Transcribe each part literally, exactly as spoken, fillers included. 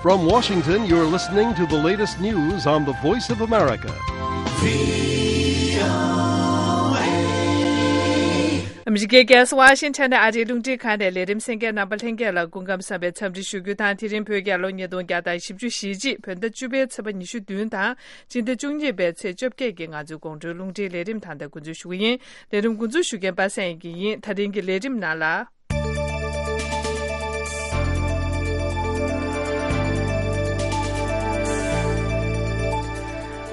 From Washington, you're listening to the latest news on the Voice of America. ཨ་མི་རི་ཀའི་རྒྱལ་ས་ཝ་ཤིང་ཊོན་ནས་ཨ་རིའི་རླུང་འཕྲིན་ཁང་ནས་ལས་རིམ་གསན་མཁན་རྣམ་པ་ལྷན་རྒྱས་ལ་སྐུ་ཁམས་བཟང་བའི་འཚམས་འདྲི་ཞུ་རྒྱུ་དང་། དེ་རིང་བོད་རྒྱལ་ལོ་ཉིས་སྟོང་བརྒྱ་དང་བཞི་བཅུ་ཞེ་གཅིག་བོད་ཟླ་བཅུ་པའི་ཚེས་པ་ཉི་ཤུ་བདུན་དང་། སྤྱི་ཟླ་བཅུ་གཉིས་པའི་ཚེས་བཅོ་བརྒྱད་ཀྱི་ང་ཚོའི་དགོང་དྲོའི་རླུང་འཕྲིན་ལས་རིམ་ད་ལྟ་འགོ་འཛུགས་ཞུ་གི་ཡིན། ལས་རིམ་འགོ་འཛུགས་ཞུ་མཁན་པ་སངས་ཡིན་ཡིན། ད་རིང་གི་ལས་རིམ་ནང་ལ།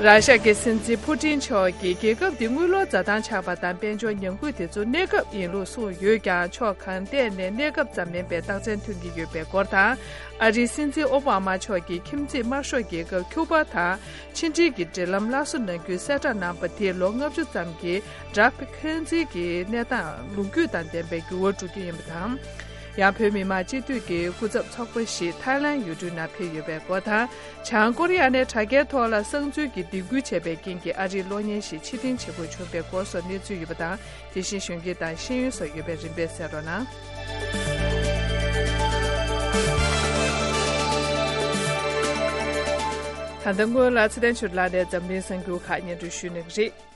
ར་ཤ་གི་སྲིད་འཛིན་ཕུ་ཏིན་མཆོག་གིས་རྒྱལ་ཁབ་འདི་དངུལ་ལོར་འཛའ་ཐང་ཆགས་པ་དང་། དཔལ་འབྱོར་ཉམས་རྒུད་དེ་ཚོ་གནས་སྐབས་ཡིན་ལུགས་གསུངས་ཡོད་ཀྱང་། ཕྱོགས་གང་ཐད་ནས་གནས་སྐབས་ཙམ་མིན་པའི་རྟགས་མཚན་ཐོན་གྱི་ཡོད་པའི་སྐོར་དང་། ཨ་རིའི་སྲིད་འཛིན་ཨོ་བྷ་མ་མཆོག་གིས་ཁྱིམ་མཚེས་དམར་ཤོག་རྒྱལ་ཁབ་ཁྱུ་པ་དང་ཕྱི་འབྲེལ་གྱི་འབྲེལ་ལམ་སླར་གསོ་གནང་རྒྱུའི་གསལ་བསྒྲགས་གནང་པ་དེས་ལོ་ལྔ་བཅུ་ཙམ་གྱི་དྲག་འཕེལ་འཁོན་འཛིན་གྱི་གནས་སྟངས་ལོ་རྒྱུས་དང་ལྡན་པའི་འགྱུར་བ་འགྲོ་རྒྱུ་ཡིན་པ་དང་། ཡང་བོད་མི་མང་སྤྱི་འཐུས་ཀྱི་སྐུ་ཚབ་ཚོགས་པ་ཞིག་ཐའི་ལན་ཡུལ་གྲུའི་ནང་ཕེབས་ཡོད་པའི་སྐོར་དང་། བྱང་ཀོ་རི་ཡ་ནས་དྲ་རྒྱའི་ཐོག་ལ་གསང་འཛུལ་གྱིས་སྡིགས་སྐུལ་བྱས་པའི་རྐྱེན་གྱིས་ཨ་རིའི་གློག་བརྙན་ཞིག་ཕྱིར་འཐེན་བྱེད་དགོས་བྱུང་བའི་སྐོར་སོགས་གནས་ཚུལ་ཡོད་པ་དང་། དེ་བཞིན་གཞོན་སྐྱེས་དང་ཤེས་ཡོན་སོགས་ཡོད་པས་རིམ་པས་གསན་རོགས་གནང་། ད་ལྟ་སྔོན་ལ་ཚེ་བརྟན་ཆོས་སྒྲོན་ལགས་ནས་འཛམ་གླིང་གསར་འགྱུར་ཁག་སྙན་སྒྲོན་ཞུ་གནང་གི་རེད།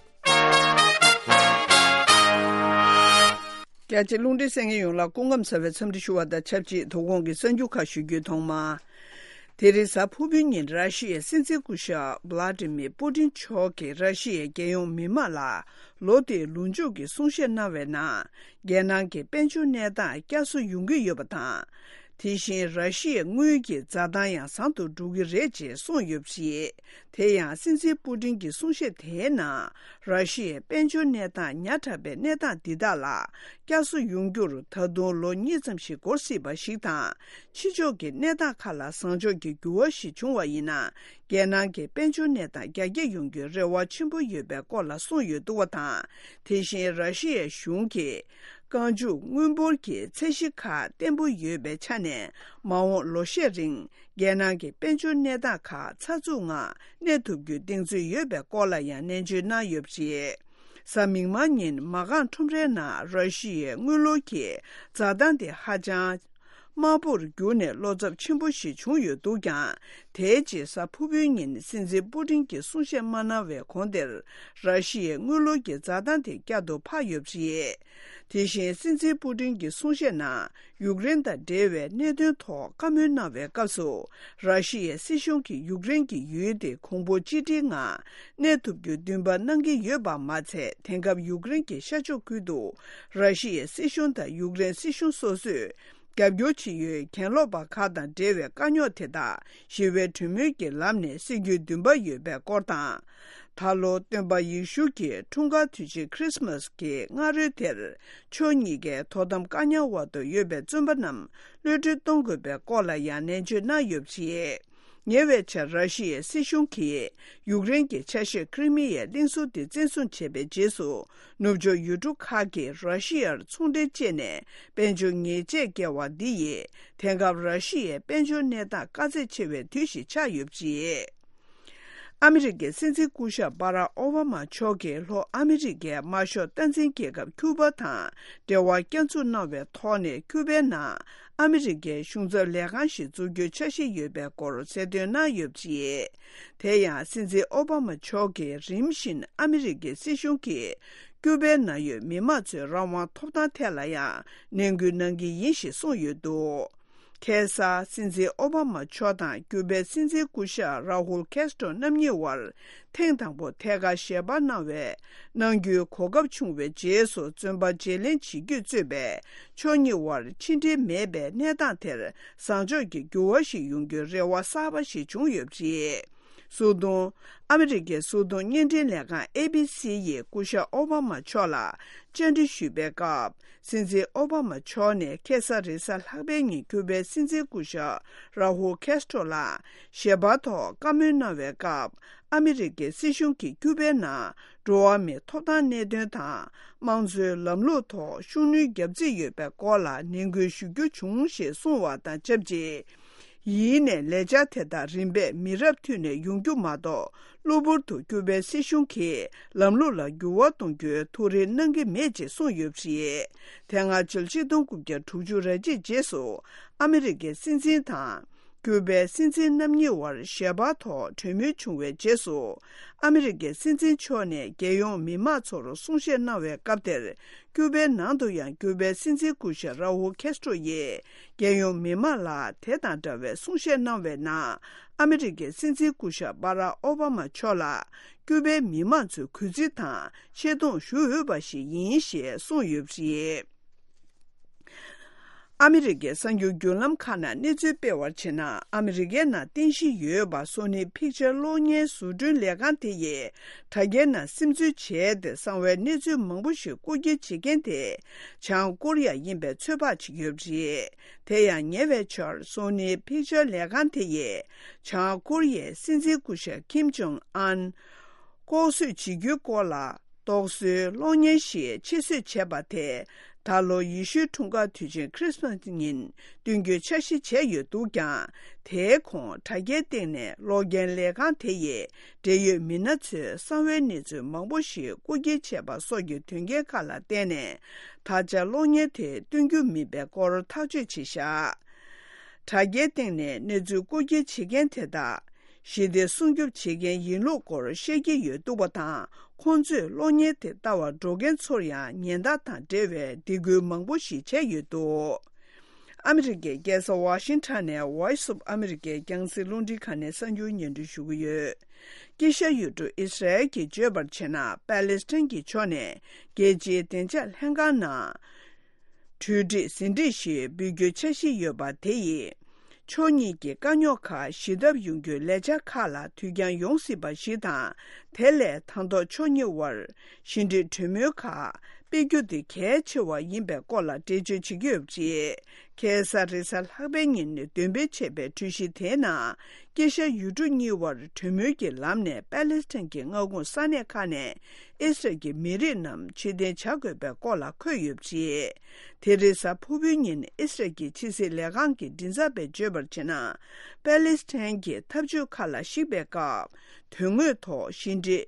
རྒྱ་ཆེ་རླུང་འཕྲིན་གསན་མཁན་ཡོངས་ལ་སྐུ་ཁམས་བཟང་བའི་འཚམས་འདྲི་ཞུ་བ་དང་ཆབས་ཅིག་དོ་དགོང་གི་གསར་འགྱུར་ཁག་ཞུ་རྒྱུའི་ཐོག་མ། དེ་རིང་གཟའ་ཕུར་བུའི་ཉིན་ར་ཤི་ཡའི་སྲིད་འཛིན་སྐུ་ཞབས་བྷ་ལ་ཏི་མིར་པུ་ཏིན་མཆོག་གིས་ར་ཤི་ཡའི་རྒྱལ་ཡོངས་མི་མང་ལ་ལོ་འདིའི་ལོ་མཇུག་གི་གསུང་བཤད་གནང་བའི་ནང་། རྒྱལ་ནང་གི་དཔལ་འབྱོར་གནས་སྟངས་བསྐྱར་གསོ་ཡོང་གི་ཡོད་པ་དང་། དེ་བཞིན་ར་ཤི་ཡའི་དངུལ་གྱི་འཛའ་ཐང་ཡང་བཟང་དུ་འགྲོ་གི་རེད་ཅེས་གསུངས་ཡོད་པ་རེད། དེ་ཡང་སྲིད་འཛིན་པུ་ཏིན་གྱི་གསུང་བཤད་དེའི་ནང་། ར་ཤི་ཡའི་དཔལ་འབྱོར་གནས་སྟངས་ཉག་ཕྲ་བའི་གནས་སྟངས་འདི་དག་ལ་བསྐྱར་གསོ་ཡོང་རྒྱུར་ད་དུང་ལོ་གཉིས་ཙམ་ཞིག་འགོར་སྲིད་པ་ཞིག་དང་། ཕྱི་ཕྱོགས་ཀྱི་གནས་སྟངས་ཁག་ལ་བཟང་ཕྱོགས་ཀྱི་འགྱུར་བ་ཞིག་བྱུང་བ་ཡིན་ན། རྒྱལ་ནང་གི་དཔལ་འབྱོར་གནས་སྟངས་རྒྱ་སྐྱེད་ཡོང་རྒྱུའི་རེ་བ་ཆེན་པོ་ཡོད་པའི་སྐོར་ལ་གསུངས་ཡོད་འདུག་པ་དང་། དེ་བཞིན་ར་ཤི་ཡའི་གཞུང་གིས། རྐང་འཇུག་དངུལ་འབོར་གྱི་ཚད་གཞི་ཁག་བརྟན་པོ་ཡོད་པའི་ཆ་ནས། མ་འོངས་ལོ་ཤས་རིང་རྒྱལ་ནང་གི་དཔལ་འབྱོར་གནས་སྟངས་ཁག་ཚགས་ཚུད་ངང་གནས་ཐུབ་རྒྱུའི་གདེང་ཚོད་ཡོད་པའི་སྐོར་ལ་ཡང་ནན་བརྗོད་གནང་ཡོད་པ་རེད། གཟའ་མིག་དམར་ཉིན་མ་རྐང་ཁྲོམ་རའི་ནང་ར་ཤི་ཡའི་དངུལ་ལོར་གྱི་འཛའ་ཐང་དེ་ཧ་ཅང་དམའ་པོར་གྱུར་ནས་བློ་འཚབ་ཆེན་པོ་ཞིག་བྱུང་ཡོད་འདུག་ཀྱང་། དེའི་རྗེས་གཟའ་ཕུར་བུའི་ཉིན་སྲིད་འཛིན་པུ་ཏིན་གྱིས་གསུང་བཤད་མ་གནང་བའི་གོང་དེར་ར་ཤི་ཡའི་དངུལ་ལོར་གྱི་འཛའ་ཐང་དེ་བསྐྱར་དུ་འཕར་ཡོད་པ་རེད། དེ་བཞིན་སྲིད་འཛིན་པུ་ཏིན་གྱི་གསུང་བཤད་ནང་ཡུཀ་རེན་དང་འབྲེལ་བའི་གནད་དོན་ཐོག་བཀའ་མོལ་གནང་བའི་སྐབས་སུ། ར་ཤི་ཡའི་སྲིད་གཞུང་གིས་ཡུཀ་རེན་གྱི་ཡུལ་དེ་གོང་བུ་གཅིག་སྒྲིལ་ངང་གནས་ཐུབ་རྒྱུའི་འདུན་པ་གནང་གི་ཡོད་པ་མ་ཚད། དེང་སྐབས་ཡུཀ་རེན་གྱི་ཤར་ཕྱོགས་ཁུལ་དུ་ར་ཤི་ཡའི་སྲིད་གཞུང་དང་ཡུཀ་རེན་སྲིད་གཞུང་སོ་སོས་རྒྱབ་སྐྱོར་བྱེད་ཡུལ་གྱེན་ལོག་པ་ཁག་དང་འབྲེལ་བའི་དཀའ་རྙོག་དེ་དག་ཞི་བའི་གྲོས་མོལ་གྱི་ལམ་ནས་སེལ་རྒྱུའི་འདུན་པ་ཡོད་པའི་སྐོར་དང་། ད་ལོ་སྟོན་པ་ཡེ་ཤུ་གྱི་འཁྲུངས་སྐར་དུས་ཆེན་ཁྲིས་མས་ཀྱི་སྔ་རོལ་དེར། ཕྱོགས་གཉིས་ཀའི་དོ་དམ་བཀག་ཉར་འོག་ཏུ་ཡོད་པའི་བཙོན་པ་རྣམས་གློད་གྲོལ་གཏོང་དགོས་པའི་སྐོར་ལ་ཡང་ནན་བརྗོད་གནང་ཡོད་པ་རེད། ཉེ་བའི་ཆར་ར་ཤི་ཡའི་སྲིད་གཞུང་གིས་ཡུཀ་རེན་གྱི་ཆ་ཤས་ཁྲི་མི་ཡའི་གླིང་ཟུར་དེ་བཙན་བཟུང་བྱས་པའི་རྗེས་སུ། ནུབ་ཕྱོགས་ཡུལ་གྲུ་ཁག་གིས་ར་ཤི་ཡར་ཚོང་འབྲེལ་བཅད་ནས་དཔལ་འབྱོར་ཉེས་ཆད་བཀལ་བ་འདི་ཡིས། དེང་སྐབས་ར་ཤི་ཡའི་དཔལ་འབྱོར་གནས་སྟངས་དཀའ་ཚེགས་ཆེ་བའི་དུས་ཤིག་ཆགས་ཡོད་པ་རེད། ཨ་མི་རི་ཀའི་སྲིད་འཛིན་སྐུ་ཞབས་སྦ་རག་ཨོ་བྷ་མ་མཆོག་གིས་ལྷོ་ཨ་མི་རི་ཀའི་དམར་ཤོག་སྟངས་འཛིན་རྒྱལ་ཁབ་ཁྱུ་པ་དང་འབྲེལ་བ་བསྐྱར་འཛུགས་གནང་བའི་ཐོག་ནས། ཁྱུ་པའི་ནང་ཨ་མི་རི་ཀའི་གཞུང་ཚབ་ལས་ཁང་ཞིག་འཛུགས་རྒྱུའི་འཆར་གཞི་ཡོད་པའི་སྐོར་གསལ་སྟོན་གནང་ཡོད་པ་རེད། དེ་ཡང་སྲིད་འཛིན་ཨོ་བྷ་མ་མཆོག་གིས་རིམ་བཞིན་ཨ་མི་རི་ཀའི་སྲིད་གཞུང་གིས་ཁྱུ་པའི་ནང་ཡོད་མི་མང་ཚོའི་རང་དབང་ཐོབ་ཐང་ཐད་ལ་ཡང་ནན་སྐུལ་གནང་གི་ཡིན་ཞེས་གསུངས་ཡོད་འདུག་ཁ་སང་སྲིད་འཛིན་ཨོ་བྷ་མ་མཆོག་དང་ཁྱུ་པའི་སྲིད་འཛིན་སྐུ་ཞབས་ར་ཧུལ་ཁེ་སི་ཏྲོ་རྣམ་གཉིས་དབར་ཐེངས་དང་པོ་ཐད་ཀར་ཞལ་པར་གནང་བའི་གནང་རྒྱུའི་གོ་སྐབས་བྱུང་བའི་རྗེས་སུ། བཙོན་པ་བརྗེ་ལེན་བྱེད་རྒྱུས་གཙོས་པའི་ཕྱོགས་གཉིས་དབར་ཕྱི་འབྲེལ་མེད་པའི་གནས་སྟངས་དེར་བཟང་ཕྱོགས་ཀྱི་འགྱུར་བ་ཞིག་ཡོང་རྒྱུའི་རེ་བ་གསར་པ་ཞིག་བྱུང་ཡོད་པ་རེད། སྲིད་དོན། ཨ་མི་རི་ཀའི་སྲིད་དོན་བརྙན་འཕྲིན་ལས་ཁང་ཨེ་བི་སི་ཡིས་སྐུ་ཞབས་ཨོ་བྷ་མ་མཆོག་ལ་བཅར་འདྲི་ཞུས་པའི་སྐབས། སྲིད་འཛིན་ཨོ་བྷ་མ་མཆོག་ནས་ཁ་སང་རེས་གཟའ་ལྷག་པའི་ཉིན་ཁྱུ་པའི་སྲིད་འཛིན་སྐུ་ཞབས་ར་ཧུལ་ཁེ་སི་ཏྲོ་ལ་ཞལ་པར་ཐོག་བཀའ་མོལ་གནང་བའི་སྐབས། ཨ་མི་རི་ཀའི་སྲིད་གཞུང་གིས་ཁྱུ་པའི་ནང་འགྲོ་བ་མིའི་ཐོབ་ཐང་གནད་དོན་དང་། དམངས་གཙོའི་ལམ་ལུགས་ཐོག་ཤུགས་སྣོན་རྒྱག་རྩིས་ཡོད་པའི་སྐོར་ལ་ནན་སྐུལ་ཞུ་རྒྱུ་བྱུང་ཞེས་གསུངས་བ་དང་ཆབས་ཅིག་ཡིན་ནའི་ལས་འཆར་དེ་དག་རིམ་པས་མི་རབས་མཐུད་ནས་ཡོང་རྒྱུ་མ་གཏོགས། གློ་བུར་དུ་ཁྱུ་པའི་སྲིད་གཞུང་གིས་ལམ་ལུགས་ལ་འགྱུར་བ་གཏོང་རྒྱུའི་ཐུགས་རེ་གནང་གི་མེད་ཅེས་གསུངས་ཡོད་པ་རེད། དེ་སྔ་ཕྱི་ལོ་ཆིག་སྟོང་དགུ་བརྒྱ་དྲུག་ཅུ་རེ་གཅིག་རྗེས་སུ་ཨ་མི་རི་ཀའི་སྲིད་འཛིན་དང་ ཀྱུ་པའི་སྲིད་འཛིན་རྣམ་གཉིས་དབར་ཞལ་པར་ཐོག་གྲོས་མོལ་བྱུང་བའི་རྗེས་སུ། ཨ་མི་རི་ཀའི་སྲིད་འཛིན་མཆོག་ནས་རྒྱལ་ཡོངས་མི་མང་ཚོར་གསུང་བཤད་གནང་བའི་སྐབས་དེར། ཀྱུ་པའི་ནང་དུ་ཡང་ཀྱུ་པའི་སྲིད་འཛིན་སྐུ་ཞབས་ར་ཨུལ་ཁེ་སི་ཏྲོ་ཡིས། རྒྱལ་ཡོངས་མི་མང་ལ་དེ་དང་འདྲ་བའི་གསུང་བཤད་གནང་བའི་ནང་། ཨ་མི་རི་ཀའི་སྲིད་འཛིན་སྐུ་ཞབས་སྦ་རག་ཨོ་བྷ་མ་མཆོག་ལ། ཀྱུ་པའི་མི་མང་ཚོས་གུས་བརྩི་དང་ཆེ་མཐོང་ཞུ་འོས་པ་ཞིག་ཡིན་ཞེས་གསུངས་ཡོད་པ་རེད། ཨ་མི་རི་ཀའི་གསར་འགྱུར་བརྒྱུད་ལམ་ཁག་ནང་གནས་ཚུལ་སྤེལ་བར་བྱས་ན། ཨ་མི་རི་ཀའི་ནང་རྟེན་གཞི་ཡོད་པ་སོ་ནི་ཕིག་ཅར་གློག་བརྙན་བཟོ་སྐྲུན་ལས་ཁང་དེ་ཡིས་དྲ་རྒྱའི་ནང་སིམ་འཛུལ་བྱས་ཏེ་གསང་བའི་གནས་ཚུལ་མང་པོ་ཞིག་རྐུ་འཁྱེར་བྱེད་མཁན་དེ། བྱང་ཀོ་རི་ཡ་ཡིན་པའི་ཚོད་དཔག་བྱེད་ཀྱི་ཡོད་པ་རེད། དེ་ཡང་ཉེ་བའི་ཆར་སོ་ནི་ཕིག་ཅར་ལས་ཁང་དེ་ཡིས་བྱང་ཀོ་རི་ཡའི་སྲིད་འཛིན་སྐུ་ཞབས་ཁིམ་ཇོང་ཨན། ལྐོག་གསོད་བྱེད་རྒྱུའི་སྐོར་ལ་རྟོག་བཟོའི་གློག་བརྙན་ཞིག་ཕྱིར་བཟོས་བྱས་པ་དེ། ད་ལོ་ཡེ་ཤུའི་འཁྲུངས་སྐར་དུས་ཆེན་ཁྲིས་མ་སི་ཉིན་སྟོན་རྒྱུའི་འཆར་གཞི་བྱས་ཡོད་འདུག་ཀྱང་། དེའི་གོང་དྲ་རྒྱའི་སྟེང་ནས་གློག་རྒྱན་ལས་ཁང་དེ་ཡི་འབྲེལ་ཡོད་མི་སྣ་ཚོས་གསང་བའི་གནས་ཚུལ་མང་པོ་ཞིག་རྐུ་འཁྱེར་བྱས་པ་སོགས་ཀྱི་དོན་རྐྱེན་ཁག་ལ་བརྟེན་ནས། ད་ཆ་གློག་བརྙན་དེ་སྟོན་རྒྱུ་མིན་པའི་སྐོར་ཐག་གཅོད་བྱས་བཞག་དྲ་རྒྱའི་སྟེང་ནས་གནས་ཚུལ་རྐུ་འཁྱེར་བྱེད་མཁན་དེ་དག་ཞི་བདེ་སྲུང་སྐྱོབ་བྱེད་མཁན་ཡིན་ལུགས་སྐོར་བཤད་ཀྱི་ཡོད་འདུག་པ་དང་། ཁོང་ཚོས་གློག་བརྙན་དེ་ལྟ་བར་འགྲོ་མཁན་ཚོར་ཡང་ཉེན་བརྡ་དང་འབྲེལ་བའི་སྡིགས་སྐུལ་མང་པོ་ཞིག་བྱས་ཡོད་འདུག་ཨ་མི་རི་ཀའི་རྒྱལ་ས་ཝ་ཤིང་ཊོན་ནས་Voice of America རྒྱང་སྲིང་རླུང་འཕྲིན་ཁང་ནས་གསར་འགྱུར་སྙན་སྒྲོན་ཞུ་གི་ཡོད། དཀྱིལ་ཤར་ཡུལ་གྲུ་ཨི་སི་རལ་གྱིས་བརྗོད་པར་བྱས་ན། པ་ལེ་སི་ཐན་གྱི་ཕྱོགས་ནས་རྒྱལ་སྤྱིའི་བདེ་འཇགས་ལྷན་ཁང་ནང་གྲོས་འགྲིག་ཟིན་བྲིས་ཤིག་འབུལ་རྒྱུའི་འཆར་གཞི་ཡོད་པ་དེ་ཡིས། ཕྱོགས་གཉིས་ཀྱི་དཀའ་རྙོག་ཁག་ཞི་ཐབས་ཡོང་རྒྱུའི་ལས་འཆར་ཁག་ལ་དུས་འགྱངས་ཡོང་སྲིད་པ་ཞིག་དང་། དེ་ལས་དང་ཐོག་ཕྱོགས་གཉིས་དབར་ཞི་འགྲིག་གྲོས་མོལ་ཁག་སྤེལ་རྒྱུ་དེ་གལ་ཆེ་བ་ཡིན་པའི་སྐོར་ལ་འགྲེལ་བརྗོད་བྱེད་ཀྱི་ཡོད་པ་རེད། ཁ་སང་རེས་གཟའ་ལྷག་པའི་ཉིན་འདོན་སྤེལ་བྱས་པའི་གྲོས་གཞི་དེའི་ནང་། དཀྱིལ་ཤར་ཡུལ་གྲུ་གཉིས་དབར་གྲོས་མོལ་གྱི་ལམ་ནས་པ་ལེ་སི་ཐན་གྱི་མངའ་ཁོངས་ས་གནས་ཁག་ནས་ཨི་སི་རལ་གྱི་མི་རིགས་རྣམས་ཕྱིར་འཐེན་བྱ་དགོས་པའི་སྐོར་ལ་འཁོད་ཡོད་པ་རེད། དེ་རིང་གཟའ་ཕུར་བུའི་ཉིན་ཨི་སི་རལ་གྱི་ཕྱི་སྲིད་ལས་ཁང་གི་མགྲིན་ཚབ་པས་བརྗོད་པར་བྱས་ན། པ་ལེ་སི་ཐན་གྱི་འཐབ་ཇུས་ཁག་ལ་གཞིགས་པའི་སྐབས། དོན་དངོས་ཐོག་ཞི་འགྲིག་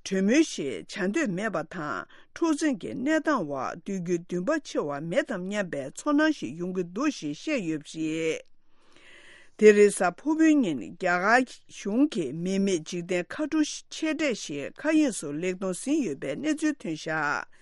གྲོས་མོལ་ཞིག་བྱ་འདོད་མེད་པ་དང་། འཁྲུག་འཛིང་གི་གནས་སྟངས་འོག་སྡོད་རྒྱུའི་འདུན་པ་ཆེ་བ་མེད་དམ་སྙམ་པའི་ཚོར་སྣང་ཞིག་ཡོང་གི་འདུག་ཞེས་བཤད་ཡོད་པ་རེད། དེ་རིང་གཟའ་ཕུར་བུའི་ཉིན་རྒྱ་གར་གཞུང་གིས་མི་མེད་འཇིག་རྟེན་མཁའ་འགྲུལ་ཆེ་གྲས་ཤིག་མཁའ་དབྱིངས་སུ་ལེགས་གཏོང་ཟིན་ཡོད་པའི་གནས་ཚུལ་ཐོན་བཞག་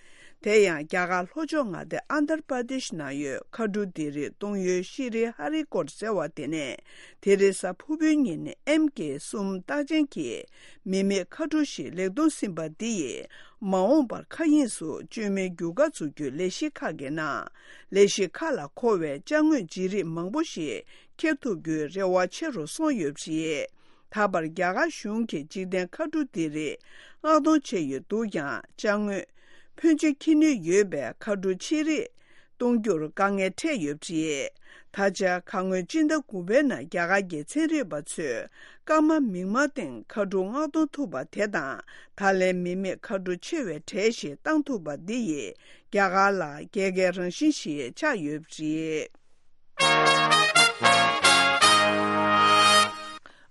དེ་ཡང་རྒྱ་གར་ལྷོ་ཕྱོགས་མངའ་སྡེ་ཨན་དར་པ་དེཤ་ནང་ཡོད་མཁའ་འགྲུལ་ལྡེབས་རིས་གཏོང་ཡུལ་ཤྲི་ཧ་རི་ཀོཊ་ཟེར་བ་དེ་ནས། དེ་རིང་གཟའ་ཕུར་བུའི་ཉིན་ཨེམ་ཀེ་གསུམ་རྟགས་ཅན་གྱི་མི་མེད་མཁའ་འགྲུལ་ཞིག་ལེགས་གཏོང་ཟིན་པ་འདི་ཡིས། མ་འོངས་པར་མཁའ་དབྱིངས་སུ་བཅོས་མིན་རྒྱུ་སྐར་འཛུགས་རྒྱུའི་ལས་གཞི་ཁག་གི་ནང་། ལས་གཞི་ཁག་ལ་མཁོ་བའི་ཅ་དངོས་བརྗེ་རིས་མང་པོ་ཞིག་འཁྱེར་ཐུབ་རྒྱུའི་རེ་བ་ཆེ་རུ་སོང་ཡོད་པ་རེད། ད་བར་རྒྱ་གར་གཞུང་གིས་འཇིག་རྟེན་མཁའ་འགྲུལ་ལྡེབས་རིས་མངགས་གཏོང་བྱས་ཡོད་འདུག་ཀྱང་། ཅ་དངོས་ཕོན་ཆེ་འཁྱེར་ནུས་ཡོད་པའི་མཁའ་འགྲུལ་ཆེ་རིགས་གཏོང་རྒྱུར་དཀའ་ངལ་འཕྲད་ཡོད་པ་རེད། ད་ཆ་ཁ་སྔོན་སྤྱི་ཟླ་དགུ་པའི་ནང་རྒྱ་གར་གྱི་ཚན་རིག་པ་ཚོས་སྐར་མ་མིག་དམར་སྟེང་མཁའ་འགྲུལ་མངགས་གཏོང་ཐུབ་པ་དེ་དང་། ད་ལན་མི་མེད་མཁའ་འགྲུལ་ཆེ་བའི་གྲས་ཤིག་བཏང་ཐུབ་པ་འདི་ཡིས་རྒྱ་གར་ལ་རྒྱལ་ཁའི་རང་བཞིན་ཞིག་ཆགས་ཡོད་པ་རེད།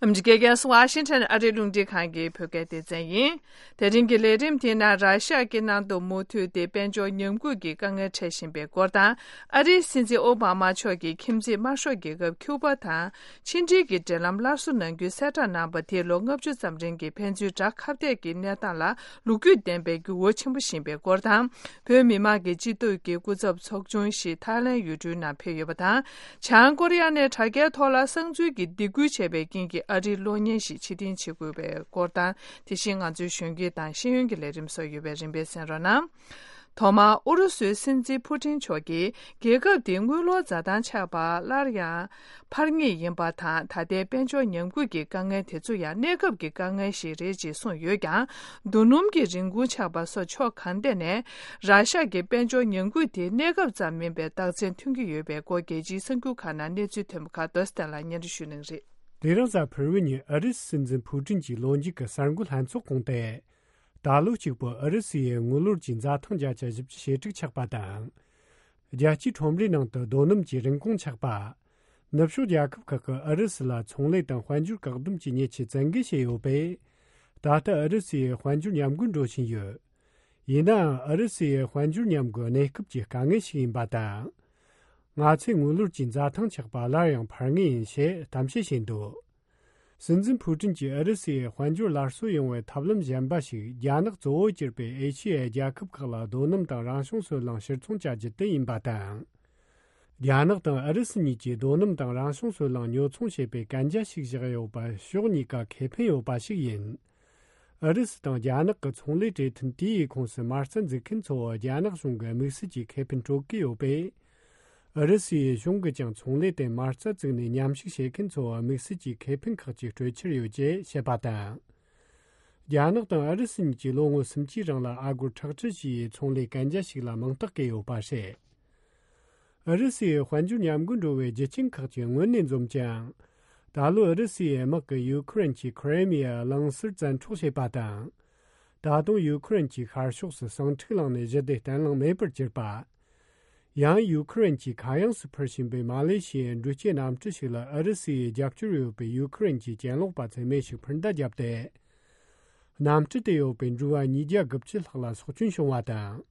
ཨ་མི་རི་ཀའི་རྒྱལ་ས་ཝ་ཤིང་ཊོན་ཨ་རིའི་རླུང་འཕྲིན་ཁང་གི་བོད་སྐད་སྡེ་ཚན་ཡིན། དེ་རིང་གི་ལས་རིམ་དེའི་ནང་ར་ཤ་ཡ་གི་ནང་དུ་མུ་མཐུད་དེ་དཔལ་འབྱོར་ཉམས་རྒུད་ཀྱི་དཀའ་ངལ་འཕྲད་བཞིན་པའི་སྐོར་དང་། ཨ་རིའི་སྲིད་འཛིན་ཨོ་བྷ་མ་མཆོག་གིས་ཁྱིམ་མཚེས་དམར་ཤོག་རྒྱལ་ཁབ་ཁྱུ་པ་དང་ཕྱི་འབྲེལ་གྱི་འབྲེལ་ལམ་སླར་གསོ་གནང་རྒྱུའི་གསལ་བསྒྲགས་གནང་བ་དེས་ལོ་ལྔ་བཅུ་ཙམ་རིང་གི་ཕན་ཚུན་དགྲ་ཁ་གཏད་ཀྱི་གནས་སྟངས་ལ་ལོ་རྒྱུས་ལྡན་པའི་འགྱུར་བ་ཆེན་པོ་ཕྱིན་པའི་སྐོར་དང་། བོད་མི་མང་གི་སྤྱི་འཐུས་ཀྱི་སྐུ་ཚབ་ཚོགས་ཆུང་ཞིག་ཐའི་ལེན་ཡུལ་གྲུའི་ནང་ཕེབས་ཡོད་པ་དང་། བྱང་ཀོ་རི་ཡ་ནས་དྲ་རྒྱའི་ཐོག་ལ་གསང་འཛུལ་གྱིས་སྡིགས་སྐུལ་བྱས་པའི་རྐྱེན་གྱིས་ཨ་རིའི་གློག་བརྙན་ཞིག་ཕྱིར་འཐེན་བྱེད་དགོས་པའི་སྐོར་དང་། དེ་བཞིན་ང་ཚོའི་གཞོན་སྐྱེས་དང་ཤེས་ཡོན་གྱི་ལས་རིམ་སོགས་ཡོད་པས་རིམ་པས་གསན་རོགས་གནང་། ཐོག་མར་ཨུ་རུ་སུའི་སྲིད་འཛིན་ཕུ་ཊིན་མཆོག་གིས་རྒྱལ་ཁབ་དེའི་དངུལ་ལོར་འཛའ་ཐང་ཆག་པ་སླར་ཡང་འཕར་ངེས་ཡིན་པ་དང་། ད་ལྟའི་དཔལ་འབྱོར་ཉམས་རྒུད་ཀྱི་དཀའ་ངལ་དེ་ཚོ་ཡང་གནས་སྐབས་ཀྱི་དཀའ་ངལ་ཞིག་རེད་ཅེས་གསུངས་ཡོད་ཀྱང་། རྡོ་སྣུམ་གྱི་རིན་གོང་ཆག་པ་སོགས་ཕྱོགས་གང་ཐད་ནས་ར་ཤ་གི་དཔལ་འབྱོར་ཉམས་རྒུད་དེ་གནས་སྐབས་ཙམ་མིན་པའི་རྟགས་མཚན་ཐོན་གྱི་ཡོད་པའི་སྐོར་རྒྱལ་སྤྱིའི་གསར་འགྱུར་ཁག་ནང་གནས་ཚུལ་ཐོན་པ་ཁག་རྡོ་སྟན་ལ་སྙན་སྒྲོན་ཞུ་གནང་རེད། དེ་རིང་གཟའ་ཕུར་བུ་ཉིན་ཨ་རིའི་སྲིད་འཛིན་ཕུ་ཀྲིན་གྱིས་ལོ་མཇུག་གི་གསར་འགོད་ལྷན་ཚོགས་སྐོང་སྟེ། ད་ལོ་གཅིག་པོ་ཨུ་རུ་སུའི་དངུལ་ལོར་གྱི་འཛའ་ཐང་བརྒྱ་ཆ་བཞི་བཅུ་ཞེ་དྲུག་ཆག་པ་དང་། རྒྱལ་སྤྱིའི་ཁྲོམ་རའི་ནང་དུ་རྡོ་སྣུམ་གྱི་རིན་གོང་ཆག་པ། ནུབ་ཕྱོགས་རྒྱལ་ཁབ་ཁག་གིས་ཨུ་རུ་སུ་ལ་ཚོང་ལས་དང་དཔལ་འབྱོར་བཀག་སྡོམ་གྱི་ཉེས་ཆད་བཙན་འགེལ་བྱས་ཡོད་པས། ད་ལྟ་ཨུ་རུ་སུའི་དཔལ་འབྱོར་ཉམས་རྒུད་འགྲོ་བཞིན་ཡོད། ཡིན་ནའང་ཨུ་རུ་སུའི་དཔལ་འབྱོར་ཉམས་རྒུད་གནས་སྐབས་ཀྱི་དཀའ་ངལ་ཞིག་ཡིན་པ་དང་། ང་ཚོས་དངུལ་ལོར་གྱི་འཛའ་ཐང་ཆག་པ་སླར་ཡང་འཕར་ངེས་ཡིན་ཞེས་གཏམ་བཤད་བྱས་འདུག། སྲིད་འཛིན་ཕུའུ་ཀྲིན་གྱིས་ཨུ་རུ་སུའི་དཔལ་འབྱོར་སླར་གསོ་ཡོང་བའི་ཐབས་ལམ་གཞན་པ་ཞིག་རྒྱ་ནག་གཙོ་བོ་གྱུར་པའི་ཨེ་ཤི་ཡའི་རྒྱལ་ཁབ་ཁག་ལ་རྡོ་སྣུམ་དང་རང་བྱུང་སོལ་རླངས་ཕྱིར་ཚོང་བྱ་རྒྱུ་དེ་ཡིན་པ་དང་། རྒྱ་ནག་དང་ཨུ་རུ་སུ་གཉིས་ཀྱིས་རྡོ་སྣུམ་དང་རང་བྱུང་སོལ་རླངས་ཉོ་ཚོང་བྱེད་པའི་གན་རྒྱ་ཞིག་བཞག་ཡོད་པ་ཕྱོགས་གཉིས་ཀ་ཁེ་ཕན་ཡོད་པ་ཞིག་ཡིན། ཨུ་རུ་སུ་དང་རྒྱ་ནག་གི་ཚོང་ལས་གྲོས་མཐུན་དེའི་ཁོངས་སུ་མ་རྩ་འཛུགས་མཁན་ཚོ་རྒྱ་ནག་གཞུང་གི་དམིགས་བསལ་གྱི་ཁེ་ཕན་སྤྲོད་ཀྱི་ཡོད་པས། ཨུ་རུ་སུའི་གཞུང་གིས་ཀྱང་ཚོང་ལས་དེ་མ་རྩ་བཙུགས་ནས་མཉམ་ཞུགས་བྱེད་མཁན་ཚོ་དམིགས་བསལ་གྱི་ཁེ་ཕན་ཁག་ཅིག་སྤྲོད་འཆར་ཡོད་ཅེས་བཤད་པ་དང་། རྒྱ་ནག་དང་ཨུ་རུ་སུ་གཉིས་ཀྱིས་ལོ་ངོ་སུམ་ཅུའི་རིང་ལ་ཨ་སྒོར་ཁྲག་ཁྲི་བཞི་ཡི་ཚོང་ལས་གན་རྒྱ་ཞིག་ལ་མིང་རྟགས་བཀོད་ཡོད་པ་རེད། ཨུ་རུ་སུའི་དཔལ་འབྱོར་ཉམས་རྒུད་འགྲོ་བའི་རྒྱུ་རྐྱེན་ཁག་ཅིག་སྔོན་ནས་འཛོམས་ཀྱང་། ད་ལོ་ཨུ་རུ་སུའི་དམག་གིས་ཡུ་ཁུ་རེན་གྱི་ཁི་རེ་མི་ཡ་གླིང་ཟུར་བཙན་འཕྲོག་བྱས་པ་དང་། ད་དུང་ཡུ་ཁུ་རེན་གྱི་ཤར་ཕྱོགས་སུ་ཟིང་འཁྲུག་ལངས་ནས་ཞི་བདེ་བརྟན་ལྷིང་མེད་པར་གྱུར་པ། ཡང་ཡུ་ཁུ་རེན་གྱིས་ཁ་གཡང་སུ་འཕུར་བཞིན་པའི་མ་ལེ་ཤི་ཡའི་འགྲུལ་སྐྱེལ་གནམ་གྲུ་ཞིག་ལ་ཨུ་རུ་སུའི་རྒྱབ་སྐྱོར་ཡོད་པའི་ཡུ་ཁུ་རེན་གྱི་གྱེན་ལོག་པ་ཚོས་མེ་ཞིག་འཕུར་མདའ་བརྒྱབ་སྟེ། གནམ་གྲུ་དེ་ཡོད་པའི་འགྲུལ་བ་ཉིས་བརྒྱ་དགུ་བཅུ་ལྷག་ལ་སྲོག་སྐྱོན་བྱུང་བ་དང་།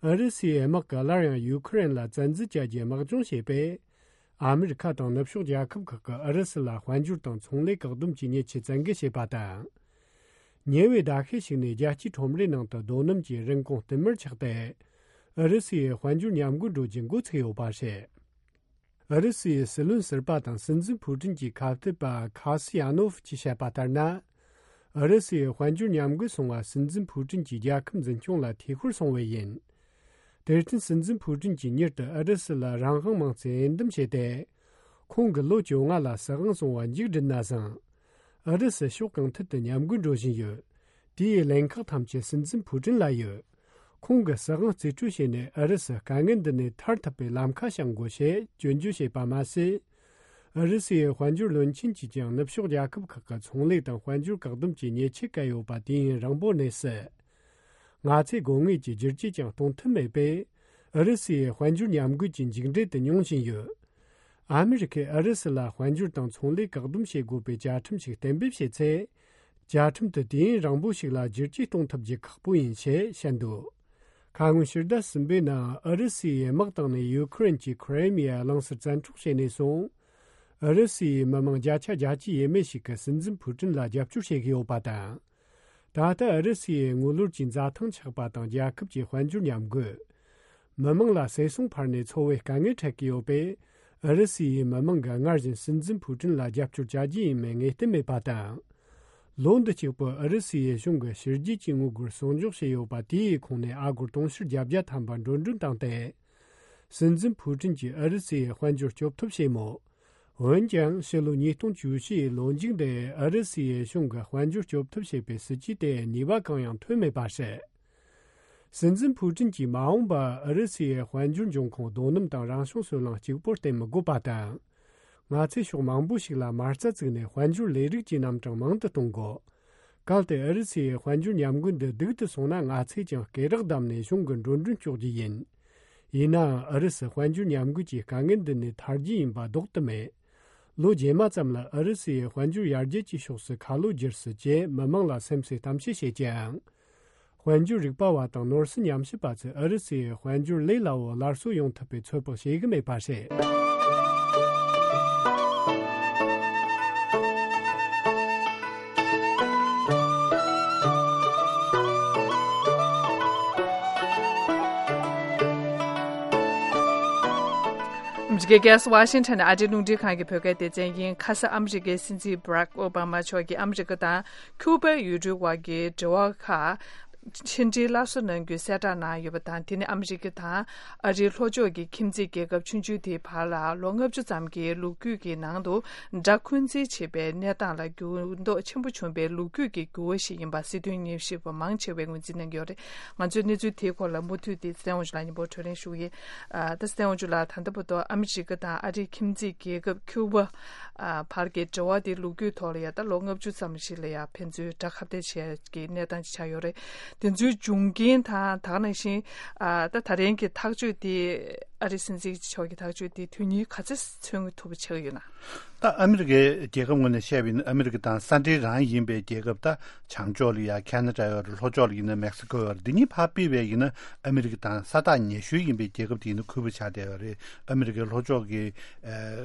ཨུ་རུ་སུའི་དམག་གིས་སླར་ཡང་ཡུ་ཁུ་རེན་ལ་བཙན་འཛུལ་བྱ་རྒྱུའི་དམག་སྦྱོང་བྱས་པས། ཨ་མི་རི་ཁ་དང་ནུབ་ཕྱོགས་རྒྱལ་ཁབ་ཁག་གིས་ཨུ་རུ་སུ་ལ་དཔལ་འབྱོར་དང་ཚོང་ལས་བཀག་སྡོམ་གྱི་ཉེས་ཆད་བཙན་འགེལ་བྱས་པ་དང་། ཉེ་བའི་ཟླ་ཤས་ཤིག་ནས་རྒྱལ་སྤྱིའི་ཁྲོམ་རའི་ནང་དུ་རྡོ་སྣུམ་གྱི་རིན་གོང་བསྟུད་མར་ཆག་སྟེ། ཨུ་རུ་སུའི་དཔལ་འབྱོར་ཉམས་རྒུད་འགྲོ་རྒྱུ་འགོ་ཚུགས་ཡོད་པ་རེད། ཨུ་རུ་སུའི་སྲིད་བློན་ཟུར་པ་དང་སྲིད་འཛིན་ཕུའུ་ཀྲིན་གྱི་ཁ་གཏད་པ་ཁ་སི་ཡ་ནོ་ཕ་གྱིས་བཤད་པ་ལྟར་ན། ཨུ་རུ་སུའི་དཔལ་འབྱོར་ཉམས་རྒུད་སོང་བ་སྲིད་འཛིན་ཕུའུ་ཀྲིན་གྱིས་རྒྱལ་ཁབ་འཛིན་སྐྱོང་ལ་ཐེ་ཁུར་སོང་བས་ཡིན། དེར་བརྟེན་སྲིད་འཛིན་ཕུའུ་ཀྲིན་གྱིས་མྱུར་དུ་ཨུ་རུ་སུ་ལ་རང་དབང་དམངས་གཙོའི་འོས་འདེམས་བྱས་ཏེ། ཁོང་གིས་ལོ་བཅོ་ལྔ་ལ་སྲིད་དབང་སྲུང་བ་མཇུག་བསྒྲིལ་ན་བཟང་། ཨུ་རུ་སུ་ཕྱོགས་གང་ཐད་དུ་ཉམས་རྒུད་འགྲོ་བཞིན་ཡོད། དེའི་ལན་ཁག་ཐམས་ཅད་སྲིད་འཛིན་ཕུའུ་ཀྲིན་ལ་ཡོད། ཁོང་གིས་སྲིད་དབང་རྩིས་སྤྲོད་བྱས་ནས་ཨུ་རུ་སུ་དཀའ་ངལ་འདི་ནས་ཐར་ཐུབ་པའི་ལམ་ཁ་བཤད་དགོས་ཞེས་སྐྱོན་བརྗོད་བྱས་པ་མ་ཟད། ཨུ་རུ་སུའི་དཔལ་འབྱོར་བློན་ཆེན་གྱིས་ཀྱང་ནུབ་ཕྱོགས་རྒྱལ་ཁབ་ཁག་གི་ཚོང་ལས་དང་དཔལ་འབྱོར་བཀག་སྡོམ་གྱི་ཉེས་ཆད་བཀལ་ཡོད་པ་དུས་ཡུན་རིང་པོའི་གནས་སུ། ང་ཚོས་དགོས་ངེས་ཀྱི་བསྒྱུར་བཅོས་ཀྱང་གཏོང་ཐུབ་མེད་པས། ཨུ་རུ་སུའི་དཔལ་འབྱོར་ཉམས་རྒུད་ཀྱི་མཇུག་འབྲས་དེ་མྱོང་བཞིན་ཡོད། ཨ་མི་རི་ཁས་ཨུ་རུ་སུ་ལ་དཔལ་འབྱོར་དང་ཚོང་ལས་བཀག་སྡོམ་བྱེད་དགོས་པའི་བཅའ་ཁྲིམས་ཤིག་གཏན་འབེབས་བྱས་ཚེ། བཅའ་ཁྲིམས་དེ་དུས་ཡུན་རིང་པོ་ཞིག་ལ་བསྒྱུར་བཅོས་གཏོང་ཐུབ་རྒྱུ་ཁག་པོ་ཡིན་ཞེས་བཤད་འདུག། ཁ་སྔོན་ཕྱི་ཟླ་གསུམ་པའི་ནང་ཨུ་རུ་སུའི་དམག་བཏང་ནས་ཡུ་ཁུ་རེན་གྱི་ཁི་རེ་མི་ཡ་གླིང་ཟུར་བཙན་འཕྲོག་བྱས་ནས་བཟུང་། ཨུ་རུ་སུའི་མི་མང་བརྒྱ་ཆ་བརྒྱད་ཅུ་ཡས་མས་ཤིག་གིས་སྲིད་འཛིན་ཕུའུ་ཀྲིན་ལ་རྒྱབ་སྐྱོར་བྱེད་ཀྱི་ཡོད་པ་དང་། ད་ལྟ་ཨུ་རུ་སུའི་དངུལ་ལོར་གྱི་འཛའ་ཐང་ཆག་པ་དང་རྒྱལ་ཁབ་ཀྱི་དཔལ་འབྱོར་ཉམས་རྒུད། མི་མང་ལ་ཟས་སོང་འཕར་ནས་འཚོ་བའི་དཀའ་ངལ་འཕྲད་ཀྱི་ཡོད་པས། ཨུ་རུ་སུའི་མི་མང་གིས་སྔར་བཞིན་སྲིད་འཛིན་ཕུའུ་ཀྲིན་ལ་རྒྱབ་སྐྱོར་བྱ་རྒྱུ་ཡིན་མིན་ངེས་གཏན་མེད་པ་དང་། ལོ་འདི་གཅིག་པུ་ཨུ་རུ་སུའི་གཞུང་གིས་ཕྱི་རྒྱལ་གྱི་དངུལ་སྒོར་གསོག་འཇོག་བྱས་ཡོད་པ་དེའི་ཁོངས་ནས་ཨ་སྒོར་དུང་ཕྱུར་བརྒྱད་བརྒྱ་ཐམ་པ་འགྲོ་གྲོན་བཏང་སྟེ། སྲིད་འཛིན་ཕུའུ་ཀྲིན་གྱིས་ཨུ་རུ་སུའི་དཔལ་འབྱོར་སྐྱོབ་ཐབས་བྱས་མོད། འོན་ཀྱང་ཕྱི་ལོ་ཉིས་སྟོང་བཅུ་བཞི་ཡི་ལོ་མཇུག་འདིར་ཨུ་རུ་སུའི་གཞུང་གིས་དཔལ་འབྱོར་སྐྱོབ་ཐབས་བྱེད་པའི་སྲིད་ཇུས་དེ་ནུས་པ་གང་ཡང་ཐོན་མེད་པ་རེད། སྲིད་འཛིན་ཕུའུ་ཀྲིན་གྱིས་མ་འོངས་པར་ཨུ་རུ་སུའི་དཔལ་འབྱོར་འབྱུང་ཁུངས་རྡོ་སྣུམ་དང་རང་བྱུང་སོལ་རླངས་གཅིག་པོར་བརྟེན་མི་དགོས་པ་དང་། ང་ཚོས་ཕྱོགས་མང་པོ་ཞིག་ལ་མ་རྩ་བཙུགས་ནས་དཔལ་འབྱོར་ལས་རིགས་ཀྱི་རྣམ་གྲངས་མང་དུ་གཏོང་དགོས། གལ་ཏེ་ཨུ་རུ་སུའི་དཔལ་འབྱོར་ཉམས་རྒུད་འདི་སྡུག་ཏུ་སོང་ན་ང་ཚོས་ཀྱང་སྐེ་རགས་བསྡམས་ནས་གཞུང་གི་འགྲོ་གྲོན་གཅོག་རྒྱུ་ཡིན། ཡིན་ནའང་ཨུ་རུ་སུ་དཔལ་འབྱོར་ཉམས་རྒུད་ཀྱི་དཀའ་ངལ་འདི་ནས་ཐར་རྒྱུ་ཡིན་པ་ལྡོག་ཏུ་མེད། ལོ་རྗེས་མ་ཙམ་ལ་ཨུ་རུ་སུའི་དཔལ་འབྱོར་ཡར་རྒྱས་ཀྱི་ཕྱོགས་སུ་ཁ་ལོ་བསྒྱུར་སྲིད་ཅེས་མི་མང་ལ་སེམས་གསོའི་གཏམ་བཤད་བྱེད་ཀྱང་། དཔལ་འབྱོར་རིག་པ་བ་དང་ནོར་སྲིད་ཉམས་ཞིབ་པ་ཚོས་ཨུ་རུ་སུའི་དཔལ་འབྱོར་ལས་སླ་བོ་སླར་གསོ་ཡོང་ཐུབ་པའི་ཚོད་དཔག་བྱེད་ཀྱི་མེད་པ་རེད། ཨ་མི་རི་ཀའི་རྒྱལ་ས་ཝ་ཤིང་ཊོན་ནས་ཨ་རིའི་རླུང་འཕྲིན་ཁང་གི་བོད་སྐད་སྡེ་ཚན་ཡིན། ཁ་སང་ཨ་མི་རི་ཀའི་སྲིད་འཛིན་བྷ་རག་ཨོ་བྷ་མ་མཆོག་གིས་ཨ་མི་རི་ཀ་དང་ཁྱུ་པའི་ཡུལ་གྲུའི་དབར་གྱི་འབྲེལ་བ་ཁག་ཕྱི་འབྲེལ་སླར་གསོ་གནང་རྒྱུའི་གསལ་བསྒྲགས་གནང་ཡོད་པ་དང་། དེ་ནི་ཨ་མི་རི་ཀ་དང་ཨ་རིའི་ལྷོ་ཕྱོགས་ཀྱི་ཁྱིམ་མཚེས་རྒྱལ་ཁབ་ཆུང་ཆུང་དེའི་བར་ལ་ལོ་ལྔ་བཅུ་ཙམ་གྱི་ལོ་རྒྱུས་ཀྱི་ནང་དུ་དགྲ་འཁོན་འཛིན་བྱེད་པའི་གནས་སྟངས་ལ་འགྱུར་ལྡོག་ཆེན་པོ་བྱུང་བའི་ལོ་རྒྱུས་ཀྱི་འགྱུར་བ་ཞིག་ཡིན་པ་སྲིད་དོན་ཉམས་ཞིབ་པ་མང་ཆེ་བས་ངོས་འཛིན་གནང་གི་ཡོད་རེད། ང་ཚོས་གནས་ཚུལ་དེའི་སྐོར་ལ་མུ་མཐུད་དེ་ཚེ་བརྟན་དབང་ཕྱུག་ལགས་མཉམ་པོ་གྲོས་གླེང་ཞུ་གི་ཡིན། ཨ། ད་ཚེ་བརྟན་དབང་ཕྱུག་ལགས། ད་ལྟ་བར་དུ་ཨ་མི་རི་ཀ་དང་ཨ་རིའི་ཁྱིམ་མཚེས་རྒྱལ་ཁབ་ཁྱུ་པ། ཨ། བར་གྱི་འབྲེལ་བ་དེ་ལོ་རྒྱུས་ཐོག་ལ་ཡ་ད་ལོ་ལྔ་བཅུ་ཙམ་ཞིག་ལ་ཡ་ཕན་ཚུན་དགྲ་ཁ་གཏད་བྱས་ཀྱི་གནས་སྟངས་ཅིག་ཆགས་ཡོད་རེད། དེ་ཚོའི་འབྱུང་རྐྱེན་དང་། ད་ག་ནང་བཞིན། ཨ། ད་ད་རིང་གི་ཐག་གཅོད་དེ། ཨ་རིའི་སྲིད་འཛིན་མཆོག་གི་ཐག་གཅོད་དེ་དོན་སྙིང་ག་ཚོད་མཚོན་ཐུབ་པ་ཆགས་ཀྱི་ཡོད་ན། ད་ཨ་མི་རི་ཀའི་རྒྱལ་ཁབ་ངོས་ནས་བཤད་པ་ཡིན་ན། ཨ་མི་རི་ཀ་དང་ས་འབྲེལ་རང་ཡིན་པའི་རྒྱལ་ཁབ། ད་བྱང་ཕྱོགས་ལ་ཡ་ཁ་ན་ཌ་ཡོད་རེད། ལྷོ་ཕྱོགས་ལ་ཡིན་ན་མེག་སི་ཀོ་ཡོད་རེད། འདི་གཉིས་ཕར་ཕུད་པ་ཡིན་ན་ཨ་མི་རི་ཀ་དང་ས་ཐག་ཉེ་ཤོས་ཡིན་པའི་རྒྱལ་ཁབ་དེ་ཡིན་ན་ཁུ་པ་ཆགས་བསྡད་ཡོད་རེད། ཨ་མི་རི་ཀའི་ལྷོ་ཕྱོགས་ཀྱི་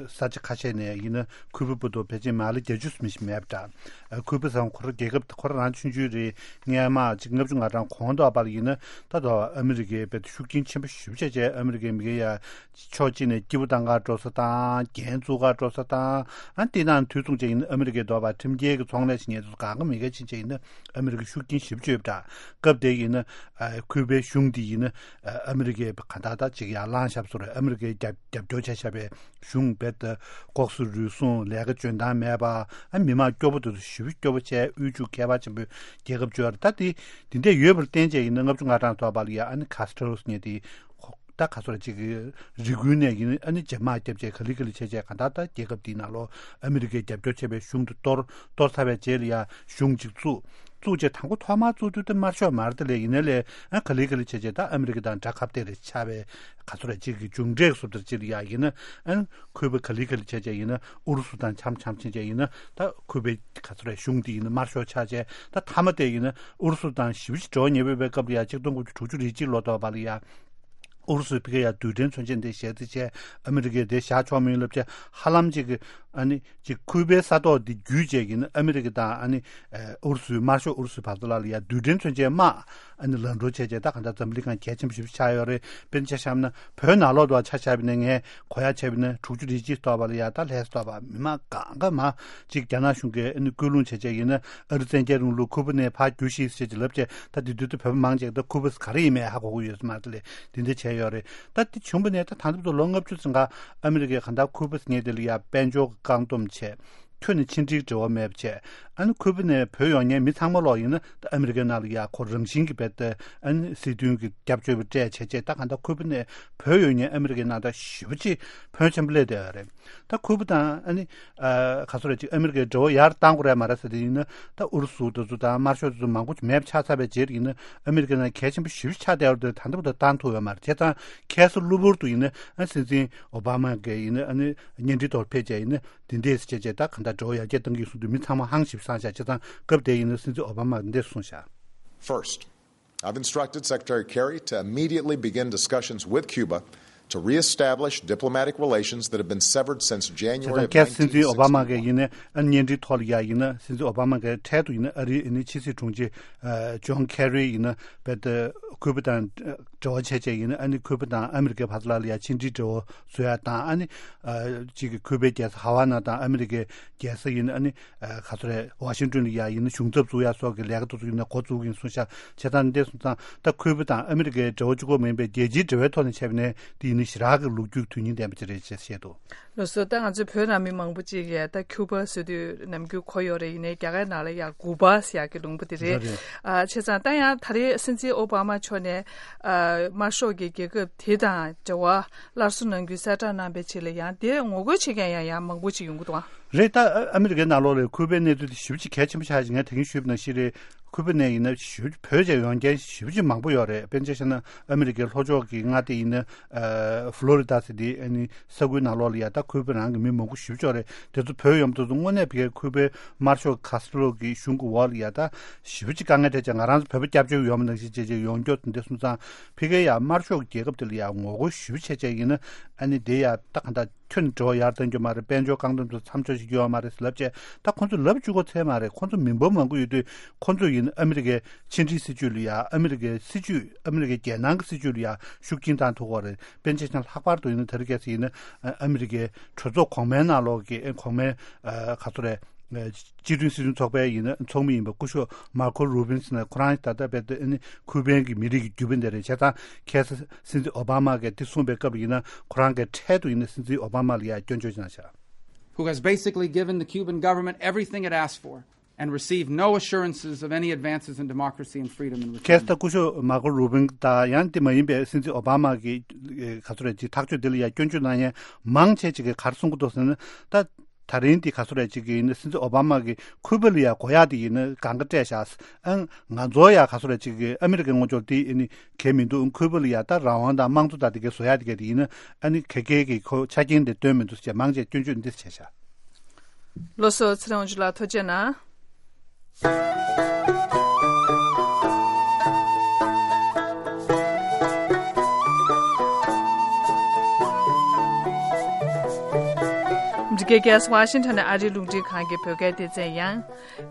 ས་ཆ་ཁ་ཤས་ནས་ཡིན་ན་ཁུ་པ་བར་དུ་ཕལ་ཆེར་མ་ལེ་བརྒྱད་ཅུ་ཙམ་ཞིག་མེད་པ་འདྲ། ཁུ་པ་ཟེར་ཁོ་རང་རྒྱལ་ཁབ་ཁོ་རང་ཆུང་ཆུང་རེད། སྔས་མ་ཅིག་ལྔ་བཅུ་ང་གྲངས་གོང་དུ་བར་ཡིན་ན་ད་དུང་ཨ་མི་རི་ཀའི་བར་དུ་ཤུགས་རྐྱེན་ཆེན་པོ་ཞེ་པོ་ཅིག་བྱས། ཨ་མི་རི་ཀའི་མི་སྒེར་ཡ་ཕྱོགས་གཅིག་ནས་སྐྱིད་པོ་བཏང་ག་འགྲོ་ས་དང་། འགན་བཙུགས་ག་འགྲོ་ས་དང་། ཨ་དེ་དང་དུས་མཚུངས་བྱས་ཡིན་ན་ཨ་མི་རི་ཀའི་འདོད་པ་ཁྲིམས་འགལ་གྱི་ཚོང་ལས་ཤིག་ཉེས་དུ་གང་ག་མི་འགལ་ཕྱིན་བྱས་ཡིན་ན་ཨ་མི་རི་ཀའི་ཤུགས་རྐྱེན་ཞེ་པོ་ཅིག་ཡོད་པ་འདྲ། སྐབས་དེ་ཡིན་ན་ཨ་ཁུ་པའི་གཞུང་དེ་ཡིན་ན་ཨ་ཨ་མི་རི་ཀའི་ག་འདྲ་ད་ཅིག་ཡར་ལངས་བཞག་པ་བཟོ་འདྲ། ཨ་མི་རི་ཀའི་རྒྱབ་རྒྱབ་སྐྱོར་བྱས་བཞག་པའི་གཞུང་རྦད་དེ་ལྐོག་ཟ་རུལ་སུངས། ལས་ཀ་འཇོན་ཐང་མེད་པ། ཨ་མི་མང་སྐྱོ་པོ་དེ་ཚོ་ཞེ་པོ་སྐྱོ་པོ་བྱས། དབུལ་ཕྱུག་ཁྱད་པར་ཆེན་པོའི་རྒྱལ་ཁབ་ཅིག་ཡོད་རེད། ད་དེ་དེ་འདྲ་ཡོད་པར་བརྟེན་བྱས་ཡིན་ན་ལྔ་བཅུ་ང་གྲངས་ཐོག་བར་ལ་ཡ་ཨ་ནི་ཁ་སི་ཊོ་རོ་ཟེར་མཁན་དེ་ད་ག་ཚོད་རེད། ཅིག་རི་ཁུལ་ནས་ཡིན་ཨ་ནི་འཇབ་དམག་བརྒྱབ་བྱས་ག་ལེ་ག་ལེ་བྱས་བྱས། གང་ལྟར་ད་རྒྱལ་ཁབ་དེའི་ནང་ལོགས་ཨ་མི་རི་ཀའི་རྒྱབ་སྐྱོར་བྱས་པའི་གཞུང་དེ་གཏོར། གཏོར་ཚར་བའི་རྗེས་ལ་ཡ་གཞུང་ཅིག་བཙུགས། བཙུགས་བྱས་དང་པོ་ཐོག་མར་བཙུགས་དུས་དེ་དམར་ཤོག་མ་རེད་དེ་ལས། ཡིན་ནའི་ལས་ཨ་ག་ལེ་ག་ལེ་བྱས་བྱས་ད་ཨ་མི་རི་ཀ་དང་དགྲ་ཁ་གཏད་རེ་ཆགས་པའི་ག་ཚོད་རེད། ཅིག་གི་མཇུག་འབྲས་སུ་དེར་ཅིག་ལ་ཡ་ཡིན་ན་ཨ་ཁུ་པ་ག་ལེ་ག་ལེ་བྱས་བྱས་ཡིན་ན་ཨུ་རུ་སུ་དང་འཆམ་འཆམ་ཕྱིན་བྱས་ཡིན་ན་ད་ཁུ་པའི་ག་ཚོད་རེད། གཞུང་དེ་ཡིན་ན་དམར་ཤོག་ཆགས་བྱས། ད་མཐའ་མ་དེ་ཡིན་ན་ཨུ་རུ་སུ་དང་ཞེ་པོ་ཅིག་འབྲེལ་བ་ཉེ་པོ་ཡོད་པའི་སྐབས་ལ་ཡ་ཆིག་སྟོང་དགུ་བརྒྱ་དྲུག་ཅུ་རེ་གཅིག་ལོ་ཐོག་བར་ལ་ཡ་ཨུ་རུ་སུས་ཕ་གི་ཡ་རྡུལ་ཕྲན་མཚོན་ཆ་འདི་བཞག་རྩིས་བྱས། ཨ་མི་རི་ཀས་དེ་བཞག་ཆོག་མིན་ལབ་བྱས་ཧ་ལམ་ཅིག་གི་ཨ་ནི་ཅིག་ཁུ་པའི་ས་ཐོག་འདི་བརྒྱུད་བྱས་ཡིན་ན་ཨ་མི་རི་ཀ་དང་ཨ་ནི་ཨུ་རུ་སུའི་དམར་ཤོག་ཨུ་རུ་སུའི་བར་དུ་ལ་ལ་ཡ་རྡུལ་ཕྲན་མཚོན་ཆའི་དམག་ཨ་ནི་ལམ་འགྲོ་བྱས་བྱས། ད་གང་ལྟར་འཛམ་གླིང་སྒང་གལ་ཆེན་པོ་ཞེ་པོ་ཆགས་ཡོད་རེད། དཔེར་ན་ཆ་བཞག་ན་བོད་ནང་ལོགས་དུ་ཆ་བཞག་པ་ཡིན་ན་ངས་གོ་ཡ་བྱས་པ་ཡིན་ན་དྲུག་ཅུ་རེ་གཅིག་ཐོག་བར་ལ་ཡ་ད་ལྷག་ས་ཐོག་བར་མི་མང་གང་ག་མ་ཅིག་རྒྱ་ནག་གཞུང་གིས་ཨ་ནི་སྐུལ་སློང་བྱས་བྱས་ཡིན་ན་ཨ་རི་བཙན་རྒྱལ་རིང་ལུགས་ཁུ་པ་ནས་ཕར་རྒྱུགས་ཤིག་ཟེར་གྱི་ལབ་བྱས། ད་དེ་དུས་དུ་བོད་པ་མང་ཆེ་ད་ཁུ་པ་ག་རེ་ཡིན་མིན་ཧ་གོ་གི་ཡོད་ས་མ་རེད་དེ་ལས། དེ་འདྲ་བྱས་ཡོད་རེད། ད་དེ་བྱུང་བ་ནས་ད་ད་ལྟ་བར་དུ་ལོ་ལྔ་བཅུ་ཙམ་ཀ་ཨ་མི་རི་ཀས་གང་ལྟར་ཁུ་པ་ཟེར་མཁན་དེ་ལ་ཡ་དཔལ་འབྱོར་གྱི་བཀག་སྡོམ་བྱས། ཁྱོན་ནས་ཕྱི་འབྲེལ་འབྲེལ་བ་མེད་པ་བྱས། ཨ་ནི་ཁུ་པ་ནས་བུད་ཡོང་མཁན་མི་ཚང་མ་ལོག་ཡིན་ན་ད་ཨ་མི་རི་ཀའི་ནང་ལ་ཡ་ཁོ་རང་བཞིན་གྱིས་རྦད་དེ་ཨ་ནི་སྲིད་དོན་གྱི་སྐྱབས་བཅོལ་བ་སྤྲད་བྱས་བྱས། ད་གང་ལྟར་ཁུ་པ་ནས་བུད་ཡོང་མཁན་ཨ་མི་རི་ཀའི་ནང་ད་ཞེ་པོ་ཅིག་ཕོན་ཆེན་པོ་སླེབས་བསྡད་ཡོད་རེད། ད་ཁུ་པ་དང་ཨ་ནི་ཨ་ག་ཚོད་རེད། ཅིག་ཨ་མི་རི་ཀའི་འབྲེལ་བ་ཡར་བཏང་དགོས་རེད་མ་རེད་ཟེར་དེ་ཡིན་ན་ད་ཨུ་རུ་སུ་དེ་ཚོ་དང་དམར་ཤོག་དེ་ཚོ་མང་པོ་མེད་པ་ཆགས་ཚར་བའི་རྗེས་ཡིན་ན་ཨ་མི་རི་ཀའི་ནང་གལ་ཆེན་པོ་ཞེ་པོ་ཆགས་བསྡད་ཡོད་རེད། ད་ལྟ་བར་དུ་བཏང་ཐུབ་ཡོད་མ་རེད། བྱས་ཙང་ཁ་སང་གློ་བུར་དུ་ཡིན་ན་ཨ་སྲིད་འཛིན་ཨོ་བྷ་མ་གིས་ཡིན་ན་ཨ་ནི་བརྙན་འཕྲིན་ཐོག་ཕེབས་བྱས་ཡིན་ན་འདི་འདྲས་བྱས་བྱས་ད་གང་ལྟར་འབྲེལ་བ་ཡར་རྒྱས་གཏང་གི་ཡིན་གསུངས་དུས་མི་ཚང་མ་ཧང་ཞེ་པོ་སངས་ཤག་བྱས་ཙང་སྐབས་དེ་ཡིན་ན་སྲིད་འཛིན་ཨོ་བྷ་མ་འདི་འདྲས་གསུངས་ཤག First, I've instructed Secretary Kerry to immediately begin discussions with Cuba to reestablish diplomatic relations that have been severed since January of བྱས་ཙང་ཁ་སང་སྲིད་འཛིན་ཨོ་བྷ་མ་གིས་ཡིན་ན་ཨ་ནི་བརྙན་འཕྲིན་ཐོག་ལ་ཡ་ཡིན་ན་སྲིད་འཛིན་ཨོ་བྷ་མ་གིས་འཕྲལ་དུ་ཡིན་ན་ཨ་རིའི་ཨ་ནི་ཕྱི་སྲིད་དྲུང་ཆེ་ཨ་ཇོན་ཁེ་རི་ཡིན་ན་རྦད་དེ་ཁུ་པ་དང་འབྲེལ་བ་བྱས་བྱས་ཡིན་ན་ཨ་ནི་ཁུ་པ་དང་ཨ་མི་རི་ཀའི་བར་ལ་ལ་ཡ་ཕྱི་འབྲེལ་འབྲེལ་བ་བཟོ་ཡ་དང་། ཨ་ནི་ཨ་གཅིག་གི་ཁུ་པའི་རྒྱལ་ས་ཧ་ཝ་ན་དང་ཨ་མི་རི་ཀའི་རྒྱལ་ས་ཡིན་ཨ་ནི་ཨ་ག་ཚོད་རེད། ཝ་ཤིང་ཏོན་ལ་ཡ་ཡིན་ན་གཞུང་ཚབ་བཙུགས་ཡ་སོགས་ཀྱི་ལས་ཀ་དེ་ཚོ་ཡིན་ན་འགོ་བཙུགས་ཀྱི་ཡིན་གསུངས་ཤག་བྱས་ཙང་འདི་སོང་ཙང་ད་ཁུ་པ་དང་ཨ་མི་རི་ཀའི་འབྲེལ་བ་གཅིག་པོ་མིན་པའི་རྒྱལ་སྤྱིའི་འབྲེལ་བའི་ཐོག་ནས་བྱས་པ་ནས་དེ་ཡིན་ན་ཞེ་དྲག་གི་ལོ་རྒྱུས་དོན་སྙིང་ལྡན་པ་ཅིག་རེད་ཅེས་བཤད་འདུག་ལགས་སོ། ད་ང་ཚོའི་བོད་ནང་མི་མང་པོ་ཅིག་གིས་ད་ཁྱུ་པ་ཟེར་དུས་ནམ་རྒྱུན་གོ་ཡོད་རེད། ཡིན་ནའི་རྒྱ་གར་ནང་ལ་ཡ་ཀུ་པ་ཟེར་ཡག་གི་ལུང་པ་དེ་རེད། རེད། ཨ་བྱས་ཙང་ད་ཡང་ད་རེས་སྲིད་འཛིན་ཨོ་བྷ་མ་མཆོག་ནས་ཨ་དམར་ཤོག་གི་རྒྱལ་ཁབ་དེ་དང་འབྲེལ་བ་སླར་གསོ་གནང་རྒྱུའི་གསལ་བསྒྲགས་གནང་པའི་རྗེས་ལ་ཡང་དེ་ངོ་རྒོལ་བྱེད་མཁན་ཡང་ཡང་མང་པོ་ཅིག་ཡོང་གི་འདུག་ཨ། རེད། ད་ཨ་མི་རི་ཀའི་ནང་ལོགས་ལ་ཁུ་པའི་གནས་ཚུལ་དེ་ཞེ་པོ་ཅིག་གལ་ཆེན་པོ་ཆགས་ཤིང་། ངས་ད་གིན་ཞུས་པ་ནང་བཞིན་རེད། ཁུ་པ་ནས་ཡིན་ན་ཞེ་པོ་བོད་ཅིག་ཡོང་མཁན་ཞེ་པོ་ཅིག་མང་པོ་ཡོད་རེད། དཔེར་ན་ཆ་བཞག་ན་ཨ་མི་རི་ཀའི་ལྷོ་ཕྱོགས་ཀྱི་མངའ་སྡེ་ཡིན་ན་ཨ་ཧྥ་ལོ་རི་ཌ་ཟེར་དེ་ཨ་ནི་ས་ཁུལ་ནང་ལོགས་ལ་ཡ་ད་ཁུ་པ་རང་གི་མི་མང་པོ་ཞེ་པོ་ཅིག་ཡོད་རེད། དེ་ཚོ་བོད་ཡོང་དུས་སུ་དངོས་གནས་ཕ་གིའི་ཁུ་པའི་དམར་ཤོག་ཁ་སི་ཊོ་རོ་གི་གཞུང་གི་འོག་ལ་ཡ་ད་ཞེ་པོ་ཅིག་དཀའ་ངལ་འཕྲད་བྱས། ང་རང་ཚོ་བོད་པ་སྐྱབས་བཅོལ་ཡོང་བ་ནང་བཞིན་བྱས་བྱས་ཡོང་རྒྱུ་དེ་འདྲ་སོང་ཙང་ཕ་གིའི་ཡ་དམར་ཤོག་གི་རྒྱལ་ཁབ་དེ་ལ་ཡ་ངོ་རྒོལ་ཞེ་པོ་བྱས་བྱས་ཡིན་ན་ཨ་ནི་དེ་ཡ་ད་གང་ལྟར་ཁྱོན་ནས་འབྲེལ་བ་ཡར་གཏོང་རྒྱུ་མ་རེད། དཔལ་འབྱོར་བཀག་སྡོམ་དེ་མཚམས་འཇོག་བྱེད་རྒྱུ་ཡོད་མ་རེད་ཟེར་ལབ་བྱས། ད་ཁོང་ཚོ་ལབ་བཅུག་གོ་ཚད་མ་རེད། ཁོང་ཚོ་མི་འབོར་མང་པོ་ཡོད་དུས་ཁོང་ཚོ་ཡིན་ཨ་མི་རི་ཀའི་ཕྱི་འབྲེལ་སྲིད་ཇུས་ལ་ཡ་ཨ་མི་རི་ཀའི་སྲིད་ཇུས་ཨ་མི་རི་ཀའི་རྒྱལ་ནང་གི་སྲིད་ཇུས་ལ་ཡ་ཤུགས་རྐྱེན་བཏང་ཐུབ་ཀྱི་རེད། དཔེར་ན་ཆ་བཞག་ན་ལྷག་པར་དུ་ཡིན་ན་ད་རེས་གལ་སྲིད་ཡིན་ན་ཨ་མི་རི་ཀའི་གྲོས་ཚོགས་གོང་མའི་ནང་ལོགས་ཀྱི་ཨ་གོང་མའི་ཨ་ག་ཚོད་རེད། སྤྱི་མཐུན་སྲིད་དོན་ཚོགས་པའི་ཡིན་ན་ཚོགས་མི་ཡིན་པ་སྐུ་ཞབས་མར་ཁོ་རུ་བིན་སི་ནས་ཁོ་རང་ད་ལྟ་རྦད་དེ་ཨ་ནི་ཁུ་པན་གྱི་མི་རིགས་ཀྱི་རྒྱུད་པ་འདི་རེད། བྱས་ཙང་ཁ་སང་སྲིད་འཛིན་ཨོ་བྷ་མ་གིས་འདི་གསུངས་པའི་སྐབས་ཡིན་ན་ཁོ་རང་གིས་འཕྲལ་དུ་ཡིན་ན་སྲིད་འཛིན་ཨོ་བྷ་མ་ལ་ཡ་སྐྱོན་བརྗོད་གནང་ཤག who has basically given the Cuban government everything it asked for and received no assurances of any advances in democracy and freedom in return. ཁ་སང་ད་སྐུ་ཞབས་མར་ཁོ་རུ་བིན་དང་ཡང་དེ་མ་ཡིན་པའི་སྲིད་འཛིན་ཨོ་བྷ་མ་གི་ཨེ་ག་ཚོད་རེད་ཅིག་ཐག་གཅོད་འདི་ལ་ཡ་སྐྱོན་བརྗོད་གནང་མཁན་མང་ཆེ་ཅིག་གིས་ག་རེ་གསུང་གི་འདུག་ཟེར་ན། ད་ ད་རིང་འདི་ག་སོ་རེ་ཅིག་གི་ཡིན་ན་སྲིད་འཛིན་ཨོ་བྷ་མ་གི་ཁུ་པ་ལ་ཡ་གོ་ཡག་དེ་ཡིན་ན་གང་ག་སྤྲད་ཤག་ཨང་། ང་ཚོ་ཡ་ག་སོ་རེ་ཅིག་གི་ཨ་མི་རི་ཀའི་ངོ་ཅོག་དེ་ཡིན་ན་གལ་མི་འདུག་ཁུ་པ་ལ་ཡ་ད་རང་དབང་དང་དམངས་གཙོ་དང་དེ་གའི་བཟོ་ཡག་དེ་གའི་དེ་ཡིན་ན་ཨ་ནི་ག་གའི་གི་ཁོ་ཆ་རྐྱེན་དེ་སྟོན་མི་འདུག་ཟེར་མང་ཆེ་སྐྱོན་བརྗོད་འདི་བྱས་ཤག་ལགས་སོ། ཚེ་རིང་དབང་ཕྱུག་ལགས་ཐུགས་རྗེ་གནང་། འདི་གའི་གེ་སི་ཝ་ཤིང་ཊོན་ཨ་རིའི་རླུང་འཕྲིན་ཁང་གི་བོད་སྐད་སྡེ་ཚན་ཡང་།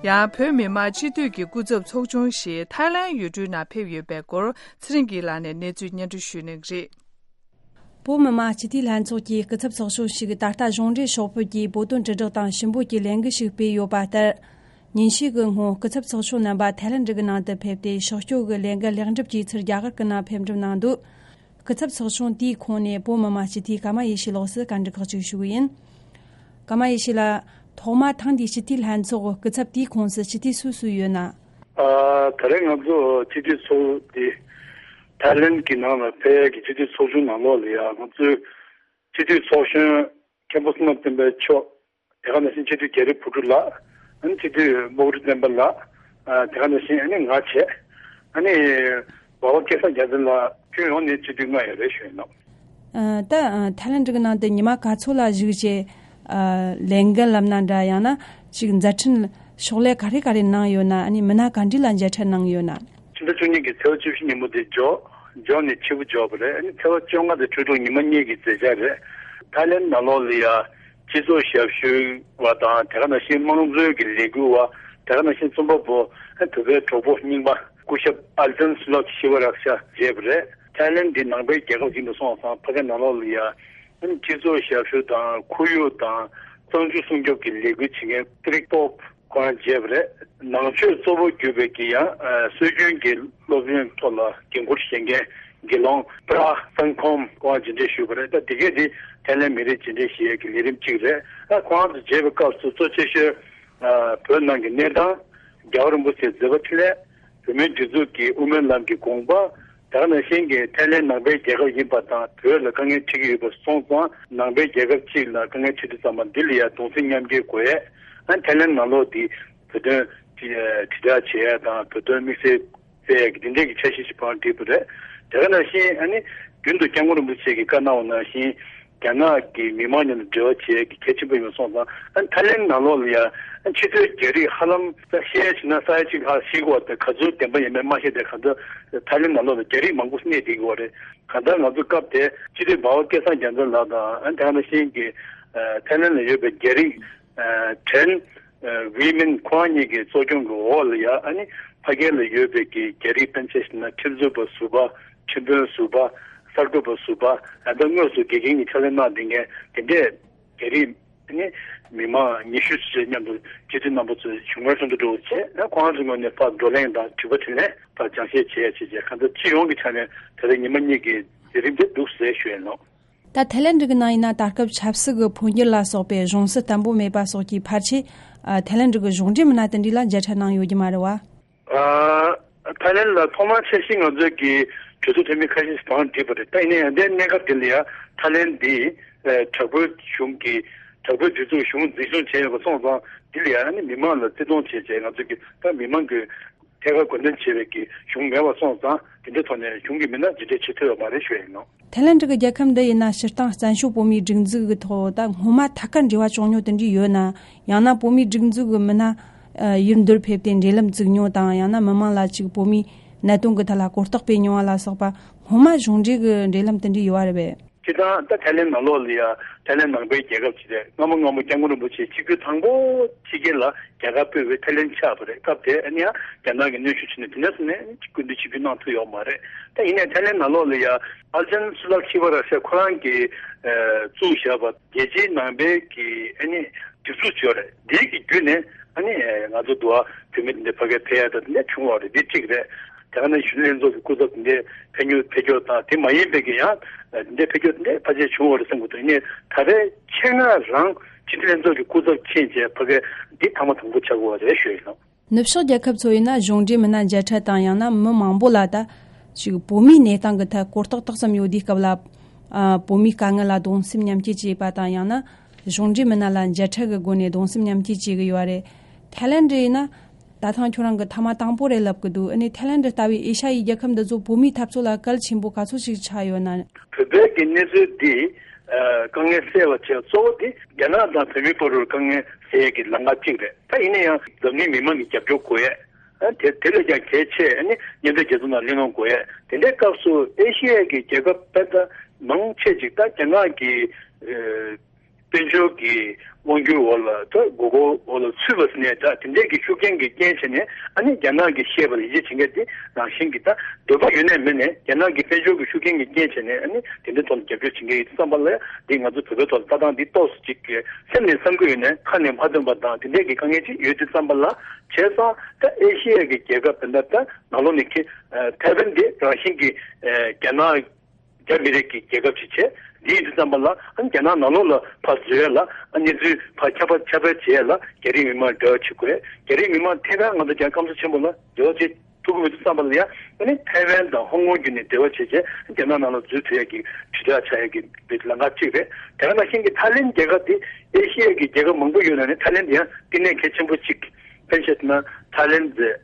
ཡང་བོད་མི་མང་སྤྱི་འཐུས་ཀྱི་སྐུ་ཚབ་ཚོགས་ཆུང་ཞིག་ཐའི་ལན་ཡུལ་གྲུའི་ནང་ཕེབས་ཡོད་པའི་སྐོར་ཚེ་རིང་སྐྱིད་ལགས་ནས་གནས་ཚུལ་སྙན་སྒྲོན་ཞུ་གནང་གི་རེད། བོད་མི་མང་སྤྱི་འཐུས་ལྷན་ཚོགས་ཀྱི་སྐུ་ཚབ་ཚོགས་ཆུང་ཞིག་ད་ལྟ་གཞུང་འབྲེལ་ཤོག་ཕེབས་ཀྱིས་བོད་དོན་དྲིལ་བསྒྲགས་དང་ཞུ་འབོད་ཀྱི་ལས་འགུལ་ཞིག་སྤེལ་ཡོད་པ་ལྟར། ཉིན་ཤས་ཀྱི་སྔོན་སྐུ་ཚབ་ཚོགས་ཆུང་རྣམ་པ་ཐའི་ལན་གྱི་ནང་དུ་ཕེབས་ཏེ་ཕྱོགས་སྐྱོད་ཀྱི་ལས་འགུལ་ལེགས་འགྲུབ་ཀྱིས་ཚུར་རྒྱ་གར་གྱི་ནང་ཕེབས་འགྲུབ་གནང་འདུག་སྐུ་ཚབ་ཚོགས་ཆུང་དེའི་ཁོངས་ནས་བོད་མི་མང་སྤྱི་འཐུས་ཀརྨ་ཡེ་ཤེས་ལགས་སུ་བཀའ་འདྲི་ཁག་ཅིག་ཞུ་གི་ཡིན། ཀརྨ་ཡེ་ཤེས་ལགས། ཐོག་མ་ཐེངས་འདིའི་སྤྱི་འཐུས་ལྷན་ཚོགས་སྐུ་ཚབ་དེའི་ཁོངས་སུ་སྤྱི་འཐུས་སུ་སུ་ཡོད་ན། ཨ། ད་རེས་ང་ཚོ་སྤྱི་འཐུས་ཚོགས་འདི་ཐའི་ལན་གྱི་ནང་ལ་ཕེབས་ཡས་ཀྱི་སྤྱི་འཐུས་ཚོགས་ཆུང་ནང་ལོགས་ལ་ཡ་ང་ཚོའི་སྤྱི་འཐུས་ཚོགས་གཞོན་མཁན་པོ་བསོད་ནམས་བསྟན་འཕེལ་མཆོག་དེ་ག་ནང་བཞིན་སྤྱི་འཐུས་རྒྱ་རི་བུ་ཕྲུག་ལགས། ཨ་ནི་སྤྱི་འཐུས་སྨུག་རི་བསྟན་པ་ལགས། ཨ། དེ་ག་ནང་བཞིན་ཨ་ནི་ང་བྱས། ཨ་ནི་འབའ་བ་སྐལ་བཟང་རྒྱལ་མཚན་ལགས། ཁྱོན་ཡོངས་ནས་སྤྱི་འཐུས་ལྔ་ཡོད་རེད་ཞུས་ཡིན་ནོ། ཨ། ད་ཨ་ཐའི་ལན་གྱི་ནང་དུ་ཉི་མ་ག་ཚོད་ལ་བཞུགས་བྱས་ཨ་ལས་འགུལ་ལབ་ན་འདྲ། ཡང་ན་ཅིག་མཛད་འཕྲིན་ཕྱག་ལས་ག་རེ་ག་རེ་གནང་ཡོད་ན། ཨ་ནི་མི་སྣ་ག་འདྲ་ལ་མཇལ་འཕྲད་གནང་ཡོད་ན། ཕྱི་ཟླ་བཅུ་གཉིས་ཀྱི་ཚེས་པ་བཅུ་བཞི་ཉིན་མོ་དེ་འཇོག་འཇོག་ནས་ཕྱི་པོ་འཇོག་པ་རེད། ཨ་ནི་ཚེས་པ་བཅོ་ལྔ་དང་བཅུ་དྲུག་ཉི་མ་གཉིས་ཀྱི་མཛད་འཆར་རེད། ཐའི་ལན་ནང་ལོགས་ལ་ཡ་སྤྱི་ཚོགས་ཞབས་ཞུ་བ་དང་། དེ་ག་ནང་བཞིན་དམངས་གཙོའི་གི་ལས་འགུལ་བ། དེ་ག་ནང་བཞིན་རྩོམ་པ་པོ། ཨ། བོད་པའི་གྲོགས་པོ་རྙིང་པ་སྐུ་ཞབས་ཨལ་ཏན་སུ་ལག་ཤི་བ་རག་ཤ་མཇལ་བ་རེད། ཐའི་ལན་འདི་ནང་པའི་རྒྱལ་ཁབ་ཡིན་པ་སོང་ཙང་ཕ་གི་ནང་ལོགས་ལ་ཡ་ཨ་ནི་སྤྱི་ཚོགས་ཞབས་ཞུ་དང་ཁོར་ཡུག་དང་གཙང་ཆུ་སྲུང་སྐྱོབ་ཀྱི་ལས་འགུལ་བྱེད་མཁན་ཏི་རིག་པོབ་ཁོང་མཇལ་བ་རེད། ནང་ཆོས་གཙོ་བོ་གྱུར་པའི་གི་ཡང་ཨ་སྲོལ་རྒྱུན་གྱི་སློབ་ཡོན་ཐོག་ལ་འགན་འཁུར་བཞེས་མཁན་དགེ་སློང་པྲ་སན་ཁོམ་ཁོང་མཇལ་འཕྲད་ཞུས་པ་རེད། ད་དེ་གས་དེ་ཐའི་ལན་མི་རིགས་མཇལ་འཕྲད་བྱེད་ཡས་ཀྱི་ལས་རིམ་གཅིག་རེད། ད་ཁོང་ཚོ་མཇལ་བའི་སྐབས་སུ་གཙོ་ཆེ་ཤོས་ཨ་བོད་ནང་གི་གནས་སྟངས། རྒྱལ་བ་རིན་པོ་ཆེའི་མཛད་པ་འཕྲིན་ལས། བོད་མིའི་སྒྲིག་འཛུགས་ཀྱི་དབུ་མའི་ལམ་གྱི་དགོངས་པ། དེ་ག་ནང་བཞིན་གྱི་ཐའི་ལན་ནང་པའི་རྒྱལ་ཁབ་ཡིན་པ་དང་བོད་ལ་དཀའ་ངལ་འཕྲད་ཀྱི་ཡོད་པ་སོང་ཙང་། ནང་པའི་རྒྱལ་ཁབ་གཅིག་ལ་དཀའ་ངལ་འཕྲད་དུས་ཙམ་པ་འདི་ལ་ཡང་གདུང་སེམས་མཉམ་སྐྱེད་དགོས་ཡས། ཨ་ནི་ཐའི་ལན་ནང་ལོགས་འདི་བོད་དོན་དྲིལ་བསྒྲགས་བྱེད་ཡས་དང་བོད་དོན་དམིགས་བསལ་སྤེལ་ཡས་ཀྱི་འདི་འདྲའི་གི་འཆར་གཞི་ཞིག་བང་བསྒྲིགས་པ་རེད། དེ་ག་ནང་བཞིན་ཨ་ནི་རྒྱུན་དུ་སྐྱབས་མགོན་རིན་པོ་ཆེ་གིས་བཀའ་གནང་བ་ནང་བཞིན། རྒྱ་ནག་གི་མི་མང་མཉམ་དུ་འབྲེལ་བ་བྱེད་ཡས་ཀྱི་གལ་ཆེན་པོ་ཡིན་པ་སོང་ཙང་། ཨ་ནི་ཐའི་ལན་ནང་ལོགས་ལ་ཡང་ཨ་ནི་ཕྱི་དོན་རྒྱ་རིགས་ཧ་ལམ་ས་ཤེས་བྱས་ན་ས་ཡ་གཅིག་ལྷག་ཤེས་ཀྱི་ཡོད་པ་དང་། ག་ཚོད་བདེན་པ་ཡིན་མིན་མ་ཤེས་ཏེ། གང་ལྟར་ཐའི་ལན་ནང་ལོགས་ལ་རྒྱ་རིགས་མང་པོ་གནས་བསྡད་ཀྱི་ཡོད་རེད། གང་ལྟར་ང་ཚོ་སྐབས་དེ་སྤྱི་འཐུས་འབའ་བ་སྐལ་བཟང་རྒྱལ་མཚན་ལགས་དང་། ཨ་ནི་དེ་ག་ནང་བཞིན་གྱི་ཨ་ཐའི་ལན་ལ་ཡོད་པའི་རྒྱ་རིགས་ཨ་ཁྲེན་ཨ་ཝི་མིན་ཁོང་གཉིས་ཀྱི་གཙོ་སྐྱོང་གི་འོག་ལ་ཡ། ཨ་ནི་ཕ་གི་ལ་ཡོད་པའི་གི་རྒྱ་རིགས་དཔེར་ན་ཆ་བཞག་ན་ཁྲིམས་རྩོད་པ་ཟུར་པ། ཁྲིམས་དཔོན་ཟུར་པ། གསར་འགོད་པ་ཟུར་པ། ཨ་ད་དངོས་སུ་དགེ་རྒན་གྱི་ཕྱག་ལས་གནང་བསྡད་མཁན་དེ་འདྲས་དེ་རིང་ནི་མི་མང་ཉི་ཤུ་ཙམ་མཉམ་དུ་སྤྱི་འཐུས་རྣམ་པ་ཚོས་བཞུགས་སྒར་ཚོགས་འདུ་འགྲོ་བྱས། ཨ་ཁོང་ཚོའི་ངོས་ནས་ཕར་བགྲོ་གླེང་དང་དྲི་བ་དྲིས་ལན། ཕར་སྦྱང་བཤད་བྱས་བྱས་བྱས། གང་ལྟར་སྤྱི་ཡོངས་ཀྱི་ཆ་ནས་ད་རེས་ཉི་མ་གཉིས་ཀྱི་མཛད་རིམ་དེ་འདུག་ཟེར་ཞུ་ཡས་ཡིན་ནོ། ད་ཐའི་ལན་གྱི་ནང་ཡིན་ན་ད་སྐབས་ཆབ་སྲིད་ཀྱི་འཕོ་འགྱུར་ལ་སོགས་པའི་གཞུང་སྲིད་བརྟན་པོ་མེད་པ་སོགས་ཀྱི་ཕལ་ཆེར་ཨ་ཐའི་ལན་གྱི་གཞུང་འབྲེལ་མི་སྣ་དེ་འདྲ་ལ་མཇལ་འཕྲད་གནང་ཡོད་ཀྱི་མ་རེད་བ། ཨ་ཐའི་ལན་ལ་ཐོག་མར་འཆར་གཞི་ང་ཚོའི་གི་གྲོས་ཚོགས་འཐུས་མི་ཁ་ཤས་ཤིག་བང་བསྒྲིགས་པ་རེད། ད་ཡིན་ན་ཡང་དེ་གནས་སྐབས་དེ་ལ་ཡང་ཐའི་ལན་འདི་ཨ་དྲག་པོའི་གཞུང་གི་དྲག་པོའི་སྒྲིག་འཛུགས་གཞུང་འཛིན་སྐྱོང་བྱས་ཡོད་པ་སོང་ཙང་། འདི་ལ་ཡང་ཨ་ནི་མི་མང་ལ་བརྩི་མཐོང་བྱས་བྱས། ང་ཚོ་གི་ད་མི་མང་གི་ཐད་ཀར་འགོ་འདྲེན་བྱེད་པའི་གི་གཞུང་མེད་པ་སོང་ཙང་། དེ་འདྲའི་ཐོག་ནས་གཞུང་གི་མི་སྣ་མཇལ་འཕྲད་བྱེད་ཐུབ་ཡོད་མ་རེད་ཞུ་ཡ་ཡིན་ནོ། ཐའི་ལན་གྱི་རྒྱལ་ཁབ་འདི་ཡིན་ན་སྤྱིར་བཏང་བཙན་བྱོལ་བོད་མིའི་སྒྲིག་འཛུགས་ཀྱི་ཐོག་ད་སྔོན་མ་ཐད་ཀར་འབྲེལ་བ་བྱུང་མྱོང་དེ་འདྲ་ཡོད་ན། ཡང་ན་བོད་མིའི་སྒྲིག་འཛུགས་ཀྱི་མི་སྣ་ཨ་ཡུལ་འདིར་ཕེབས་ཏེ་འབྲེལ་ལམ་བཙུགས་མྱོང་དང་། ཡང་ན་མི་མང་ལ་ཅིག་བོད་མིའི་གནད་དོན་གྱི་ཐད་ལ་གོ་རྟོགས་སྤེལ་མྱོང་བ་ལ་སོགས་པ། སྔོན་མ་གཞུང་འབྲེལ་གྱི་འབྲེལ་ལམ་དེ་འདྲ་ཡོད་པ་རེད་པས། སྤྱིར་བཏང་ད་ཐའི་ལན་ནང་ལོགས་ལ་ཡ་ཐའི་ལན་ནང་པའི་རྒྱལ་ཁབ་ཅིག་རེད། སྔ་མོ་སྔ་མོ་སྐྱབས་མགོན་རིན་པོ་ཆེ་ཆིབས་བསྒྱུར་དང་པོ་ཕྱི་རྒྱལ་ལ་རྒྱ་གར་སྤོས་པའི་ཐའི་ལན་ཆགས་པ་རེད། སྐབས་དེ་ཨ་ནི་ཡང་རྒྱ་ནག་གི་གནོན་ཤུགས་བྱས་ནས་དེ་འདྲ་སོང་ནས་སྐུ་མདུན་ཆིབས་བསྒྱུར་གནང་ཐུབ་ཡོད་མ་རེད། ད་ཡིན་ནའི་ཐའི་ལན་ནང་ལོགས་ལ་ཡ་ཨལ་ཏན་སུ་ལག་ཤི་བ་ར་ཤ་ཁོ་རང་གིས་ཨ་བཙུགས་བཞག་པ་རྒྱལ་སྤྱིའི་ནང་པའི་གི་ཨ་ནི་སྒྲིག་འཛུགས་ཅིག་ཡོད་རེད། དེའི་གི་བརྒྱུད་ནས་ཨ་ནི་ང་ཚོ་འདི་བ་བོད་མི་འདི་འདྲ་ཕ་གིར་ཕེབས་ཡ་ད་དེ་འདྲ་བྱུང་བ་རེད། འདི་གཅིག་རེད། དེ་ག་ནང་བཞིན་ལྷན་ཚོགས་ཀྱི་སྐུ་ཚབ་དེ་འདྲའི་ཕེབས་མྱོང་ཕེབས་ཀྱོག་དང་། དེ་མ་ཡིན་པའི་གི་ཡང་དེ་འདྲའི་ཕེབས་ཀྱོག་དེ་འདྲའི་ཕལ་ཆེར་བྱུང་བ་རེད་བསམ་གྱི་འདུག་ཡིན་ནའི་ད་རེས་ཆེད་མངགས་རང་སྤྱི་འཐུས་ལྷན་ཚོགས་ཀྱི་སྐུ་ཚབ་ཕྱིན་བྱས་ཕ་གི་འདི་ཐེངས་མ་དང་པོ་ཆགས་ཀྱི་ཡོད་རེད་ཞུ་ཡིན་ནོ། ནུབ་ཕྱོགས་རྒྱལ་ཁབ་ཚོ་ཡིན་ན་གཞུང་འབྲེལ་མི་སྣ་མཇལ་འཕྲད་དང་། ཡང་ན་མི་མང་པོ་ལ་ད་ཅིག་བོད་མིའི་གནས་སྟངས་ཀྱི་ཐད་གོ་རྟོགས་ཏོག་ཙམ་ཡོད་དུས་སྐབས་ལ་ཨ་བོད་མིའི་དཀའ་ངལ་ལ་གདུང་སེམས་མཉམ་སྐྱེད་བྱེད་པ་དང་། ཡང་ན་ གཞུང་འབྲེལ་མི་སྣ་ལ་མཇལ་འཕྲད་ཀྱི་སྒོ་ནས་གདུང་སེམས་མཉམ་སྐྱེད་བྱེད་ཀྱི་ཡོད་རེད། ཐའི་ལེན་ཌི་ཡིན་ན། ད་ཐེངས་ཁྱོད་རང་གིས་ཐེངས་མ་དང་པོ་རེད་ལབ་ཀྱི་འདུག་ཨ་ནི་ཐའི་ལེན་ཌི་ལྟ་བུའི་ཨེ་ཤ་ཡའི་རྒྱལ་ཁབ་འདི་ཚོ་བོད་མིའི་འཐབ་རྩོད་ལ་གལ་ཆེན་པོ་ག་ཚོད་ཞིག་ཆགས་ཡོད་ན། བོད་པའི་གི་གནས་ཚུལ་འདི། ཨ། དཀའ་ངལ་སེལ་བ་བྱས་གཙོ་བོ་འདི་རྒྱ་ནག་དང་བོད་མིའི་བར་དུ་དཀའ་ངལ་སེལ་ཡས་ཀྱི་ལམ་ཁ་གཅིག་རེད། ད་ཡིན་ན་ཡང་འཛམ་གླིང་མི་མང་གི་རྒྱབ་སྐྱོར་དགོས་ཡས། ཨ། དེ་དེ་ལས་ཀྱང་གལ་ཆེ། ཨ་ནི་མཉམ་འབྲེལ་རྒྱལ་ཚོགས་ནང་གླེང་སློང་དགོས་ཡས། དེ་འདྲའི་སྐབས་སུ་ཨེ་ཤི་ཡའི་གི་རྒྱལ་ཁབ་དཔེ་ད་མང་ཆེ་ཅིག་ད་རྒྱ་ནག་གི། ཨ། དཔལ་འབྱོར་གྱི་དབང་སྒྱུར་འོག་ལ་ད་མགོ་སྐོར་འོག་ལ་ཚུད་པ་ཟེར་ནས། ད་དེ་འདྲས་ཀྱི་ཤུགས་རྐྱེན་གྱི་རྐྱེན་བྱས་ནས། ཨ་ནི་རྒྱ་ནག་གིས་བཤད་པ་ལ་ཡིད་ཆེས་བྱེད་མཁན་དེ་རང་བཞིན་གྱིས་ད་འདོད་པ་ཡོད་ནའི་མེད་ནའི་རྒྱ་ནག་གི་དཔལ་འབྱོར་གྱི་ཤུགས་རྐྱེན་གྱི་རྐྱེན་བྱས་ནས། ཨ་ནི་དེ་འདྲའི་ཐོག་ལ་རྒྱབ་སྐྱོར་བྱེད་མཁན་ཡོད་དུས་ཙམ་པ་ལ། ཡ་འདི་ང་ཚོ་བོད་པའི་ཐོག་ལ་ལྟ་སྟངས་འདི་ཏོག་ཙམ་ཅིག་གི་སེམས་ནས་བསམ་གྱི་ཡོད་ནའི་ཁ་ནས་མ་ཐོན་པ་དང་དེ་འདྲས་ཀྱི་དཀའ་ངལ་ཅིག་ཡོད་དུས་ཙམ་པ་ལ། བྱས་ཙང་ད་ཨེ་ཤི་ཡ་གི་རྒྱལ་ཁབ་དེ་འདྲ་ད་ནང་ལོགས་ནས་ཁྱེད། ཨ། ཐའེ་ཝན་དེ་རང་བཞིན་གྱིས། ཨ། རྒྱ་ནག་རྒྱ་མི་རིགས་ཀྱི་རྒྱལ་ཁབ་ཅིག་བྱས། འདི་ཡིན་དུས་ཙམ་པ་ལ། ཨ་ནི་རྒྱ་ནག་ནང་ལོགས་ལ་ཕར་འཛུལ་ཡས་ལ། ཨ། གནས་ཚུལ་ཕར་ཁྱབ་པ་ཁྱབ་སྤེལ་བྱེད་ཡས་ལ་རྒྱ་རིགས་མི་མང་འབྲེལ་བ་བྱེད་དགོས། རྒྱ་རིགས་མི་མང་ཐད་ཀར་ང་ཚོ་རྒྱ་སྐམ་ས་ཆེན་པོ་ལ་འབྲེལ་བ་བྱེད་ཐུབ་ཀྱི་མེད་དུས་ཙམ་པ་ལ། ཡ་ཨ་ནི་ཐའེ་ཝན་དང་ཧོང་ཀོང་བརྒྱུད་ནས་འབྲེལ་བ་བྱེད་བྱས་རྒྱ་ནག་ནང་ལ་འཛུལ་ཐུབ་ཡས་ཀྱི་དྲིལ་བསྒྲགས་བྱ་ཡས་ཀྱི་ལམ་ཁ་གཅིག་རེད། དེ་ག་ནང་བཞིན་གྱི་ཐའི་ལེན་རྒྱལ་ཁབ་དེ་ཨེ་ཤི་ཡ་གི་རྒྱལ་ཁབ་མང་པོ་ཡོད་ནང་ནས་ཐའི་ལེན་དེ་ཡང་བསྟི་གནས་གལ་ཆེན་པོ་གཅིག་དཔེར་ན་བཤད་ན། ཐའི་ལེན་ཟེར།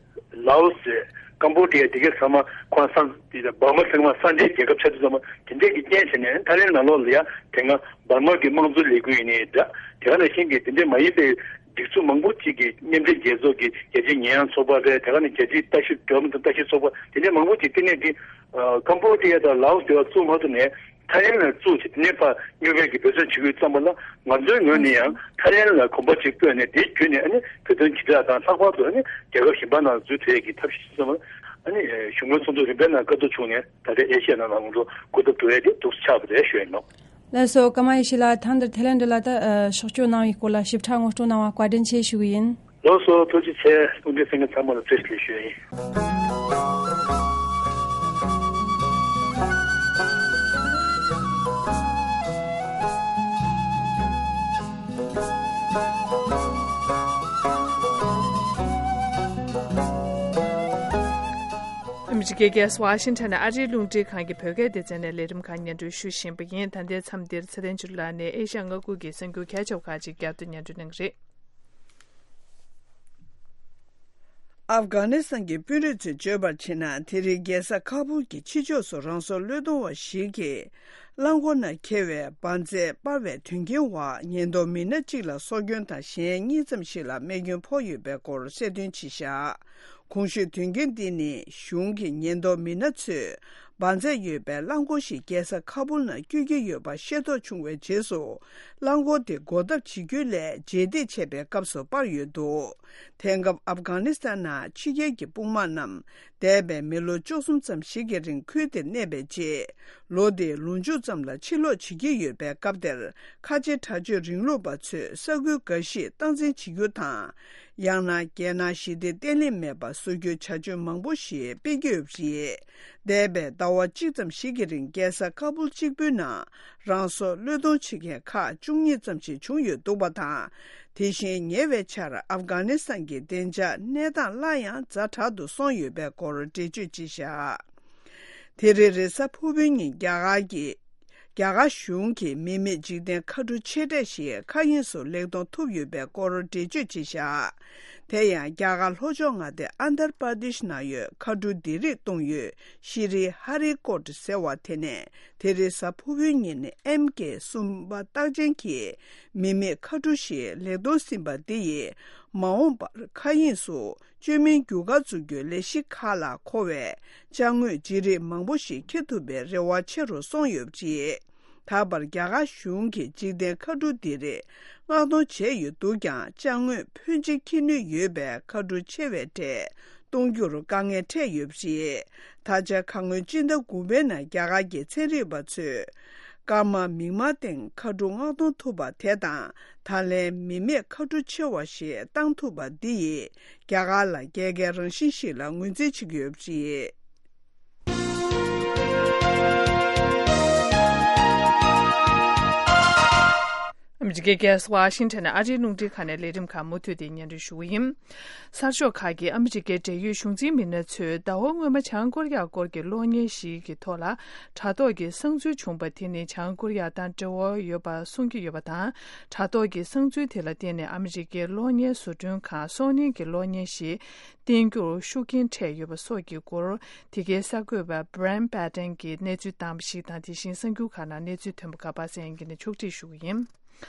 ལའོ་སི་ཟེར། ཀམ་བོ་ཌི་ཡ། དེ་གའི་ཚང་མ་ཁོང་སང་དེ་འབར་མ་ཚང་མ་སངས་རྒྱས་རྒྱལ་ཁབ་ཆགས་དུས་ཙམ་པ་དེ་འདྲས་ཀྱི་རྐྱེན་བྱས་ནས། ཐའི་ལེན་ནང་ལོགས་ལ་ཡ་དེ་སྔ་འབར་མ་གི་དམངས་གཙོའི་ལས་འགུལ་ཡིན་ནའི་འདྲ། དེ་ག་ནང་བཞིན་གྱི་དེ་འདྲས་མ་ཡིན་པའི་སྒྲིག་འཛུགས་མང་པོ་ཅིག་གིས། མཉམ་འབྲེལ་རྒྱལ་ཚོགས་ཀྱི་རྒྱལ་སྤྱིའི་ཉེས་ཡངས་ཚོགས་པ་རེད། དེ་ག་ནས་རྒྱལ་སྤྱིའི་ལྟ་ཞིབ། འགྲོ་བ་མིའི་ཐོབ་ལྟ་ཞིབ་ཚོགས་པ། དེ་འདྲས་མང་པོ་ཅིག་བསྟི་གནས་དེ། ཨ། ཀམ་བོ་ཌི་ཡ་དང་ལའོ་སི་དེ་བ་བཙུགས་མ་ཐུབ་ནས། ཐའི་ལེན་ལ་བཙུགས་བྱས། དེ་ནས་ཕར་མཉམ་འབྲེལ་གྱིས་འབད་བརྩོན་བྱེད་དགོས་ཙམ་པ་ལ། ང་ཚོའི་ངོས་ནས་ཡང་ཐའི་ལེན་ལ་གོམ་པ་གཅིག་སྤོས་ནས། དེ་བརྒྱུད་ནས་ཨ་ནི་བོད་དོན་དྲིལ་བསྒྲགས་དང་། ལྷག་པར་དུ་ཨ་ནི་རྒྱལ་ཁབ་གཞན་པ་ནང་འཛུལ་ཐུབ་ཡས་ཀྱི་ཐབས་ཤེས་ཙམ་པ། ཨ་ནི་གཞུང་གི་ཚོགས་འདུ་རིམ་པའི་ནང་བཀའ་བསྡུར་བྱུང་ནས། ད་ལྟའི་ཨེ་ཤི་ཡ་ནང་ལ་ང་ཚོ་གོ་སྐབས་སྤྲོད་ཡས་དེ་འདུག་སེ་ཆགས་པ་རེད་ཞུ་ཡས་ཡིན་ནོ། ལགས་སོ། ཀརྨ་ཡེ་ཤེས་ལགས། ད་འདིར་ཐའི་ལེན་ཌི་ལ་ད་ཕྱོགས་བསྐྱོད་གནང་བའི་སྐོར་ལ་ཞིབ་ཕྲ་ངོ་སྤྲོད་གནང་བར་བཀའ་དྲིན་ཆེ་ཞུ་གི་ཡིན། ལགས་སོ། ཐུགས་རྗེ་ཆེ། སྐུ་མགྲོན་གསན་མཁན་ཚང་མ་ལ་བཀྲ་ཤིས་བདེ་ལེགས་ཞུ་ཡ་ཡིན། ཨ་མི་རི་ཀའི་རྒྱལ་ས་ཝ་ཤིང་ཊོན་ནས་ཨ་རིའི་རླུང་འཕྲིན་ཁང་གི་བོད་སྐད་སྡེ་ཚན་ནས་ལས་རིམ་ཁག་སྙན་སྒྲོན་ཞུ་བཞིན་པ་ཡིན། ད་ལྟའི་མཚམས་འདིར་ཚེ་བརྟན་ཆོས་སྒྲོན་ལགས་ནས་ཨེ་ཤ་ཡ་མངའ་ཁུལ་གྱི་གསར་འགྱུར་གལ་ཆེ་བ་ཁག་ཅིག་བསྐྱར་དུ་སྙན་སྒྲོན་གནང་གི་རེད། ཨབ་གྷ་ནི་སི་ཐན་གྱི་དཔོན་རིགས་ཚོས་བརྗོད་པར་བྱས་ན། དེ་རིང་རྒྱལ་ས་ཁ་བུལ་གྱི་ཕྱི་ཕྱོགས་སུ་རང་སྲོག་བློས་གཏོང་བ་ཞིག་གིས་རླངས་འཁོར་ནང་འཁྱེར་བའི་འབར་རྫས་སྤར་བའི་དོན་རྐྱེན་འོག་ཉེན་རྟོག་མི་སྣ་གཅིག་ལ་སྲོག་སྐྱོན་དང་གཞན་གཉིས་ཙམ་ཞིག་ལ་རྨས་སྐྱོན་ཕོག་ཡོད་པའི་སྐོར་གསལ་སྟོན་བྱས་བཞག་གོང་ཞུས་དོན་རྐྱེན་འདི་ནི་གཞུང་གི་ཉེན་རྟོག་མི་སྣ་ཚོས་འབར་རྫས་ཡོད་པའི་རླངས་འཁོར་ཞིག་རྒྱལ་ས་ཁ་བུལ་ནང་བསྐྱོད་ཀྱི་ཡོད་པ་ཤེས་རྟོགས་བྱུང་བའི་རྗེས་སུ། རླངས་འཁོར་དེ་འགོག་ཐབས་བྱེད་རྒྱུ་ལས་རྗེས་འདེད་བྱས་པའི་སྐབས་སུ་སྤར་ཡོད་འདུག་དེང་སྐབས་ཨབ་གྷ་ནི་སི་ཐན་ནང་ཕྱི་རྒྱལ་གྱི་དཔུང་དམག་རྣམས་འདས་པའི་མི་ལོ་བཅུ་གསུམ་ཙམ་ཞིག་གི་རིང་ཁུལ་དེར་གནས་པའི་རྗེས། ལོ་འདིའི་ལོ་མཇུག་ཙམ་ལ་ཕྱིར་ལོག་བྱེད་ཀྱི་ཡོད་པའི་སྐབས་དེར། ཁ་ཆེ་དྲག་སྤྱོད་རིང་ལུགས་པ་ཚོས་ས་ཁུལ་འགའ་ཞིག་སྟངས་འཛིན་བྱེད་རྒྱུ་དང་། ཡང་ན་རྒྱལ་ནང་ཞི་བདེ་བརྟན་ལྷིང་མེད་པ་བཟོ་རྒྱུའི་བྱ་སྤྱོད་མང་པོ་ཞིག་སྤེལ་གྱི་ཡོད་པ་རེད། འདས་པའི་ཟླ་བ་གཅིག་ཙམ་ཞིག་གི་རིང་རྒྱལ་ས་ཁ་བུལ་གཅིག་པུའི་ནང་རང་སྲོག་བློས་གཏོང་བྱེད་མཁན་ཁག་བཅུ་གཉིས་ཙམ་ཞིག་བྱུང་ཡོད་འདུག་པ་དང་། དེ་བཞིན་ཉེ་བའི་ཆར་ཨབ་གྷ་ནི་སི་ཐན་གྱི་བདེ་འཇགས་གནས་སྟངས་སླར་ཡང་ཛ་དྲག་ཏུ་སོང་ཡོད་པའི་སྐོར་འགྲེལ་བརྗོད་བྱས་བཞག་དེ་རིང་རེས་གཟའ་ཕུར་བུའི་ཉིན་རྒྱ་གར་གྱི། རྒྱ་གར་གཞུང་གིས་མི་མེད་འཇིག་རྟེན་མཁའ་གྲུ་ཆེ་གྲས་ཤིག་མཁའ་དབྱིངས་སུ་ལེགས་གཏོང་ཐུབ་ཡོད་པའི་སྐོར་འགྲེལ་བརྗོད་བྱས་བཞག་དེ་ཡང་རྒྱ་གར་ལྷོ་ཕྱོགས་མངའ་སྡེ་ཨན་དར་པར་དིཤ་ནང་ཡོད་མཁའ་གྲུ་འདི་རིགས་གཏོང་ཡུལ་ཤི་རི་ཧ་རི་ཀོཊ་ཟེར་བ་དེ་ནས་དེ་རིང་གཟའ་ཕུར་བུའི་ཉིན་ཨེམ་ཀེ་གསུམ་པ་རྟགས་ཅན་གྱི་མི་མེད་མཁའ་གྲུ་ཞིག་ལེགས་གཏོང་ཟིན་པ་འདི་ཡིས་མ་འོངས་པར་མཁའ་དབྱིངས་སུ། བཅོས་མིན་རྒྱུ་སྐར་འཛུགས་རྒྱུའི་ལས་གཞི་ཁག་ལ་མཁོ་བའི་ཅ་དངོས་ལྗིད་རིགས་མང་པོ་ཞིག་འཁྱེར་ཐུབ་པའི་རེ་བ་ཆེ་རུ་སོང་ཡོད་པ་རེད། ད་བར་རྒྱ་གར་གཞུང་གིས་འཇིག་རྟེན་མཁའ་གྲུ་འདི་རིགས་མངགས་གཏོང་བྱས་ཡོད་འདུག་ཀྱང་། ཅ་དངོས་ཕོན་ཆེ་འཁྱེར་ནུས་ཡོད་པའི་མཁའ་གྲུ་ཆེ་བའི་གྲས་གཏོང་རྒྱུར་དཀའ་ངལ་འཕྲད་ཡོད་པ་རེད། ད་ཆ་ཁ་སྔོན་སྤྱི་ཟླ་དགུ་པའི་ནང་རྒྱ་གར་གྱི་ཚན་རིག་པ་ཚོས། སྐར་མ་མིག་དམར་སྟེང་མཁའ་གྲུ་མངགས་གཏོང་ཐུབ་པ་དེ་དང་། ད་ལན་མི་མེད་མཁའ་གྲུ་ཆེ་བ་ཞིག་བཏང་ཐུབ་པ་འདི་ཡིས་རྒྱ་གར་ལ་རྒྱལ་ཁའི་རང་བཞིན་ཞིག་ལ་ངོས་འཛིན་བྱེད་ཀྱི་ཡོད་པ་རེད། ཨ་མི་རི་ གེ་གེ་སི་ཝ་ཤིང་ཊོན་ནས་ཨ་རིའི་རླུང་འཕྲིན་ཁང་ནས་ལས་རིམ་ཁག་མུ་མཐུད་དེ་སྙན་སྒྲོན་ཞུ་གི་ཡིན། གསར་ཤོག་ཁག་གིས་ཨ་མི་རི་ཀའི་འབྲེལ་ཡོད་གཞུང་འཛིན་མི་སྣ་ཚོས་ཟླ་བ་སྔོན་མ་བྱང་ཀོ་རི་ཡ་སྐོར་གྱི་གློག་བརྙན་ཞིག་གི་ཐོག་ལ་དྲ་ཐོག་གི་གསང་འཛུལ་བྱུང་པ་དེ་ནི་བྱང་ཀོ་རི་ཡ་དང་འབྲེལ་བ་ཡོད་པ་གསུང་གི་ཡོད་པ་དང་། དྲ་ཐོག་གི་གསང་འཛུལ་དེ་ལ་བརྟེན་ནས་ཨ་མི་རི་ཀའི་གློག་བརྙན་བཟོ་སྐྲུན་ཁང་སོ་ནི་གི་གློག་བརྙན་ཞིག་བསྟན་རྒྱུར་ཤུགས་རྐྱེན་འཕྲད་ཡོད་པ་སོགས་ཀྱི་སྐོར། དེ་གའི་གསར་འགོད་པ་Brian Padden་གྱིས་གནས་ཚུལ་བཏང་བ་ཞིག་དང་། དེ་བཞིན་གསར་འགྱུར་ཁག་ནང་གནས་ཚུལ་ཐོན་པ་ཁག་པ་སངས་དབྱངས་སྐྱིད་ནས་ཕྱོགས་སྒྲིག་ཞུ་གི་ཡིན།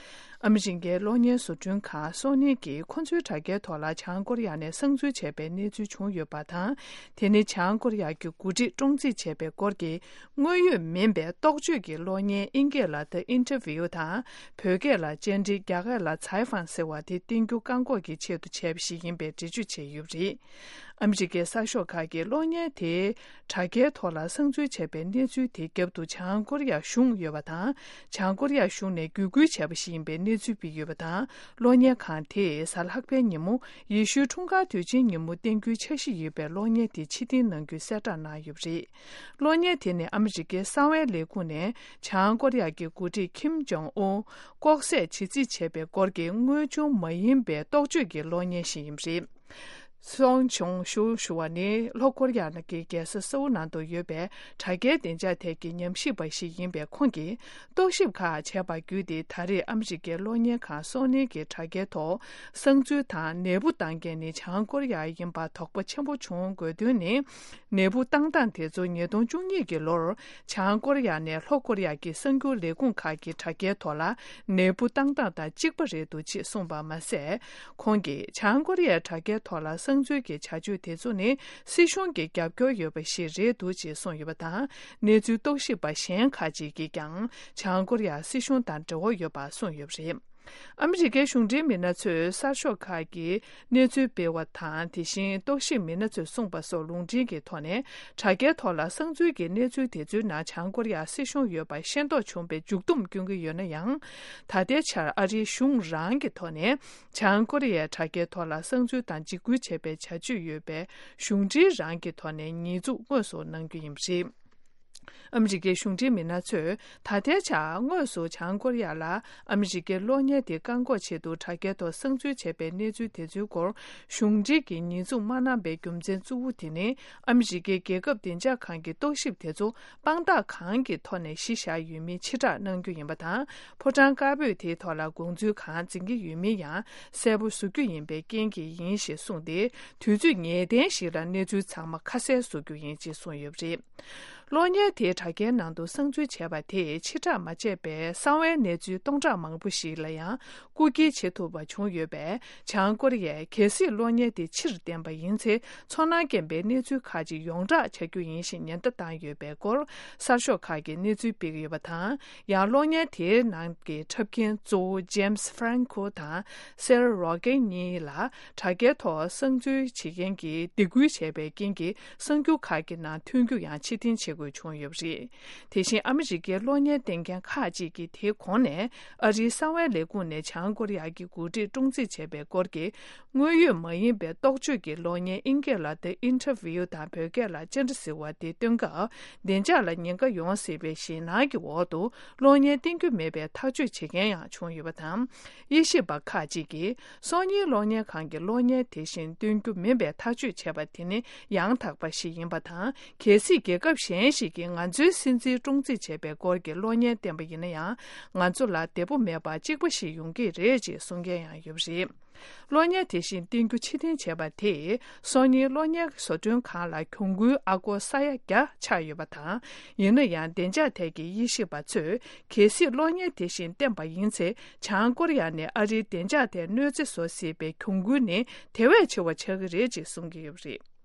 ཨ་མི་རི་ཀའི་གློག་བརྙན་བཟོ་སྐྲུན་ཁང་སོ་ནི་གིས་ཁོ་ཚོའི་དྲ་རྒྱའི་ཐོག་ལ་བྱང་ཀོ་རི་ཡ་ནས་གསང་འཛུལ་བྱས་པའི་གནས་ཚུལ་བྱུང་ཡོད་པ་དང་། དེ་ནི་བྱང་ཀོ་རི་ཡ་གི་འགོ་ཁྲིད་བཀྲོངས་རྩིས་བྱས་པའི་སྐོར་གྱི་དངོས་ཡོད་མིན་པའི་རྟོག་བརྗོད་ཀྱི་གློག་བརྙན། དབྱིན་སྐད་ལ་The Interview་དང་། བོད་སྐད་ལ་བཅར་འདྲི། རྒྱ་སྐད་ལ採访་ཟེར་བ་དེ་བསྟན་རྒྱུ་བཀག་འགོག་གི་ཆེད་དུ་བྱས་པ་ཞིག་ཡིན་པའི་འགྲེལ་བརྗོད་བྱས་ཡོད་པ་རེད། ཨ་མི་རི་ཀའི་གསར་ཤོག་ཁག་གིས་གློག་བརྙན་དེ་དྲ་རྒྱའི་ཐོག་ལ་གསང་འཛུལ་བྱས་པའི་གནས་ཚུལ་དེའི་རྒྱབ་ཏུ་བྱང་ཀོ་རི་ཡ་གཞུང་ཡོད་པ་དང་། བྱང་ཀོ་རི་ཡ་གཞུང་ནས་བརྒྱུད་སྐུལ་བྱས་པ་ཞིག་ཡིན་པའི་གནས་ཚུལ་སྤེལ་ཡོད་པ་དང་། གློག་བརྙན་ཁང་དེས་གཟའ་ལྷག་པའི་ཉིན་མོ་ཡེ་ཤུའི་འཁྲུངས་སྐར་དུས་ཆེན་ཉིན་མོ་བསྟན་རྒྱུའི་འཆར་གཞི་ཡོད་པའི་གློག་བརྙན་དེ་ཕྱིར་འཐེན་གནང་རྒྱུའི་གསལ་བསྒྲགས་གནང་ཡོད་པ་རེད། གློག་བརྙན་དེ་ནི་ཨ་མི་རི་ཀའི་གསང་བའི་ལས་ཁུངས་ནས་བྱང་ཀོ་རི་ཡ་གི་འགོ་ཁྲིད་ཁིམ་ཇོང་ཨུན་ལྐོག་བསད་བྱེད་རྩིས་བྱས་པའི་སྐོར་གྱི་དངོས་བྱུང་མ་ཡིན་པའི་རྟོག་བརྗོད་ཀྱི་གློག་བརྙན་ཞིག་ཡིན་པ་རེད། སོང་ཆུང་ཞུ་ཞུ་བ་ནི་ལྷོ་ཀོ་རི་ཡ་ནང་གི་རྒྱལ་ས་སེའུ་ནང་དུ་ཡོད་པའི་དྲ་རྒྱའི་བདེ་འཇགས་ཐད་ཀྱི་ཉམས་ཞིབ་པ་ཞིག་ཡིན་པས། ཁོང་གིས་རྟོག་ཞིབ་ཁག་བྱས་པ་བརྒྱུད་དེ། ད་རེས་ཨ་མི་རི་ཀའི་གློག་བརྙན་ཁང་སོ་ནི་གི་དྲ་རྒྱའི་ཐོག་གསང་འཛུལ་དང་ནད་འབུ་བཏང་མཁན་ནི་བྱང་ཀོ་རི་ཡ་ཡིན་པ་དོགས་པ་ཆེན་པོ་བྱུང་དགོས་དོན་ནི། ནད་འབུ་བཏང་སྟངས་དེ་ཚོ་ཉིས་སྟོང་བཅུ་གཉིས་ཀྱི་ལོར་བྱང་ཀོ་རི་ཡ་ནས་ལྷོ་ཀོ་རི་ཡ་གི་གསར་འགྱུར་ལས་ཁུངས་ཁག་གི་དྲ་རྒྱའི་ཐོག་ལ་ནད་འབུ་བཏང་སྟངས་དང་གཅིག་པ་རེད་འདུག་ཅེས་གསུངས་པ་མ་ཟད། ཁོང་གིས་བྱང་ཀོ་རི་ཡའི་དྲ་རྒྱའི་ཐོག་ལ་གསང་འཛུལ་གྱི་བྱ་སྤྱོད་དེ་ཚོ་ནི་སྲིད་གཞུང་གི་རྒྱབ་སྐྱོར་ཡོད་པ་ཞིག་རེད་འདུག་ཅེས་གསུངས་ཡོད་པ་དང་། གནས་ཚུལ་རྟོག་ཞིབ་པ་གཞན་ཁག་ཅིག་གིས་ཀྱང་བྱང་ཀོ་རི་ཡ་སྲིད་གཞུང་དང་འབྲེལ་བ་ཡོད་པ་གསུངས་ཡོད་པ་རེད། ཨ་མི་རི་ཀའི་གཞུང་འབྲེལ་མི་སྣ་ཚོས་གསར་ཤོག་ཁག་གི་གནས་ཚུལ་སྤེལ་བ་དང་། དེ་བཞིན་རྟོག་ཞིབ་མི་སྣ་ཚོས་གསུངས་པ་སོགས་ལུང་འདྲེན་གྱི་ཐོག་ནས། དྲ་རྒྱའི་ཐོག་ལ་གསང་འཛུལ་གྱི་གནས་ཚུལ་དེ་ཚོའི་ནང་བྱང་ཀོ་རི་ཡ་སྲིད་གཞུང་ཡོད་པ་ཤེས་རྟོགས་བྱུང་བའི་མཇུག་བསྡོམས་སྐྱོན་གྱི་ཡོད་ན་ཡང་། ད་ལྟའི་ཆར་ཨ་རིའི་གཞུང་རང་གི་ཐོག་ནས་བྱང་ཀོ་རི་ཡའི་དྲ་རྒྱའི་ཐོག་ལ་གསང་འཛུལ་དང་འཇིགས་སྐུལ་བྱས་པའི་བྱ་སྤྱོད་ཡོད་པའི་གཞུང་འབྲེལ་རང་གི་ཐོག་ནས་ཉེས་འཛུགས་དངོས་སུ་གནང་རྒྱུ་ཡིན་པ་རེད། ཨ་མི་རི་ཀའི་གཞུང་འབྲེལ་མི་སྣ་ཚོས་ད་ལྟའི་ཆར་དངོས་སུ་བྱང་ཀོ་རི་ཡ་ལ་ཨ་མི་རི་ཀའི་གློག་བརྙན་དེ་བཀག་འགོག་ཆེད་དུ་དྲ་རྒྱའི་ཐོག་གསང་འཛུལ་བྱས་པའི་གནས་ཚུལ་དེ་ཚོའི་སྐོར་གཞུང་འབྲེལ་གྱིས་ཉེས་འཛུགས་མ་གནང་པའི་རྒྱུ་མཚན་གཙོ་བོ་དེ་ནི། ཨ་མི་རི་ཀའི་རྒྱལ་ཁབ་བདེ་འཇགས་ཁང་གི་རྟོག་ཞིབ་དེ་ཚོ་དཔང་རྟགས་གང་གི་ཐོག་ནས་གཞི་བཞག་ཡོད་མིན་ཕྱིར་བསྒྲགས་གནང་རྒྱུ་ཡིན་པ་དང་། ཕོ་བྲང་དཀར་པོས་དེའི་ཐོག་ལ་དགོངས་ཚུལ་གང་འཛིན་གྱི་ཡོད་མིན་ཡང་གསལ་པོ་བཟོ་རྒྱུ་ཡིན་པའི་རྐྱེན་གྱིས་ཡིན་ཞེས་གསུངས་ཏེ། དུས་ཚོད་ངེས་གཏན་ཞིག་ལ་གནས་ཚུལ་ཚང་མ་ཁ་གསལ་བཟོ་རྒྱུ་ཡིན་ཅེས་གསུངས་ཡོད་པ་རེད། གློག་བརྙན་དེ་དྲ་རྒྱའི་ནང་དུ་གསང་འཛུལ་བྱས་པ་དེས་ཕྱིར་བསྒྲགས་མ་བྱས་པའི་གསང་བའི་གནས་ཚུལ་སྟོང་ཕྲག་མང་པོ་ཞིག་ལ་ཡང་རྐུ་འཁྱེར་བྱེད་ཐུབ་པ་བྱུང་ཡོད་པས། བྱང་ཀོ་རི་ཡས་གལ་སྲིད་གློག་བརྙན་དེ་ཕྱིར་བཏོན་པ་ཡིན་ཚེ། ཚོར་སྣང་སྐྱེན་པའི་གནས་ཚུལ་ཁག་ཅིག་ཡོངས་བསྒྲགས་བྱ་རྒྱུ་ཡིན་ཞེས་ཉེན་བརྡ་བཏང་ཡོད་པའི་སྐོར། གསར་ཤོག་ཁག་གིས་གནས་ཚུལ་སྤེལ་གྱི་ཡོད་པ་དང་། ཡང་གློག་བརྙན་དེའི་ནང་གི་འཁྲབ་མཁན་གཙོ་བོ་James Franco་དང་Sarah Rogen་གཉིས་ལ་དྲ་རྒྱའི་ཐོག་གསང་འཛུལ་བྱེད་མཁན་གྱིས་སྡིགས་སྐུལ་བྱས་པའི་རྐྱེན་གྱིས། གསར་འགྱུར་ཁག་གི་ནང་ཐོན་རྒྱུ་ཡང་ཕྱིར་འཐེན་བྱེད་དགོས་བྱུང་ཡོད་པ་རེད། དེ་བཞིན་ཨ་མི་རི་ཀའི་གློག་བརྙན་བསྟན་མཁན་ཁག་ཅིག་གིས་དེའི་གོང་ནས་ཨ་རིའི་གསང་བའི་ལས་ཁུངས་ནས་བྱང་ཀོ་རི་ཡ་གི་འགོ་ཁྲིད་བཀྲོངས་རྩིས་བྱས་པའི་སྐོར་གྱི་དངོས་ཡོད་མ་ཡིན་པའི་རྟོག་བརྗོད་ཀྱི་གློག་བརྙན། དབྱིན་སྐད་ལ་The Interview་དང་བོད་སྐད་ལ་བཅར་འདྲི་ཟེར་བ་དེ་སྟོན་སྐབས། བདེ་འཇགས་ལ་ཉེན་ཁ་ཡོང་སྲིད་པའི་ཞེད་སྣང་གི་འོག་ཏུ་གློག་བརྙན་བསྟན་རྒྱུ་མེད་པའི་ཐག་གཅོད་བྱེད་མཁན་ཡང་བྱུང་ཡོད་པ་དང་། དབྱེ་ཞིབ་པ་ཁག་ཅིག་གིས་སོ་ནི་གློག་བརྙན་ཁང་གི་གློག་བརྙན་དེ་བཞིན་སྟོན་རྒྱུ་མིན་པའི་ཐག་གཅོད་བྱས་པ་དེ་ནི་ཡང་དག་པ་ཞིག་ཡིན་པ་དང་། གལ་སྲིད་རྒྱལ་ཁབ་གཞན་ཞིག་གིས་ང་ཚོའི་སྲིད་འཛིན་བཀྲོངས་རྩིས་བྱས་པའི་སྐོར་གྱི་གློག་བརྙན་བསྟན་པ་ཡིན་ན་ཡང་། ང་ཚོ་ལ་བདེ་པོ་མེད་པ་གཅིག་པ་ཞིག་ཡོང་གི་རེད་ཅེས་གསུང་མཁན་ཡང་ཡོད་པ་རེད། གློག་བརྙན་དེ་བཞིན་བསྟན་རྒྱུ་ཕྱིར་འཐེན་བྱས་པ་དེས་སོ་ནི་གློག་བརྙན་བཟོ་སྐྲུན་ཁང་ལ་གྱོང་གུན་ཨ་སྒོར་ས་ཡ་བརྒྱ་ཆགས་ཡོད་པ་དང་། ཡིན་ན་ཡང་བདེ་འཇགས་ཐད་ཀྱི་དབྱེ་ཞིབ་པ་ཚོས། གལ་སྲིད་གློག་བརྙན་དེ་བཞིན་བསྟན་པ་ཡིན་ཚེ། བྱང་ཀོ་རི་ཡ་ནས་ཨ་རིའི་བདེ་འཇགས་ཐད་གནོད་འཚེ་བཟོ་སྲིད་པའི་གྱོང་གུན་ནི་དེ་བས་ཆེ་བ་ཆགས་ཀྱི་རེད་ཅེས་གསུང་གི་ཡོད་པ་རེད།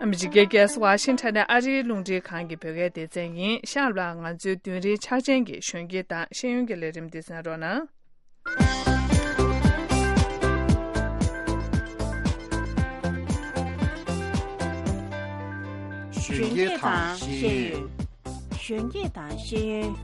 ཨ་མི་རི་ཀའི་རྒྱལ་ས་ཝ་ཤིང་ཊོན་ནས་ཨ་རིའི་རླུང་འཕྲིན་ཁང་གི་བོད་སྐད་སྡེ་ཚན་ཡིན། ཤང་ལ་ང་ཚོའི་བདུན་རེའི་འཆར་ཅན་གྱི་གཞོན་སྐྱེས་དང་ཤེས་ཡོན་གྱི་ལས་རིམ་འདི་གསན་རོགས་གནང་། གཞོན་སྐྱེས་དང་ཤེས་ཡོན། གཞོན་སྐྱེས་དང་ཤེས་ཡོན།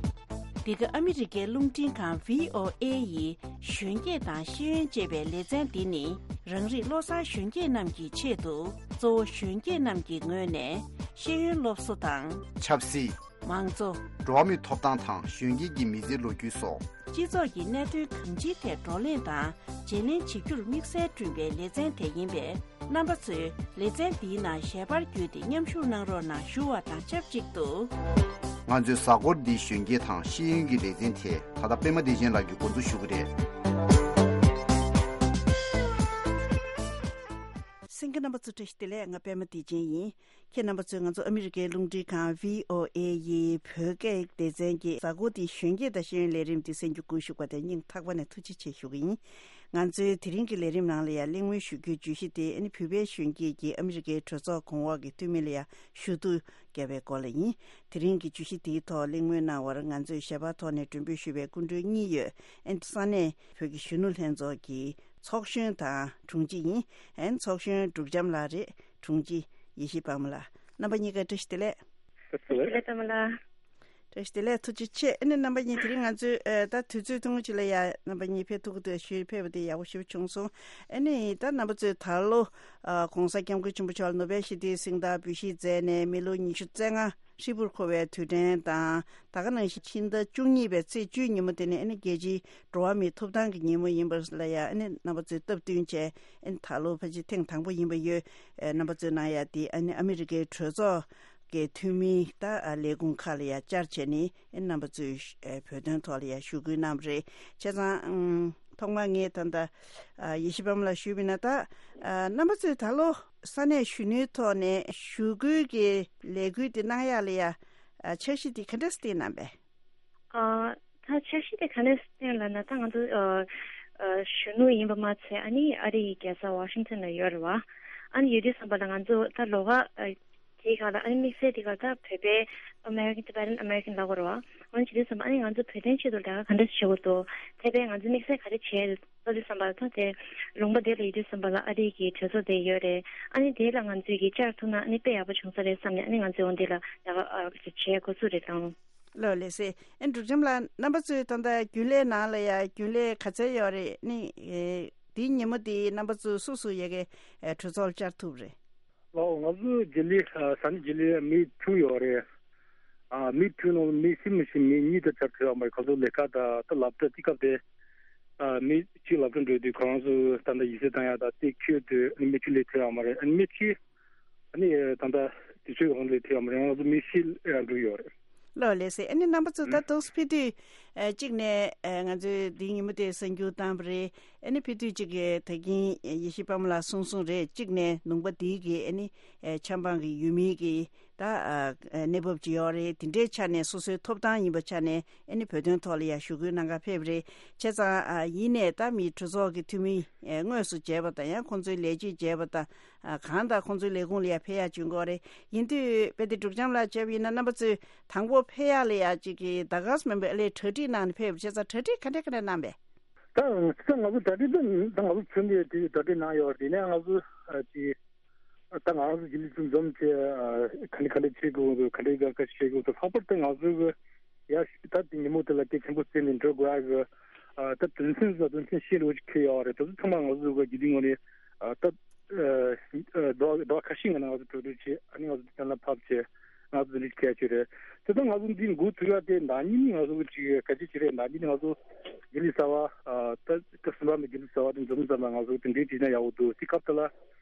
འདི་ག་ཨ་མི་རི་ཀའི་རླུང་འཕྲིན་ཁང་བྷི་ཨོ་ཨེ་ཡི་གཞོན་སྐྱེས་དང་ཤེས་ཡོན་ཅེས་པའི་ལེ་ཚན་འདི་ནི། རང་རིགས་བློ་བཟང་གཞོན་སྐྱེས་རྣམས་ཀྱི་ཆེད་དུ། གཙོ་བོ་གཞོན་སྐྱེས་རྣམས་ཀྱི་ངོས་ནས་ཤེས་ཡོན་སློབ་གསོ་དང་། ཆབ་སྲིད། མང་གཙོ། འགྲོ་བ་མིའི་ཐོབ་ཐང་དང་གཞོན་སྐྱེས་ཀྱི་མི་ཚེའི་ལོ་རྒྱུས་སོགས། སྤྱི་ཚོགས་ཀྱི་གནད་དོན་གང་ཅིའི་ཐད་བགྲོ་གླེང་དང་བརྗེ་ལེན་བྱེད་རྒྱུར་དམིགས་བསལ་བསྐྲུན་པའི་ལེ་ཚན་དེ་ཡིན་པས། རྣམ་པ་ཚོས་ལེ་ཚན་འདིའི་ནང་ཞལ་པར་བརྒྱུད་དེ་མཉམ་ཞུགས་གནང་རོགས་གནང་ཞུ་བ་དང་ཆབས་ཅིག་ཏུ། ང་ཚོའི་གཟའ་འཁོར་འདིའི་གཞོན་སྐྱེས་དང་ཤེས་ཡོན་གྱི་ལེ་ཚན་དེ་ད་ལྟ་པད་མ་བདེ་ཆེན་ལགས་ཀྱིས་འགོ་འཛུགས་ཞུ་གི་རེད། གསན་མཁན་རྣམ་པ་ཚོ་བཀྲ་ཤིས་བདེ་ལེགས། ང་པད་མ་བདེ་ཆེན་ཡིན། ཁྱེད་རྣམ་པ་ཚོས་ང་ཚོ་ཨ་མི་རི་ཀའི་རླུང་འཕྲིན་ཁང་བྷི་ཨོ་ཨེ་ཡི་བོད་སྐད་སྡེ་ཚན་གྱི་གཟའ་འཁོར་འདིའི་གཞོན་སྐྱེས་དང་ཤེས་ཡོན་ལས་རིམ་འདི་གསན་རྒྱུ་སྒུག་བཞུགས་པ་དེར་སྙིང་ཐག་པ་ནས་ཐུགས་རྗེ་ཆེ་ཞུ་གི་ཡིན། ང་ཚོའི་དེ་རིང་གི་ལས་རིམ་ནང་ལ་ཡང་གླེང་མོལ་ཞུ་རྒྱུའི་བརྗོད་གཞི་དེ་ཨ་ནི་བོད་པའི་གཞོན་སྐྱེས་ཀྱིས་ཨ་མི་རི་ཀའི་གྲོས་ཚོགས་གོང་འོག་གི་འཐུས་མི་ལ་ཡང་ཞུ་གཏུག་བརྒྱབ་པའི་སྐོར་ལ་ཡིན། དེ་རིང་གི་བརྗོད་གཞི་དེའི་ཐོག་གླེང་མོལ་གནང་བར་ང་ཚོས་ཞལ་པར་ཐོག་ནས་མགྲོན་འབོད་ཞུས་པའི་སྐུ་མགྲོན་གཉིས་ཡོད། ཨ་ནི་ས་གནས་བོད་ཀྱི་གཞོན་ནུ་ལྷན་ཚོགས་ཀྱི་ཚོགས་གཞོན་དང་དྲུང་ཆེ་ཡིན། ཨ་ནི་ཚོགས་གཞོན་འབྲུག་བྱམས་ལགས་རེད། དྲུང་ཆེ་ཡེ་ཤེས་དཔལ་མོ་ལགས། རྣམ་པ་གཉིས་ཀ་བཀྲ་ཤིས་བདེ་ལེགས། བཀྲ་ཤིས་བདེ་ལེགས་དཔལ་མོ་ལགས། བཀྲ་ཤིས་བདེ་ལེགས། ཐུགས་རྗེ་ཆེ། ཨ་ནི་རྣམ་པ་གཉིས་དེ་རིང་ང་ཚོའི་ཨ་ད་དུས་ཚོད་ཐུང་ངུ་ཅིག་ལ་ཡ་རྣམ་པ་གཉིས་ཕེབས་ཐུབ་ཀྱི་འདུག་ཞུས་ཕེབས་པ་དེ་ཡག་པོ་ཞེ་པོ་བྱུང་སོང་། ཨ་ནི་ད་རྣམ་པ་ཚོས་ད་ལོ་ཨ་གོང་ས་སྐྱབས་མགོན་ཆེན་པོ་མཆོག་ལ་ནོ་བེལ་ཞི་བདེའི་གཟེངས་རྟགས་འབུལ་བཞེས་མཛད་ནས་མི་ལོ་ཉི་ཤུ་རྩ་ལྔ་ཧྲིལ་པོར་འཁོར་བའི་དུས་དྲན་དང་། ད་ག་ནང་བཞིན་ཕྱི་ཟླ་བཅུ་གཉིས་པའི་ཚེས་བཅུའི་ཉིན་མོ་དེ་ནི་ཨ་ནི་རྒྱལ་སྤྱིའི་འགྲོ་བ་མིའི་ཐོབ་ཐང་གི་ཉིན་མོ་ཡིན་པ་ལ་ཡ་ཨ་ནི་རྣམ་པ་ཚོས་སྟབས་བསྟུན་བྱས། ཨ་ནི་ད་ལོ་ཕལ་ཆེར་ཐེངས་དང་པོ་ཡིན་པ་ཡོད། ཨ་རྣམ་པ་ཚོའི་ནང་ཡ་དེ་ཨ་ནི་ཨ་མི་རི་ཀའི་གྲོས་ཚོགས་ཀྱི་འཐུས་མི་ད་ལས་ཁུངས་ཁག་ལ་ཡ་བཅར་བྱས་ནས་ཨ་ནི་རྣམ་པ་ཚོས་བོད་དོན་ཐོག་ལ་ཡ་ཞུ་སྐུལ་གནང་བ་རེད། བྱས་ཙང་ཨང་ཐོག་མར་ངས་ད་ལྟ་ཡེ་ཤེས་དཔལ་མོ་ལ་ཞུས་པ་ཡིན་ན། ད་རྣམ་པ་ཚོས་ད་ལོ་ས་གནས་གཞོན་ནུའི་ཐོག་ནས་ཞུ་སྐུལ་གྱི་ལས་འགུལ་དེ་གནང་ཡག་ལ་ཡ་འཆར་གཞི་དེ་ག་འདྲ་བཏིང་གནང་པས། ཨ། ད་འཆར་གཞི་དེ་ག་འདྲ་བཏིང་ལབ་ན། ད་ང་ཚོ་ཨ་ཨ་གཞོན་ནུ་ཡིན་པ་མ་ཚད་ཨ་ནི་ཨ་རི་ཡི་རྒྱལ་ས་ཝ་ཤིང་ཊོན་ལ་ཡོད་རེད་བ། ཨ་ནི་ཡོད་དུས་ཙམ་པ་ལ་ང་ཚོ་ད་ལོགས་ཀ་ཨ་དེའི་སྒང་ལ་ཨ་ནི་དམིགས་བསལ་དེའི་སྒང་ལ་ད་བོད་པའི་American Tibetan American ལབ་དགོས་རེད་བ། འོ་ན་བྱེད་དུས་ཙམ་པ་ཨ་ནི་ང་ཚོ་བོད་དོན་ཆེད་དུ་ལས་ཀ་ག་འདྲ་བྱེད་དགོས་འདུག་དེ་བས་ང་ཚོ་དམིགས་བསལ་ག་རེ་བྱས་ལབ་དུས་ཙམ་པ་ལ་ད་དེ་ལུང་པ་དེ་ལ་ཡོད་དུས་ཙམ་པ་ལ་ཨ་རི་གི་གྲོས་ཚོགས་དེ་ཡོད་རེད། ཨ་ནི་དེ་ལ་ང་ཚོས་ཀྱིས་བཅར་ཐུབ་ན་ཨ་ནི་དཔེ་ཡག་པོ་བྱུང་ས་རེད་བསམ་ནས་ཨ་ནི་ང་ཚོས་འོ་འདི་ལ་ལས་ཀ་ཨ་བྱེད་འགོ་ཚུགས་རེད་དང་། ལགས་ལགས་སེ། ཨེ་འབྲུག་ལྕམ་ལགས། རྣམ་པ་ཚོའི་ད་ལྟ་རྒྱུན་ལས་ནང་ལ་ཡ་རྒྱུན་ལས་ག་ཚད་ཡོད་རེད། ནི་ཨེ་འདིའི་ཉིན་མོ་འདི་རྣམ་པ་ཚོ་སུ་སུ་ཡ་གི་ཨེ་གྲོས་ཚོགས་ལ་བཅར་ཐུབ་རེད། ལགས་ང་ཚོའི་རྒྱུན་ལས་ཨ་ས་གནས་རྒྱུན་ལས་མི་དྲུག་ཡོད་རེད། ཨ་མི་དྲུག་ནང་མི་ཤི་མི་ཤི་མི་གཉིས་དེ་བཅར་ཐུབ་ཡོད་མ་རེད། ཁོང་ཚོ་ལས་ཀ་དང་ད་སློབ་གྲྭ་དེ་སྐབས་དེ་ཨ་མི་གཅིག་སློབ་གྲྭ་འགྲོ་དུས་ཁོ་རང་ཚོ་ད་ལྟ་ཡིག་ཚད་བཏང་ཡག་དང་དེ་ཁྱོད་དུ་ཨ་ནི་མི་གཅིག་སླེབས་ཐུབ་ཡོད་མ་རེད། ཨ་ནི་མི་གཅིག་ཨ་ནི་ད་ལྟ་དུས་ཚོད་གང་ལ་ཐེབས་ཡོད་མ་རེད། ང་ཚོ་མི་ཤི་ཡང་འགྲོ་ཡོད་རེད། ལགས་ལགས་སེ། ཨ་ནི་རྣམ་པ་ཚོ་ད་དུང་ཕེབས་དུས་ཨ་གཅིག་ནས་ཨ་ང་ཚོས་འདིའི་ཉིན་མོ་དེ་གསར་འགྱུར་བཏང་བ་རེད། ཨ་ནི་ཕེབས་དུས་གཅིག་གི་ད་གིན་ཡེ་ཤེས་དཔལ་མོ་ལགས་གསུངས་གསུངས་རེད། གཅིག་ནས་ལུང་པ་འདིའི་གི་ཨ་ནི་ཨ་ཆབ་འབངས་ཀྱི་ཡུལ་མིའི་གི་ད་ཨ་གནས་བབ་ཅིག་ཡོད་རེད། དེ་འདྲའི་ཆ་ནས་སོ་སོའི་ཐོབ་ཐང་ཡིན་པའི་ཆ་ནས་ཨ་ནི་བོད་དོན་ཐོག་ལ་ཡང་ཞུ་སྐུལ་གནང་གར་ཕེབས་རེད། བྱས་ཙང་ཨ་ཡིན་ནས་ད་མི་གྲོས་ཚོགས་ཀྱི་འཐུས་མི་ཨ་དངོས་སུ་མཇལ་བ་དང་ཡང་ཁོང་ཚོའི་ལས་བྱེད་མཇལ་བ་དང་། ཨ་གང་ལྟར་ཁོང་ཚོའི་ལས་ཁུངས་ལ་ཡང་ཕེབས་ཡག་བྱུང་གི་རེད། ཡིན་དུས་དཔེ་དེ་འབྲུག་ལྕམ་ལགས་བྱས་པ་ཡིན་ན་རྣམ་པ་ཚོས་དང་པོ་ཕེབས་ཡག་ལ་ཡང་གཅིག་གི་ཟླ་སྐར་མིན་པའི་ཨ་ལས་གྲ་སྒྲིག་གནང་ནས་ཕེབས་པ་བྱས་ཙང་གྲ་སྒྲིག་ག་འདྲ་ག་འདྲ་གནང་པས། ད་ད་ང་ཚོ་གྲ་སྒྲིག་ད་ད་ང་ཚོ་ཚུན་ཆད་དེ་གྲ་སྒྲིག་གནང་ཡོད་རེད། དེ་ནས་ང་ཚོ་ཨ་ཅིག་ད་ང་ཚོ་རྒྱུན་ལས་ཚོ་འཛོམས་བྱས་ཨ་ག་འདྲ་ག་འདྲ་བྱེད་དགོས་འདུག་ག་འདྲ་ག་ག་བྱེད་དགོས་འདུག་ལྷག་པར་དུ་ང་ཚོ་གི་ཡ་ད་དེ་ཉིན་མོ་དེ་ལ་གལ་ཆེན་པོ་བརྩིས་ནས་འགྲོ་དགོས་ཡག་གི་ཨ་ད་དོན་ཚན་ད་དོན་ཚན་བཞི་ལོ་ཅིག་འཁེལ་ཡོད་རེད། དེ་ཚོ་ཚང་མ་ང་ཚོ་གི་རྒྱུན་ལས་ངོས་ནས་ཨ་ད། ཟླ་བ་ཁ་ཤས་སྔོན་ནས་ང་ཚོ་གྲོས་བསྡུར་བྱས། ཨ་ནི་ང་ཚོ་གཏན་ལ་ཕབ་བྱས། ང་ཚོ་འདི་འདྲ་ཞིག་གལ་ཆེ་རེད། དེ་ལྟར་ང་ཚོ་འདི་འགོ་ཚུགས་ཡ་དེ་ཟླ་གཉིས་ནི་ང་ཚོ་གི་ཅིག་གལ་ཆེ་ཆེ་རེད། ཟླ་གཉིས་ནི་ང་ཚོ་རྒྱུན་ལས་གསར་པ་ད་སྐབས་གསུམ་པ་ནས་རྒྱུན་ལས་གསར་པ་དེ་འཛོམས་ཙམ་ལ་ང་ཚོ་དེ་འདྲའི་བྱས་ན་ཡག་པོ་འདུག་དེ་སྐབས་དེ་ལ་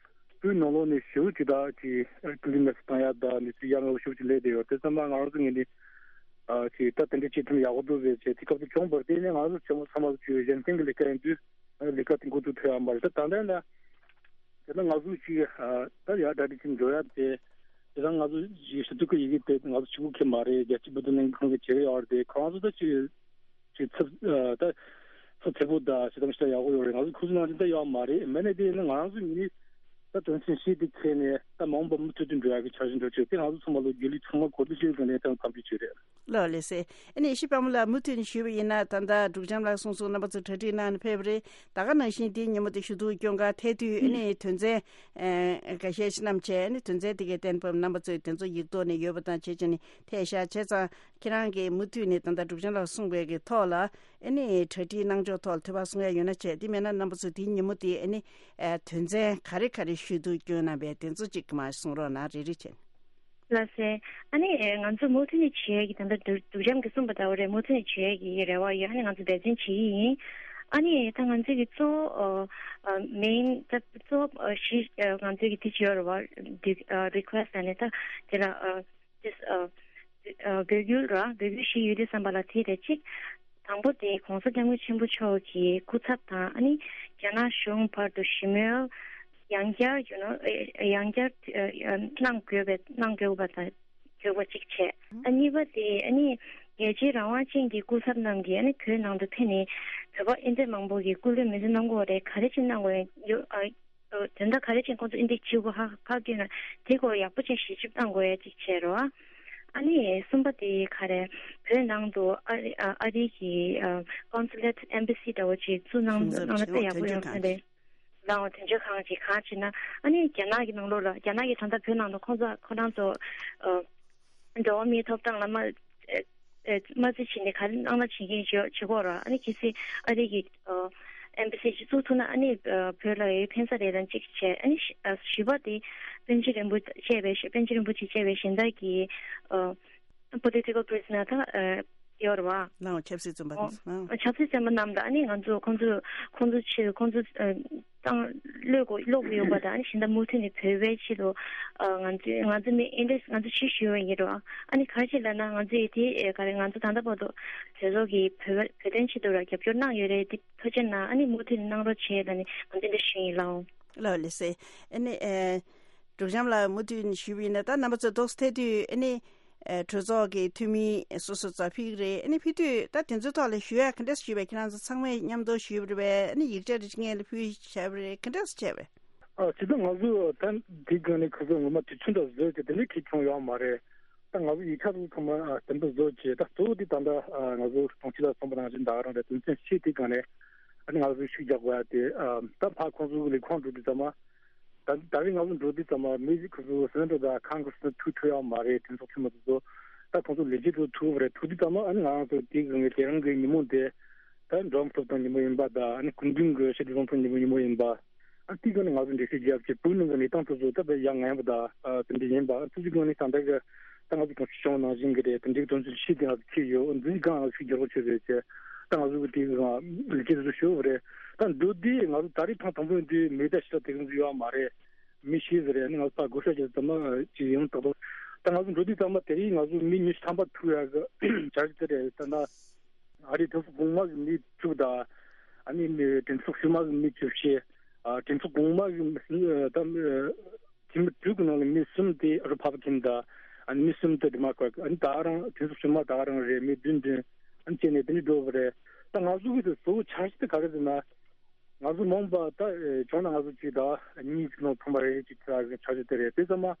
བོད་ནང་ལོགས་ནས་ཞེ་པོ་ཅིག་ད་ཅིག་སྐུ་མདུན་མེད་པར་བཏང་ཡ་ད་གནས་ཚུལ་ཡ་ང་ཞེ་པོ་ཅིག་སླེབས་བསྡད་ཡོད། དེ་ཙམ་ལ་ང་རང་ཚོ་ངོས་ནས་ཅིག་ད་དེ་འདྲ་བྱེད་ཐུབ་ན་ཡག་པོ་འདུག་ཟེར་བྱས། དེ་སྐབས་དེ་བྱུང་བར་བརྟེན་ནས་ང་ཚོ་ཆེན་མོ་ཚང་མ་ཚོ་ཅིག་གཞན་བརྟེན་གྱི་ལས་ཀ་ཡིན་དུས། ལས་ཀ་དེ་འགོ་ཚུགས་ཐུབ་ཡ་མ་རེད། ད་ད་ལྟ་ན་དེ་ན་ང་ཚོ་ཅིག་ད་ཡར་གྲ་སྒྲིག་བྱེད་འགྲོ་ཡ་དེ། དེ་ད་ང་ཚོ་ཞི་བདེ་སྐུ་ཡི་གེ་དེ་ང་ཚོ་གཅིག་པུ་གི་མ་རེད། རྒྱལ་སྤྱི་བོད་དོན་ལྷན་ཁང་གི་བྱེད་ཀྱི་ཡོད་རེད་དེ། ཁོང་ཚོ་ད་ཅིག་ཅིག་ཚབ་ད་ཚབ་ཚད་པོ་ད་ཞེ་དྲག་ཞེ་དྲག་ཡག་པོ་ཡོད་རེད། ང་ཚོ་ཁོ་ཚོ་ནང་བཞིན་ད་ཡོད་མ་རེད། མེད་ནས་དེ་ཡིན་ན་ང་རང་ཚོ་ཉིད་ནས་ད་དོན་ཚན་བཞི་དེ་འཁྱེར་ནས། ད་མ་འོངས་པ་མུ་མཐུད་དུ་འགྲོ་ཡག་གི་འཆར་གཞི་འགྲོ་ཆེད་དེ་ང་ཚོ་ཚང་མ་ལོ་རྒྱུས་ལས་ཚང་མ་གོ་བསྡུར་བྱེད་དགོས་ནས་ད་གམ་བྱུས་བྱས་རེད། ལགས་ལགས་སེ། ཨ་ནི་ཡེ་ཤེས་དཔལ་མོ་ལགས་མུ་མཐུད་ནས་ཞུས་པ་ཡིན་ན་ད་ལྟ་འབྲུག་བྱམས་ལགས་གསུངས་སོང་། རྣམ་པ་ཚོ་གྲ་སྒྲིག་གནང་ནས་ཕེབས་རེད། ད་ག་ནང་བཞིན་དེའི་ཉིན་མོ་དེ་ཞུ་གཏུག་སྐྱོན་ག་ཐད་དུས་ཨ་ནི་དོན་ཚན་ཨེ་འགའ་ཤས་ཤིག་བསྣམས་བྱས་ཨ་ནི་དོན་ཚན་དེ་གའི་གཏན་ཕབ་རྣམ་པ་ཚོས་དེ་ཚོ་ཡིག་ཐོག་ནས་ཡོད་པ་དང་བྱས་བྱས་ནས་ཐད་བཞག་བྱས་ཙང་ཁྱེད་རང་གིས་མུ་མཐུད་ནས་ད་ལྟ་འབྲུག་བྱམས་ལགས་གསུངས་པའི་གི་ཐོག་ལ་ཨ་ནི་གྲ་སྒྲིག་གནང་ཕྱོགས་ཐོག་ལ་དོད་པ་གསུང་ཡ་ཡོད་ན་བྱས། དེ་མེད་ན་རྣམ་པ་ཚོས་དེའི་ཉིན་མོ་དེ་ཨ་ནི་ཨེ་དོན་ཚན་ག་རེ་ག་རེ་ཞུ་གཏུག་སྐྱོན་གནང་པའི་དེ་ཚོ་གཅིག་མར་གསུང་རོགས་གནང་། རེ་རེ་བྱས། ལགས་སེ། ཨ་ནི་ང་ཚོ་མུ་མཐུད་ནས་བྱེད་ཡས་ཀྱི་ད་ལྟ་འབྲུག་འབྲུག་བྱམས་ཀྱིས་གསུངས་པ་ལྟ་བུ་རེད། མུ་མཐུད་ནས་བྱེད་ཡས་ཀྱི་རེ་བ་ཡོད། ཨ་ནི་ང་ཚོ་འབད་བརྩོན་བྱེད་ཀྱི་ཡིན། ཨ་ནི་ད་ང་ཚོས་ཀྱི་གཙོ་བོ་ཨ་ཨ་མེན་ད་གཙོ་བོ་ཨ་བཞི་ཨ་ང་ཚོས་ཀྱི་དེ་བྱེད་ཡོད་རེད་བ། ཨ་རི་ཁུ་ཨེ་སི་ཊི་ཨ་ནི་ད་དེ་ལ་ཨ་ཏིས་ཨ་ཨ་འབོད་སྐུལ་ར་འབོད་སྐུལ་ཞིག་ཡོད་དུས་ཙམ་པ་ལ་དེ་རེད་གཅིག་དང་པོ་དེ་༸གོང་ས་༸སྐྱབས་མགོན་ཆེན་པོ་མཆོག་གི་སྐུ་ཚབ་དང་ཨ་ནི་རྒྱ་ནག་གཞུང་བར་དུ་ཞི་མོལ་ཡང་བསྐྱར་you know ཡང་བསྐྱར་གནང་དགོས་པའི་གནང་དགོས་པ་དང་དགོས་པ་གཅིག་བྱས། ཨ་གཉིས་པ་དེ་ཨ་ནི་རྒྱལ་གཅེས་རང་དབང་ཅན་གྱི་སྐུ་ཚབ་རྣམས་ཀྱིས་ཨ་ནི་བོད་ནང་དུ་ཕེབས་ནས་བོད་པ་ཨིན་ཇི་མང་པོ་གིས་སྐུ་ལུས་མེ་མཆོད་གནང་དགོས་རེད། ག་རེ་བྱས་གནང་དགོས་ཡོད་ཨ། དོན་དག་ག་རེ་བྱས་ཁོང་ཚོ་ཨིན་ཇི་བྱེད་དགོས་ཧ་ཧ་གོ་ན་དེ་སྐོར་ཡག་པོ་བྱས་ཞིབ་འཇུག་གནང་དགོས་ཡ་གཅིག་བྱས་རོགས། ཨ་ནི་གསུམ་པ་དེ་ག་རེ་བོད་ནང་དུ་ཨ་རི་ཨ་ཨ་རི་གི་ཨ་consulate embassy འདྲ་བོ་ཅིག་བཙུགས་གནང་གནང་ན་དཔེ་ཡག་པོ་ཡོང་ས་རེད། ལའོ་དོན་གཅོད་ཁང་ཅིག་གང་བྱས་ན་ཨ་ནི་རྒྱ་ནག་གི་ནང་ལོགས་ལ་རྒྱ་ནག་གི་ད་ལྟ་བོད་ནང་དུ་ཁོང་ཚོ་ཁོ་རང་ཚོ་ཨ་འགྲོ་བ་མིའི་ཐོབ་ཐང་ལ་མ་ཨ་མ་རྩིས་བྱས་ནས་ག་རེ་གནང་ན་བྱེད་མཁན་བྱེད་བྱེད་ཀྱི་ཡོད་རེད། ཨ་ནི་གལ་སྲིད་ཨ་རི་གི་ཨ་embassy ཅིག་བཙུགས་ཐུབ་ན་ཨ་ནི་ཨ་བོད་ལ་ཡོད་ཕན་ས་རེད་དང་གཅིག་བྱས། ཨ་ནི་བཞི་ཨ་བཞི་པ་དེ་པཎ་ཆེན་རིན་པོ་ཆེ་བཅས་པའི་པཎ་ཆེན་རིན་པོ་ཆེ་བཅས་པའི་གཞན་དག་གི་ཨ་political prisoner དང་ཨ་ཡོད་རེད་བ། ལའོ་ཆབ་སྲིད་བཙོན་པ་ཨོ། དང་། ཨ་ཆབ་སྲིད་བཙོན་པ་རྣམས་དང་ཨ་ནི་ང་ཚོ་ཁོང་ཚོ་ཁོང་ཚོ་ཆེད་ཁོང་ཚོ་ཨ་བཏང་གློད་དགོས་གློད་དགོས་ཡོད་པ་དང་ཨ་ནི་གཞན་དག་མུ་མཐུད་ནས་བོད་པའི་ཆེད་དུ་ཨ་ང་ཚོ་ང་ཚོ་མི་ཨིན་ཌི་ང་ཚོ་ཕྱིར་ཞུ་བ་ཡིན་རོགས། ཨ་ནི་ག་རེ་བྱས་ལབ་ན་ང་ཚོ་ཡི་དེ་ཨེ་ག་རེ་ང་ཚོ་ད་ལྟ་བར་དུ་བོད་ཚོགས་ཀྱི་བོད་བོད་དོན་ཆེད་དུ་ར་རྒྱབ་སྐྱོར་གནང་ཡོད་རེད། དེ་ཐུགས་རྗེ་གནང་། ཨ་ནི་མུ་མཐུད་ནས་གནང་རོགས་བྱས་ལབ་ནས་ང་ཚོ་འདི་ཞུ་ཡིན་ལགས། ལགས་ལགས་སེ། ཨ་ནི་ཨེ་འབྲུག་བྱམས་ལགས་མུ་མཐུད་ནས་ཞུས་པ་ཡིན་ན་ད་རྣམ་པ་ཚོ་ཏོག་ཙམ་ཐད་དུས་ཨ་ནི་ཨེ་གྲོས་ཚོགས་ཀྱི་འཐུས་མི་སོ་སོ་ཚོ་ཕེབས་ཀྱི་རེད། ཨ་ནི་ཕེབས་དུས་ད་དེ་ཚོའི་ཐོག་ལ་ཞུ་ཡ་ག་འདྲས་ཞུས་པས། ཁྱེད་རང་ཚོ་ཚང་མས་མཉམ་དུ་ཞུས་པ་རེད་པས། ཨ་ནི་ཡིག་ཆ་རེ་སྔོན་ལ་ཕུལ་བྱས་པ་རེད། ག་འདྲས་བྱས་པས། ཨ་ཇི་ལྟར་ང་ཚོ་ད་འདི་སྒང་ནས་ཁོ་ཚོ་ངོ་མ་དུས་ཚོད་འདྲ་བཟོས་ཏེ་དེ་འདྲའི་གྲས་བྱུང་ཡོད་མ་རེད། ད་ང་ཚོ་ཡིག་ཆ་ཚོ་ཚང་མ་ཨ་བདེན་པ་བཟོ་བྱས་ད་གཙོ་བོ་དེ་ད་ལྟ་ཨ་ང་ཚོ་དྲུང་ཆེ་ལགས་གསུངས་པ་ནང་བཞིན་ད་ག་རང་རེད། དོན་ཚན་བཞི་དེ་སྒང་ནས་ཨ་ནི་ང་ཚོ་ཤུགས་རྒྱག་དགོས་ཡ་དེ་ཨ་ད་ཕར་ཁོང་ཚོ་གི་ལས་ཁུངས་འགྲོ་དུས་ཙམ་མ་ད་ད་རེས་ང་ཚོ་འགྲོ་དུས་ཙམ་མ་མི་ཁོ་ཚོ་སེ་ནེ་ཊར་དང་ཁོང་གི་སེ་ནེ་ཊར་ཐུག་ཐུབ་ཡོད་མ་རེད། གྲོས་ཚོགས་འཐུས་མི་དེ་ཚོ་ད་ཁོང་ཚོ་ལས་བྱེད་ཚོ་ཐུག་རེད། ཐུག་དུས་ཙམ་མ་ཨ་ནི་ང་ཚོ་དེ་གི་ངའི་དེ་རིང་གི་ཉིན་མོ་དེ་ད་འགྲོ་བ་མིའི་ཐོབ་ཐང་ཉིན་མོ་ཡིན་པ་དང་ཨ་ནི་སྐུ་མདུན་གི་ཞི་བདེ་བཟང་ཕོད་ཉིན་མོ་ཉིན་མོ་ཡིན་པ། ཨ་དེའི་སྒང་ནས་ང་ཚོ་འགྲེལ་བཤད་བརྒྱབ་བྱས་བོད་ནང་གི་གནས་སྟངས་དེ་ཚོ་ད་དཔེ་ཡ་ང་ཡང་པ་དང་ཨ་དེ་འདྲ་ཡིན་པ། ཨ་ཐུགས་རྗེ་སྒང་ནས་ད་ལྟ་གི་ད་ང་ཚོ་དྲུང་ཆེ་སྐྱོང་བ་ནང་བཞིན་གི་རེད། དེ་འདྲའི་དོན་ཚན་བཞི་དེ་ང་ཚོ་ཁྱེར་ཡོད། འདིའི་སྒང་ང་ཚོ་ཤུགས་རྒྱག་རོགས་བྱེད་རེད་ཅེས་ད་ང་ཚོ་གི་དེའི་སྒང་ལས་བྱེད་དེ་ཚོ་ཞུ་བ་རེད། ད་འགྲོ་དུས་ང་ཚོ་ད་རེས་ཐེངས་དང་པོ་ཡིན་དུས་མི་ད་ཞེ་དྲག་དེ་ག་ཚོད་ཡོད་མ་རེད། མི་ཤེས་ཟེར་རེད། ཨ་ནི་ང་ཚོ་ད་བགོ་བཤའ་བྱས་ཙམ་མ་ཅིག་ཡིན་ཏག་ཏག་ད་ང་ཚོ་འགྲོ་དུས་ཙམ་མ་དེ་རིང་ང་ཚོ་མི་ཉི་ཤུ་ཐམ་པ་ཐུག་ཡག་གི་འཆར་གཞི་དེ་རེད། ད་ན་ཨ་རིའི་གྲོས་ཚོགས་གོང་མ་གི་མི་བཅུ་དང་ཨ་ནི་མི་གྲོས་ཚོགས་ཕྱི་མ་གི་མི་བཅུ་བཞི། ཨ་གྲོས་ཚོགས་གོང་མ་གི་མི་ད་མི་འཐུས་མི་དྲུག་གི་ནང་ནས་མི་གསུམ་དེ་རི་ཕབ་ལི་ཀན་དང་ཨ་ནི་མི་གསུམ་དེ་ཌི་མོ་ཀྲེ་ཊི། ཨ་ནི་ད་རང་གྲོས་ཚོགས་ཕྱི་མ་ད་རང་རེད། མི་བདུན་བདུན་ཨ་ནི་བྱས་ནས་དེ་འདྲ་འགྲོ་བ་རེད། ད་ང་ཚོ་གི་དེ་གཙོ་བོ་འཆར་གཞི་དེ་ག་རེ་ཟེར་ན། ང་ཚོ་མ་འོངས་པ་ད་བྱུང་ན་ང་ཚོ་གཅིག་དང་གཉིས་ཀྱི་ནང་ཚང་མ་རེ་རེ་གཅིག་ཆགས་ཀྱི་འཆར་གཞི་དེ་རེད། དེ་ཚང་མ་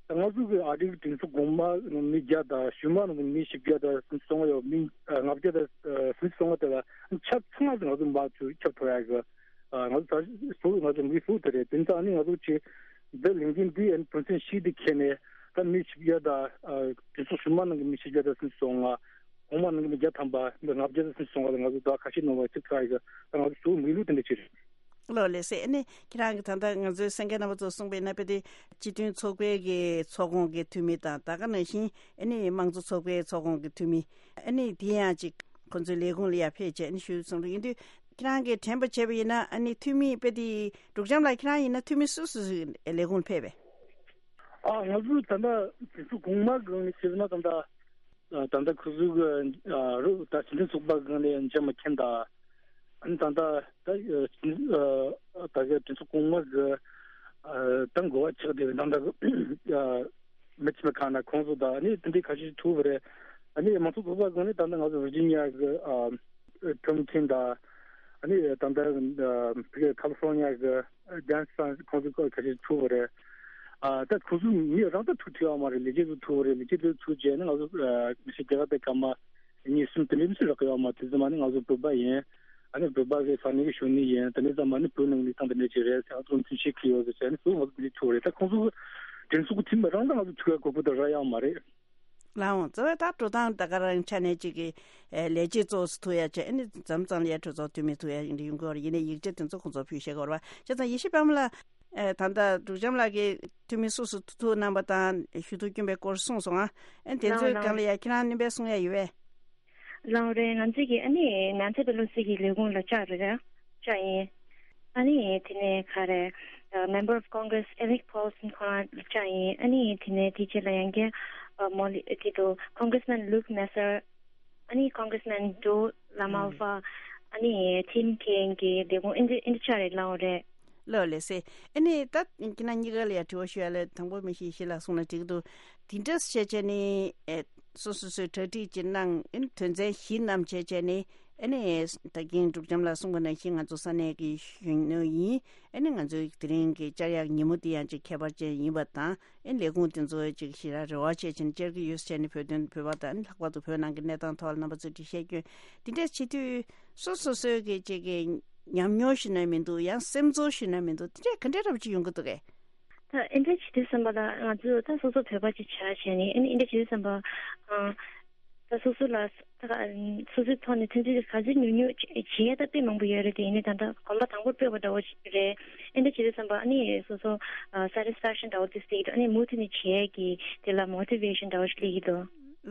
ད་ང་ཚོ་གི་ཨ་རིའི་གྲོས་ཚོགས་གོང་མ་ནང་མི་བརྒྱ་དང་ཕྱི་མ་ནང་གི་མི་བཞི་བརྒྱ་དང་སུམ་ཅུ་སོ་ལྔ་ཡོད། མི་ལྔ་བརྒྱ་དང་སུམ་ཅུ་སོ་ལྔ་དེ་ལ་ཁྱབ་ཚང་མ་ང་ཚོ་མར་ཚུར་ཁྱབ་ཐུབ་ཡག་གི་ང་ཚོ་ད་སུ་ང་ཚོ་མི་སུ་དེ་རེད། དེ་ཚང་ནི་ང་ཚོ་གཅིག་འདི་ལས་འགན་འདི་ཨན་དོན་ཚན་བཞི་འདི་འཁྱེར་ནས་ད་མི་བཞི་བརྒྱ་དང་གྲོས་ཚོགས་ཕྱི་མ་ནང་གི་མི་བཞི་བརྒྱ་དང་སུམ་ཅུ་སོ་ལྔ། གོང་མ་ནང་གི་མི་བརྒྱ་ཐམ་པ་འདི་ལྔ་བརྒྱ་དང་སུམ་ཅུ་སོ་ལྔ་ལ་ང་ཚོ་ཟླ་ཁ་ཤས་ནང་ལ་ཚིག་ཐག་ཡིག་ད་ང་ཚོ་ཞུ་མི་ལུགས་དེ་འདྲ་ཅིག་རེད། ལགས་ལགས་སེ། ཨ་ནི་ཁྱེད་རང་གི་ད་ལྟ་ང་ཚོའི་གསན་མཁན་རྣམ་པ་ཚོ་གསུངས་པའི་ནང་དཔེ་དེ་སྤྱི་མཐུན་ཚོགས་པའི་གི་ཚོགས་ཁོངས་ཀྱི་འཐུས་མི་དང་ད་ག་ནང་བཞིན་ཨ་ནི་དམངས་གཙོ་ཚོགས་པའི་ཚོགས་ཁོངས་ཀྱི་འཐུས་མི་ཨ་ནི་དེ་ཡང་ཅིག་ཁོང་ཚོའི་ལས་ཁུངས་ལ་ཡར་ཕེབས་བྱས་ཨ་ནི་ཞུ་གསུང་གི་ཡིན་དུས་ཁྱེད་རང་གིས་དྲན་པ་བྱས་པ་ཡིན་ན་ཨ་ནི་འཐུས་མི་དཔེ་དེ་འབྲུག་བྱམས་ལགས་ཁྱེད་རང་ཡིན་ན་འཐུས་མི་སུ་སུ་ལས་ཁུངས་ལ་ཕེབས་པས། ཨ་ང་ཚོ་ད་ལྟ་དེ་ཚོ་གོང་མ་སྒང་ནས་བཤད་ན་ད་ལྟ་ད་ལྟ་ཁོ་ཚོ་གི་རུ་ད་སྤྱི་མཐུན་ཚོགས་པ་སྒང་ནས་འཇམ་མ་མཁྱེན་ད། ཨ་ནི་ད་ལྟ་ད་ད་གི་གྲོས་ཚོགས་གོང་མ་གི་ད་འགོ་བ་ཆགས་བསྡད་པའི་ད་ལྟ་གི་མི་ཚེ་མི་གང་ན་ཁོང་ཚོ་ད་ཨ་ནི་དེ་འདྲའི་ཁ་ཤས་ཐུག་པ་རེད། ཨ་ནི་མང་གཙོ་ཚོགས་པ་སྒང་ནས་ད་ལྟ་ང་ཚོ་ཝི་ཇི་ནི་ཡ་གི་ཁྲོམ་མཁན་ད་ཨ་ནི་ད་ལྟ་ཁ་ལི་ཧྥོར་ནི་ཡ་གི་ཌན་སི་ཁོང་ཚོ་ཁ་ཤས་ཐུག་པ་རེད། ཨ་ད་ཁོ་ཚོ་མི་རང་ད་ཐུག་ཐུབ་ཡོད་མ་རེད། ལས་བྱེད་ཚོ་ཐུག་རེད། ལས་བྱེད་ཚོ་ཐུག་རྗེས་ནི་ང་ཚོ་ཨ་མི་ཤི་རྒྱ་གར་དེ་སྐར་མ་གཉིས་གསུམ་དེ་འདྲའི་མི་ཤི་རག་གི་ཡོད་མ་རེད། དེ་ཚོ་མ་ནི་ང་ཚོ་བོད་པ་ཡིན། ཨ་ནི་བོད་པ་གི་ས་གནས་ཀྱི་གཞོན་ནུ་ཡིན། དེ་ནས་ཙམ་མ་ནི་བོད་ནང་གི་གནས་སྟངས་དེ་འདྲ་ཅིག་རེད་ཟེར། ང་ཚོ་མཐུན་ཤེས་ཀྱི་ཡོད་ཟེར་བྱས་ནི་ཚོ་ང་ཚོ་དེ་འདྲའི་ཐུག་རེད། ད་ཁོང་ཚོ་དྲིན་གཟོ་གི་ཐིམ་རང་ད་ང་ཚོ་ཐུག་ཡ་གོ་སྐབས་དེ་རག་ཡོད་མ་རེད། ལགས་འོང་། གཙོ་བོ་ད་འགྲོ་སྟངས་ད་ག་རང་ཆ་ནས་ཅིག་གི་ཨེ་ལས་བྱེད་ཚོ་ཐུག་ཡ་བྱས། ཨ་ནི་མཚམས་མཚམས་ལ་ཡ་གྲོས་ཚོགས་འཐུས་མི་ཐུག་ཡ་ཡིན་འདྲ་ཡོང་གི་ཡོད་རེད། ཡིན་ནའི་ཡིག་ཆ་དེ་ཚོ་ཁོང་ཚོ་ཕུལ་ཤེས་གི་ཡོད་རེད་པ། བྱས་ཙང་ཡེ་ཤེས་པདྨ་ལགས། ཨེ་ད་ལྟ་འབྲུག་བྱམས་ལགས་ཀྱིས་འཐུས་མི་སུ་སུ་ཐུག་གནང་པ་དང་ཞུ་གཏུག་བསྐྱོན་པའི་སྐོར་གསུངས་སོང་ང་། ཨ་ནི་དེ་ཚོའི་ལགས་སྒང་ལ་ཡ་ཁྱེད་རང་སྣོན་པ་གསུང་ཡ་ཡོད་པས། ལགས་རེད། ང་ཚོས་ཀྱི་ཨ་ནི་ནན་སི་པེ་ལོ་སི་གི་ལས་ཁུངས་ལ་བཅར་རེད། བཅར་ཡིན། ཨ་ནི་དེ་ནས་ག་རེ། ཨ་Member of Congress Alec Paulson ཁོང་རང་ལ་བཅར་ཡིན། ཨ་ནི་དེ་ནས་དེ་རྗེས་ལ་ཡང་བསྐྱར་ཨ་མོ་ལི་དེ་དུ་Congressman Luke Messer། ཨ་ནི་Congressman Joe LaMalfa། ཨ་ནི་Tim Kaine གི་ལས་ཁུངས་ཨིན་ཏི་ཨིན་ཏི་ཆ་རེད། ལགས་རེད། ལགས་ལགས་སེ། ཨ་ནི་ད་ཁྱེད་རང་གཉིས་ཀ་ལ་ཡ་དྲི་བ་ཞུ་ཡ་ལ། དང་པོ་མི་ཤེས་ཤེས་ལ་གསུང་ན་འགྲིག་གི་འདུག་དེ་འདྲ་བྱས་བྱས་ནི་ཨེ་སོ་སོ་སོའི་གྲ་སྒྲིག་ཅིག་གནང་། ཨ་ནི་དོན་ཚན་བཞི་བསྣམས་བྱས་བྱས་ནི། ཨ་ནི་ད་གིན་འབྲུག་བྱམས་ལགས་གསུངས་པ་ནང་བཞིན་ང་ཚོ་ས་གནས་ཀྱི་གཞོན་ནུ་ཡིན། ཨ་ནི་ང་ཚོའི་དེ་རིང་གི་བཅར་ཡག་ཉིན་མོ་འདི་ཡང་ཅིག་ཁྱད་པར་ཅན་ཡིན་པ་དང་། ཨ་ནི་ལས་ཁུངས་དེ་ཚོ་ཅིག་ཞེ་དྲག་རེ་བ་བྱས་བྱས་ནས་བཅར་གྱི་ཡོད་ཟེར་ནས་བོད་དོན་བོད་པ་དང་། ཨ་ནི་ལྷག་པར་དུ་བོད་ནང་གི་གནས་སྟངས་ཐོག་ལ་རྣམ་པ་ཚོས་འགྲེལ་བཤད་སྐྱོན། དེ་འདྲ་བྱེད་དུས་སོ་སོ་སོའི་གི་ཅིག་གི་ཉམས་མྱོང་ཞུ་ན་མི་འདུག་ཡང་སེམས་ཚོར་ཞུ་ན་མི་འདུག་དེ་འདྲ་ག་འདྲ་འདྲ་པོ་ཅིག་ཡོང་གི་འདུག་གས། ད་ཨེ་འདྲ་བྱེད་དུས་ཙམ་པ་ལ་ང་ཚོས་ད་སོ་སོ་བོད་པ་ཅིག་བྱས་བྱས་ནས། ཨེ་ནི་ཨེ་འདྲ་བྱེད་དུས་ཙམ་པ་ཨ་ད་སོ་སོ་ལ་ད་ག་སོ་སོའི་ཐོག་ནས་ཐོན་རྫས་ག་ཚོད་ཉུང་ཉུང་བྱེད་ཡས་ད་དཔེ་མང་པོ་ཡོད་རེད། དེ་ཡིན་ནའི་ད་ལྟ་གོམ་པ་དང་པོར་སྤོས་པ་འདྲ་བོ་ཞིག་རེད། ཨེ་འདྲ་བྱེད་དུས་ཙམ་པ་ཨ་ནི་སོ་སོ་ཨ་satisfaction འདྲ་བོ་དེ་སླེབས་ཀྱི་འདུག་ཨ་ནི་མུ་མཐུད་ནས་བྱེད་ཡས་ཀྱི་དེ་ལ་motivation འདྲ་བོ་ཞིག་སླེབས་ཀྱི་འདུག་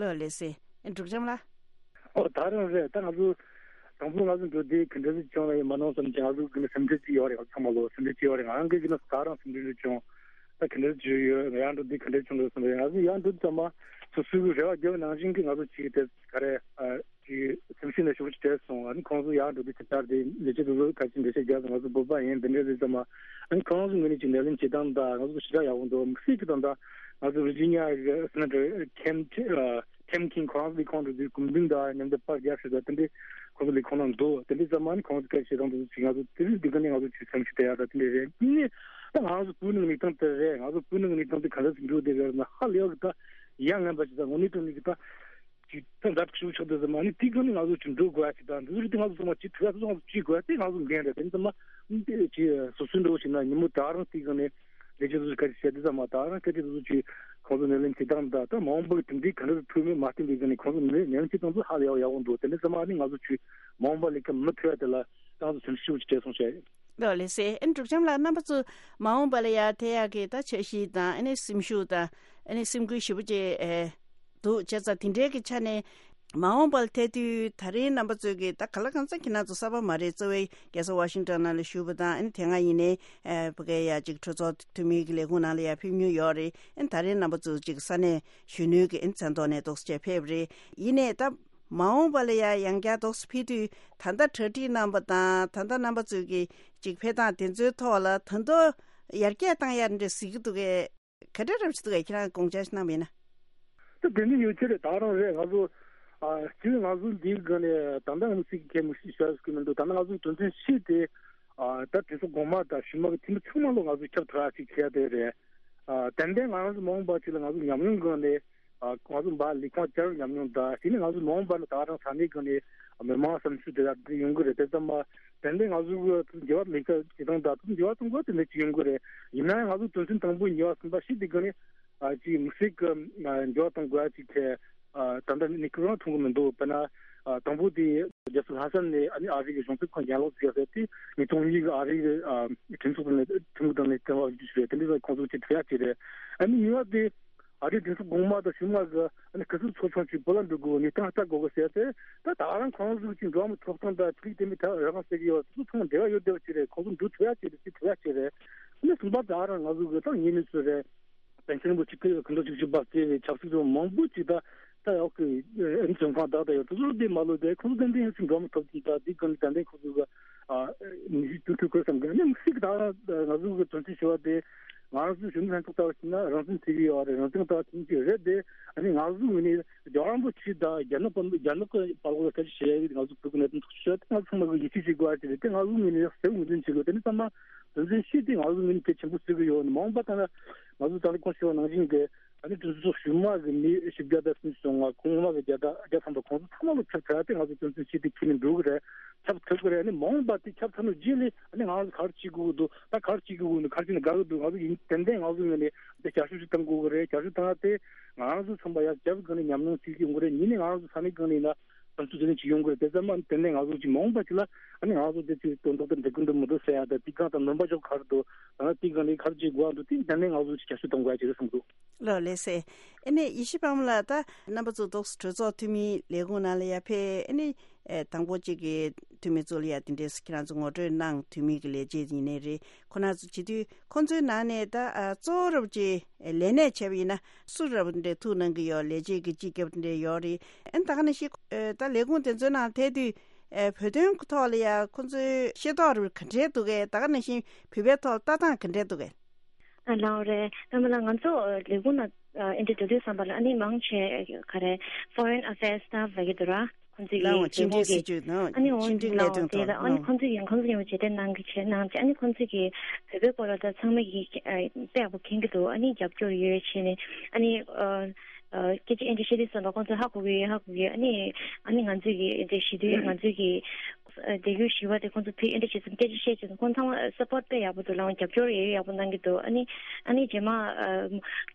ལགས་ལགས་སེ། ཨེ་འབྲུག་བྱམས་ལགས། ཨོ་ད་རང་རེད། ད་ང་ཚོ་དང་པོ་ང་ཚོ་འགྲོ་དུས་ག་འདྲ་ཞིག་བྱུང་ན་ཡང་མ་གནང་བསམ་གྱི། ང་ཚོ་གི་ནི་སེམས་ཁྲལ་ཅིག་ཡོད་རེད། ང་ཚོ་ཚང་མ་ལོ་སེམས་ཁྲལ་ཅིག་ཡོད་རེད། ང་རང་གི་གི་ནི་ད་རང་སེམས་ཁྲལ་ཅིག་བྱུང་། ད་ག་འདྲ་ཅིག་ཡོད། ང་ཡར་འགྲོ་དུས་ག་འདྲ་བྱུང་འདུག་བསམ་པ་ཡིན། ང་ཚོ་ཡར་འགྲོ་དུས་ཙམ་པ་སོ་སོའི་རེ་བ་བརྒྱབ་པ་ནང་བཞིན་གྱི་ང་ཚོ་ཅིག་དེ་ག་རེ་ཨ་ཅིག་སེམས་ཤུགས་ནས་ཞུ་ཅིག་བྲལ་སོང་། ཨ་ནི་ཁོང་ཚོ་ཡར་འགྲོ་དུས་ཅིག་ལྟར་དེ་ལས་བྱེད་དེ་ཚོ་ག་ཅིག་འགྲེལ་བཤད་བརྒྱབ་སོང་། ང་ཚོ་བོད་པ་ཡིན་དེ་འདྲ་རེད་ཙམ་པ། ཨ་ནི་ཁོང་ཚོ་ངོས་ནས་ཅིག་ནད་ལན་བྱེད་སྟངས་དང་ང་ཚོ་ཞེ་དྲག་ཡག་པོ་འདུག་མི་སྲིད་ཀྱི་དང་ད་ང་ཚོ་ཝི་ཇི་ནི་ཡ་གི་སེ་ནེ་ཊར་ཁེམ་ཁེམ་ཁིན་ཁོ་རང་ཚོའི་ཁོང་ཚོའི་སྐུ་མདུན་དང་མཉམ་དུ་པར་རྒྱག་ཞིག་དང་དེ་འདྲའི་ཁོང་ཚོ་ལས་ཁོང་རང་འདུག་དེ་འདྲའི་ཙམ་མ་ནི་ཁོང་ཚོ་སྐད་ཆ་བཤད་སྟངས་དེ་ཚོ་ཅིག་ང་ཚོ་དེ་རིང་འདི་ག་ནས་ང་ཚོ་ཅིག་སེམས་ཤུགས་སྟེར་ཡག་དང་དེ་འདྲ་རེད། གཉིས་ནས་ད་ང་ཚོ་བོད་ནང་གནས་སྟངས་དེ་རེད། ང་ཚོ་བོད་ནང་གནས་སྟངས་དེ་ག་འདྲ་ཞིག་འགྲོ་བསྡད་ཡོད་ན་ཧ་ལས་ཡག་གི་ད་ཡ་ངན་པ་ཞིག་དང་དངོས་གནས་དྲང་གནས་ཀྱི་ད་ཅིག་ད་འདབ་ཆུ་ཆགས་དེ་ཙམ་མ་ནི་དེ་ག་ནས་ང་ཚོ་ཅིག་འགྲོ་དགོས་ཡ་ཅིག་དང་འདི་ཚོ་རིགས་དེ་ང་ཚོ་ཚང་མ་ཅིག་ཐུག་ཡ་ཚོ་ང་ཚོ་ཅིག་དགོས་ཡ་དེ་ང་ཚོ་འགན་རེད། དེ་ཙམ་མ་ཅིག་སོ་སོའི་འགྲོ་བཞིན་ན་ཉིན་མོ་ད་རང་དེ་ག་ནས་ལས་བྱེད་ཚོ་ག་རེ་བྱས་དེ་ཙམ་མ་ད་རང་སྐད་ཆ་དེ་ཚོ་ཅིག་ཁོང་ཚོ་ནས་ལན་བྱེད་སྟངས་དང་ད་མ་འོངས་པར་དེ་འདྲའི་ག་འདྲ་ཐུག་མེད་མ་བསྟན་པའི་ག་ནས་ཁོང་ཚོ་ནས་ལན་བྱེད་སྟངས་ཚོ་ཧ་ལས་ཡག་ཡག་པོ་འདུག་དེ་འདྲ་ཙམ་མ་ནི་ང་ཚོ་ཅིག་མ་འོངས་པ་ལས་ཀ་མི་ཐུབ་ཡ་དེ་ལ་ཏང་ཚོ་སེམས་ཤུགས་ཅིག་སྤྲད་སོང་བྱས། ལགས་ལགས་སེ། ཨ་ནི་འབྲུག་བྱམས་ལགས་རྣམ་པ་ཚོ་མ་འོངས་པ་ལ་ཡ་དེ་ཡག་གི་ད་འཆར་གཞི་དང་ཨ་ནི་སེམས་ཤུགས་དང་ཨ་ནི་སེམས་འགུལ་ཞེ་པོ་ཅིག་ཨེ་འདུག་བྱས་ཙང་དེ་འདྲའི་གི་ཆ་ནས་མ་འོངས་པ་ལ་ཐད་དུས་ད་རེས་རྣམ་པ་ཚོས་ཀྱི་ད་ག་ལ་གང་ཚ་ཁྱེད་རང་ཚོ་གསར་པ་མ་རེད། གཙོ་བོའི་རྒྱལ་ས་ཝ་ཤིང་ཊོན་ནང་ལ་བཞུགས་པ་དང་ཨ་ནི་དེ་སྔ་ཡིན་ནའི་ཨེ་ཕ་གའི་ཡ་ཅིག་གྲོས་ཚོགས་འཐུས་མིའི་གི་ལས་ཁུངས་ནང་ལ་ཡ་ཕེབས་མྱོང་ཡོད་རེད། ཨ་ནི་ད་རེས་རྣམ་པ་ཚོ་ཅིག་ས་གནས་གཞོན་ནུའི་གི་ཨ་ནི་མཚན་ཐོག་ནས་འདུག་སེ་བྱས་ཕེབས་རེད། ཡིན་ནའི་ད་མ་འོངས་པ་ལ་ཡ་ཡང་བསྐྱར་འདུག་སེ་ཕེབས་དུས་ད་ལྟ་གྲ་སྒྲིག་གནང་པ་དང་ད་ལྟ་རྣམ་པ་ཚོས་ཀྱི་ཅིག་ཕེབས་སྟངས་དེ་ཚོའི་ཐོག་ལ་ད་དུང་ཡར་རྒྱས་བཏང་ཡ་འདྲ་གཟིགས་ཀྱི་འདུག་གས། ག་འདྲ་རབ་ཅིག་འདུག་གས། ཁྱེད་རང་དགོངས་འཆར་ཞིག་གནང་བ་ཡིན་ན། ད་དེ་འདྲ་ཡོད་ཆེ་རེད། ད་རང་རེད། ང་ཚོ་ཨ་སྤྱིར་ང་ཚོ་འདིའི་སྒང་ནས་ད་ལྟ་ང་ཚོ་སྲིད་ཀྱི་ཁས་མི་ཤེས་ཤག་ཟེར་གི་མི་འདུག་ད་ལྟ་ང་ཚོ་དོན་ཚན་བཞི་དེ་ཨ་ད་དེ་ཚོ་གོང་མ་དང་གཞུག་མ་གི་འཐུས་མི་ཚང་མ་ལོ་ང་ཚོ་ཁྱབ་བསྒྲགས་ཅིག་བྱས་ཏེ་རེད། ཨ་ཏན་ཏན་ང་རང་ཚོ་མ་འོངས་པ་ཅིག་ལ་ང་ཚོ་ཉམས་མྱོང་སྒང་ནས་ཨ་ང་ཚོ་འབའ་ལས་ཁུངས་བསྐྱར་ཉམས་མྱོང་དང་དེ་ནས་ང་ཚོ་མ་འོངས་པ་ལ་ད་རང་ས་གནས་སྒང་ནས་མི་མང་བསམ་ཚུལ་དེ་དག་དེ་ཡོང་གི་རེད། དེ་ཙམ་མ་ཏན་ཏན་ང་ཚོ་གི་འགྱུར་བ་ལས་ཀ་བྱེད་སྟངས་དང་འགྱུར་བ་གཏོང་དགོས་དེ་འདྲ་ཅིག་ཡོང་གི་རེད། ཡིན་ན་ཡང་ང་ཚོ་དོན་ཚན་དང་པོ་གཉིས་པ་གསུམ་པ་བཞི་དེ་སྒང་ནས་ཨ་ཅིག་མི་སྲིད་ཀྱི་ཨ་འགྱུར་བ་གཏོང་དགོས་ཅིག་གི་ཨ་ད་ལྟ་ནི་ཁོ་རང་མཐོང་གི་མི་འདུག་དཔེར་ན་ཨ་དང་པོ་དེ་རྒྱལ་ས་ལྷ་ས་ནས་ཨ་ནི་ཨ་རི་གི་གཞུང་ཚབ་ཁང་ཡན་ལག་ཟེར་ཡ་དེ་ཉིས་སྟོང་གཉིས་ཀྱི་ཨ་རི་གི་ཨ་གྲོས་ཚོགས་ནས་ཁྲིམས་ཁང་ནས་བསྟན་པ་འཇུ་ཞུ་རེད། དེ་འདྲ་ཁོང་ཚོ་ཅིག་ཐུག་ཡ་ཅིག་རེད། ཨ་ནི་གཉིས་པ་དེ་ཨ་རིའི་གྲོས་ཚོགས་གོང་མ་དང་གཞུག་མ་གི་ཨ་ནི་ག་ཚོད་ཚོགས་ཆུང་ཅིག་བོད་ལ་འགྲོ་དགོས་ནས་ཏང་ལྟ་དགོས་གི་ཟེར་ཏེ་ད་ད་རང་ཁོང་ཚོ་ཅིག་འགྲོ་བ་མི་ཐོབ་ཐང་དང་ཆོས་ལུགས་དེ་མི་ཐབས་རང་ཟེར་གི་ཡོད། དེ་ཚོ་ཚང་མ་འབྲེལ་བ་ཡོད་བསྡད་པ་ཅིག་རེད། ཁོང་ཚོ་འགྲོ་ཐུབ་ཡ་ཅིག་རེད། ཅིག་ཐུབ་ཡ་ཅིག་རེད། ཨ་ནི་གསུམ་པ་ད་རང་ང་ཚོ་གི་ཏང་ངེས་ནས་ཚོད་རེད། པཎ་ཆེན་རིན་པོ་ཆེ་སྐུ་ཕྲེང་བཅུ་བཞི་པ་བརྩིས་པའི་ཆབ་སྲིད་ཀྱི་མང་པོ་ཅིག་ད་ད་ཡག་གི་ཨ་ནི་བཙོན་ཁང་བདག་ད་ཡོད། དེ་ཚོ་དེ་མ་ལོས་དེ་ཁོང་ཚོ་ཏན་ཏན་ཡང་ཅིག་འགྲོ་མི་ཐོབ་ཅིག་ད་དེ་གང་ཏན་ཏན་ཁོང་ཚོ་གི་ཨ་ནི་ཤི་ཏུ་ཐུ་ཁོས་སམ་གི་ནི་མི་སྲིད་ཀྱི་ད་ང་ཚོ་གི་དོན་ཚན་བཞི་པ་དེ་ང་རང་ཚོའི་གཞོན་ནུ་ལྷན་ཚོགས་ལྟ་བ་ཞིག་ན་རང་བཙན་ཐེབས་ཀྱི་ཡོད་རེད། རང་བཙན་ལྟ་བ་ཐེབས་ཀྱི་རེད་དེ། ཨ་ནི་ང་ཚོའི་ངོས་ནས་རྒྱལ་བ་རིན་པོ་ཆེ་དང་རྒྱ་ནག་པ་རྒྱ་ནག་གི་བར་ལ་སྐད་ཆ་བཤད་ཡ་ང་ཚོ་བོད་ཀྱི་གནད་དོན་ཐག་གཅོད་བྱས་ཏེ་ང་ཚོ་ཚང་མ་གི་ཡིད་ཆེས་བྱེད་དགོས་པ་ཞིག་རེད་དེ། ང་ཚོའི་ངོས་ནས་ཡག་གསལ་པོ་ངོས་འཛིན་བྱེད་དགོས། དེ་ནི་ཚང་མ་དོན་ཚན་བཞི་དེ་ང་ཚོའི་ངོས་ནས་གལ་ཆེན་པོ་བརྩི་གི་ཡོད། ཨ་ནི་མ་འོངས་པ་ད་ལ་ ང་ཚོ་ད་ལྟ་ཁོང་ཞུས་པ་ནང་བཞིན་གྱི་ཨ་ནི་གྲོས་ཚོགས་ཞུགས་མ་གི་མི་བཞི་བརྒྱ་དང་སུམ་ཅུ་སོ་ལྔ། ཁོངས་མ་གི་བརྒྱ་དང་བརྒྱ་ཐམ་པ་ཁོང་ཚོ་ཚང་མ་ལ་ཁྱབ་ཐུབ་ཡ་དེ་ང་ཚོ་དོན་ཚན་བཞི་དེ་ཁས་ལེན་འགྲོ་གི་རེད། ཁྱབ་ཐུབ་ཀྱི་རེད། ཨ་ནི་མ་འོངས་པ་དེ་ཁྱབ་ཚར་ནས་རྗེས་ལ་ཨ་ནི་ང་རང་ཚོ་ག་རེ་བྱེད་དགོས་ཀྱི་འདུག་ད་ག་རེ་བྱེད་དགོས་ཀྱི་འདུག་ག་རེ་བྱས་ན་དགའ་གི་འདུག་ང་ཚོ་ཡིན་ཏན་ཏན་ང་ཚོ་ངོས་ནས་དེ་རྒྱབ་སྐྱོར་ཞིག་གཏང་དགོས་ཀྱི་རེད། རྒྱབ་སྐྱོར་བཏང་ཡ་དེ་ང་རང་ཚོ་ཚང་མ་ཡར་རྒྱབ་ཀྱི་སྒང་ནས་ཉམས་མྱོང་བྱེད་ཀྱི་ཡོང་གི་རེད། ཉིན་ནས་ང་རང་ཚོ་ས་གནས་སྒང་ནས་ཡིན་ན་དམ་ཚུགས་དེ་ནས་ཅིག་ཡོང་གི་རེད། དེ་ཚང་མ་ཏན་ཏན་ང་ཚོ་ཅིག་མ་འོངས་པ་ཅིག་ལ་ཨ་ནི་ང་ཚོ་དེ་ཅིག་དོན་དག་དེ་འགྲིག་གི་འདུག་མི་འདུག་ཟེར་ཡ་དང་དེ་སྒང་དང་ནོར་བ་ཅོག་ག་རེ་འདུག་ད་ནི་དེ་སྒང་ནས་ག་རེ་བྱེད་དགོས་འདུག་དེ་ཏན་ཏན་ང་ཚོ་ཅིག་རྒྱབ་སྐྱོར་གཏོང་དགོས་ཡ་ཅིག་རེད་བསམ་གི་འདུག་ལགས་ལགས་སེ། ཨ་ནི་ཡེ་ཤེས་པ་མོ་ལགས། ད་རྣམ་པ་ཚོ་ཏོག་ཙམ་གྲོས་ཚོགས་འཐུས་མིའི་ལས་ཁུངས་ནང་ལ་ཡར་ཕེབས། ཨ་ནི་ཨེ་དང་པོ་གཅིག་གི་འཐུས་མི་ཚོ་ལ་ཡ་དེ་འདྲས་ཁྱེད་རང་ཚོ་ངོ་སྤྲོད་གནང་། འཐུས་མི་གི་ལས་བྱེད་ཡིན་ནའི་རེད། ཁོ་ན་ཚོ་བྱེད་དུས་ཁོང་ཚོའི་ནང་ནས་ད་ཨ་གཙོ་བོ་རབ་ཀྱི་ལས་གནས་བྱས་པ་ཡིན་ན་སུ་རབ་འདྲས་ཐུགས་གནང་གི་ཡོད། ལས་བྱེད་ཀྱི་སྤྱི་ཁྱབ་འདྲས་ཡོད་རེད། ཨ་ནི་ད་ག་ནང་བཞིན་ཨེ་ད་ལས་ཁུངས་དེ་ཚོའི་ནང་ཐད་དུས་ཨེ་བོད་དོན་གྱི་ཐོག་ལ་ཡ་ཁོང་ཚོའི་ཤེས་རྟོགས་རབ་ག་འདྲས་འདུག་གས། ད་ག་ནང་བཞིན་བོད་པའི་ཐོག་ལ་ལྟ་སྟངས་ག་འདྲས་འདུག་གས། ཨ་ལའོ་རེད། ད་མ་ལ་ང་ཚོ་ལས་ཁུངས་ན་ཨ་འདྲ་འགྲོ་དུས་ཙམ་པ་ལ་ཨ་ནི་མང་ཆེ་ག་རེ་foreign affairs staff ལ་གི་འདུག་ར། ཁོང་ཚོ་ལའོ་ཕྱི་འབྲེལ་སྲིད་ཇུས་དང་ཨ་ནི་འོ་ཕྱི་འབྲེལ་གནད་ལའོ་དོན་དེ་ཐོག་ལ་ཨ་ནི་ལའོ་ཁོང་ཚོ་ཡིན་ཁོང་ཚོ་ཡིན་པ་བྱེད་དེ་གནང་གི་བྱེད་གནང་བྱེད། ཨ་ནི་ཁོང་ཚོ་གི་བོད་པའི་སྐོར་ལ་ད་ཚང་མ་གི་ཨ་དཔེ་ཡག་པོ་མཁྱེན་གི་འདུག་ཨ་ནི་རྒྱབ་སྐྱོར་ཡོད་བྱས་ནས་ཨ་ནི་ཨ་ཨ་སྐད་ཆ་ཨ་འདྲ་བཤད་དུས་ཙམ་པ་ཁོང་ཚོ་ཧ་གོ་གི་ཡོད། ཧ་གོ་གི་ཡོད། ཨ་ནི་ཨ་ནི་ང་ཚོ་གི་ཨ་འདྲ་ཞུ་དུས་ང་ཚོ་གི་ཨ་དེ་གུ་ཞི་བ་དེ་ཁོང་ཚོ་ཕི་ཨེ་འདྲ་བྱེད་ཙམ་སྐད་ཆ་བཤད་ཙམ་ཁོང་ཚང་མ་སཔོར་ཊི་དཔེ་ཡག་པོ་འདུག་ལའང་རྒྱབ་སྐྱོར་ཡོད་ཡག་པོ་གནང་གི་འདུག་ཨ་ནི་ཨ་ནི་རྗེས་མ་ཨ་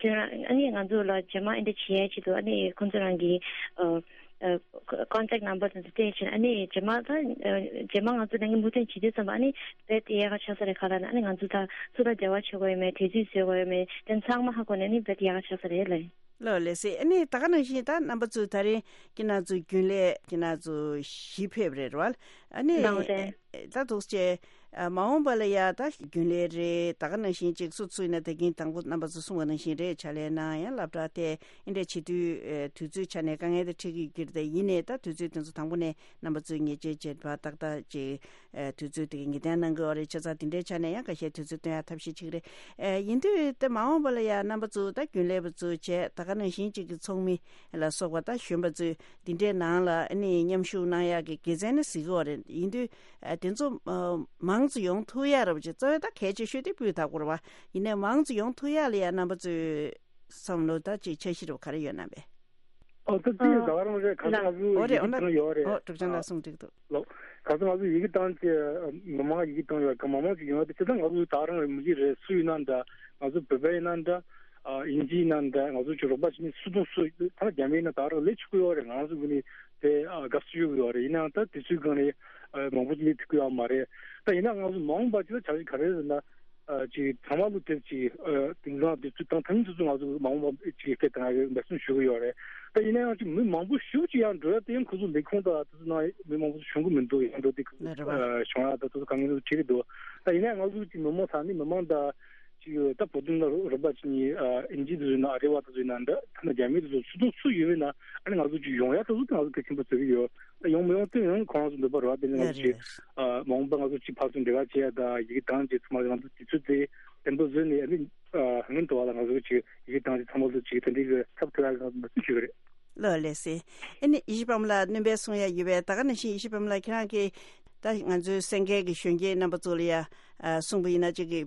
ཁྱོད་རང་ཨ་ནི་ང་ཚོ་ལ་རྗེས་མ་ཨེ་འདྲ་བྱེད་ཡ་ཆེད་དུ་ཨ་ནི་ཁོང་ཚོ་རང་གི་ཨ་ཨ་ཀོན་ཊེག་ནམ་བར་དེ་ཚོ་སྤྲད་ཕྱིན། ཨ་ནི་རྗེས་མ་ད་ཨ་རྗེས་མ་ང་ཚོ་ལས་འགུལ་མུ་མཐུད་བྱེད་དུས་ཙམ་པ་ཨ་ནི་རྦད་དེ་ཡག་ག་ཆགས་ས་རེད། ག་ལ་ན་ཨ་ནི་ང་ཚོ་ད་སུ་ལ་འབྲེལ་བ་བྱེད་དགོས་ཡོད་མེད། དུས་ཚོད་བཟོས་དགོས་ཡོད་མེད། དེ་ཚང་མ་ཧ་གོ་ནས་ཨ་ནི་རྦད་དེ་ཡག་ག་ཆགས་ས་རེད་ལ། ལགས་ལགས་སེ། ཨ་ནི་ད་ག་ནང་བཞིན་ད་རྣམ་པ་ཚོས་ད་རིང་ཁྱེད་རྣམ་ཚོའི་རྒྱུན་ལས་ཁྱེད་རྣམ་ཚོ་བཞི་ཕེབས་རེད་བ། ཨ་ནི་ལགས་རེད། ད་འདུག་སེ་མ་འོངས་པ་ལ་ཡ་ད་རྒྱུན་ལས་རེད། ད་ག་ནང་བཞིན་ཅིག་སུ་ཚུགས་ན་ད་གིན་དང་པོ་རྣམ་པ་ཚོ་གསུངས་པ་ནང་བཞིན་རེད། ཕྱག་ལས་གནང་ཡང་སློབ་གྲྭ་དེ་ཨེ་འདྲས་བྱེད་དུས་དུས་ཚོད་ཆ་ནས་དཀའ་ངལ་དེ་འཕྲད་ཀྱི་ཡོད་ཀྱི་རེད། ད་ཡིན་ནའི་ད་དུས་ཚོད་དེ་ཚོ་དང་པོ་ནས་རྣམ་པ་ཚོས་ཉེས་ཆད་བཅད་པ་ཏག་ཏག་ཅིག་དུས་ཚོད་དེ་ག་ངེས་གཏན་གནང་གི་ཡོད་རེད། བྱས་ཙང་དེ་འདྲའི་ཆ་ནས་ཡང་ཁ་ཤས་དུས་ཚོད་སྟོན་ཡ་ཐབས་ཤེས་བྱེད་ཀྱི་རེད། ཨེ་ཡིན་དུས་དེ་མ་འོངས་པ་ལ་ཡང་རྣམ་པ་ཚོ་ད་རྒྱུན་ལས་པ་ཚོ་བྱས་ད་ག་ནང་བཞིན་ཅིག་གི་ཚོགས་མི་ལ་སོགས་པ་ད་གཞོན་པ་ཚོས་དེ་འདྲའི་ནང་ལ་ཨ་ནི་མཉམ་ཞུགས་གནང་ཡག་གི་དགེ་མཚན་ནི་གཟིགས་ཀྱི་ཡོད་རེད། ཡིན་དུས་ཨ་དེ་ཚོ་ཨ་མང་ཙམ་ཡོང་ཐུབ་ཡག་རེད་པ་ཅིག་གཙོ་བོ་ད་གལ་ཆེ་ཤོས་དེ་སྤུས་དག་པོ་རེད་པ། ཡིན་ནའི་མང་ཙམ་ཡོང་ཐུབ་ཡག་ལ་ཡང་རྣམ་པ་ཚོས་བསམ་བློ་ད་ཅིག་འཆར་གཞི་རེད་པ་ག་རེ་ཡོད་ན་པས། ཨོ་ད་དེ་ད་ག་རང་རེད། ག་ཚོད་ང་ཚོ་ཡི་གེ་བཏང་ཡོད་རེད། ཨོ་གྲུབ་ཆ་ལགས་གསུངས་འགྲིག་འདུག་ལོ། ག་ཚོད་ང་ཚོ་ཡི་གེ་བཏང་བྱས་མི་མང་ཡི་གེ་བཏང་ཡོད་རེད། ག་མང་མང་ཅིག་ཡོང་ཡོད་རེད། དེ་ད་ང་ཚོ་ད་ག་རང་རེད། མི་གི་རེད། སུ་ཡིན་ན་འདྲ། ང་ཚོ་བོད་པ་ཡིན་ན་འདྲ། ཨིན་ཇི་ཡིན་ན་འདྲ། ང་ཚོ་ཅིག་རོགས་པ་བྱེད་མཁན་སུ་དང་སུ་ད་རྒྱ་མི་ཡིན་ན་ད་ག་རང་ལས་ཆོག་གི་ཡོད་རེད། ང་ཚོ་ངོས་ནས་དེ་དགའ་བསུ་ཞུ་གི་ཡོད་རེད། ཡིན་ནའང་ད་དུས་ཚོད་སྒང་ནས་མང་པོ་ཅིག་སླེབས་ཐུབ་ཀྱི་ཡོད་མ་རེད། ད་ཡིན་ན་ང་ཚོ་མ་འོངས་པ་ཅིག་ལ་བྱ་གཞི་ག་རེ་རེད་ཟེར་ན། ཅིག་ཚང་མ་ལོ་དེབ་ཅིག་དེང་སང་དེ་ཚོ་དང་ཐང་དེ་ཚོ་ང་ཚོ་མ་འོངས་པ་ཅིག་སྐད་དང་ཡང་འབད་བརྩོན་ཞུ་གི་ཡོད་རེད། ད་ཡིན་ན་ཡང་ཅིག་མི་མང་པོ་ཞེ་པོ་ཅིག་ཡར་འགྲོ་ཡ་དེ་ཡང་ཁོ་ཚོ་ལས་ཁུངས་དང་དེ་ཚོ་ནང་མི་མང་པོ་ཞིག་བྱུང་གི་མི་འདུག་ཡར་འགྲོ་དེ་ལགས་རེད་བ། བྱུང་ཡ་ད་དེ་ཚོ་དཀའ་ངལ་ཚོ་འཕྲད་ཀྱི་འདུག་ད་ཡིན་ན་ཡང་ང་ཚོ་ཅིག་མི་མང་ས་ནི་མི་མང་ད་ཅིག་ད་བོད་དོན་ལ་རོགས་པ་བྱེད་མཁན་ཨིན་ཇི་དེ་ཚོ་ཡིན་ན་ཨ་རི་བ་དེ་ཚོ་ཡིན་ན་འདྲ། ཐ་ན་རྒྱ་མི་དེ་ཚོ་སུ་དང་སུ་ཡོད་པ་ཡིན་ན་ཨ་ནི་ང་ཚོ་ཅིག་ཡོང་ཡ་དེ་ཚོ་ང་ཚོ་གལ་ཆེན་པོ་བརྩི་གི་ཡོད། ད་ཡོང་མི་ཡོང་དེ་ཡང་ཁོ་རང་ཚོ་འདོད་པ་རེད་བ། དེ་ནི་ང་ཚོ་ཅིག་ལགས་རེད། མ་འོངས་པ་ང་ཚོ་ཅིག་ཕར་ཚུར་འབྲེལ་བ་བྱེད་ཡ་ད་ཡི་གེ་བཏང་བྱས་ཚང་མ་ང་ཚོ་དུས་ཚོད་དེ་བརྟན་པོ་བཟོས་ནས་ཨ་ནི་སྔོན་དུ་བ་ལ་ང་ཚོ་ཅིག་ཡི་གེ་བཏང་བྱས་ཚང་མ་ལ་ཅིག་དེ་འདྲའི་གི་ཐབས་ཐུབ་ཡ་གི་ང་ཚོ་འབད་བརྩོན་ཞུ་གི་རེད། ལགས་ལགས་སེ། ཨ་ནི་ཡེ་ཤེས་པ་མོ་ལགས་སྣོན་པ་གསུང་ཡ་ཡོད་པས། ད་ག་ནང་བཞིན་ཡེ་ཤེས་པ་མོ་ལགས་ཁྱེད་རང་གིས་ད་ང་ཚོའི་སེང་གེ་གི་གཞོན་སྐྱེས་རྣམ་པ་ཚོ་ལ་ཡ་གསུངས་པ་ཡིན་ན་ཅིག་གི་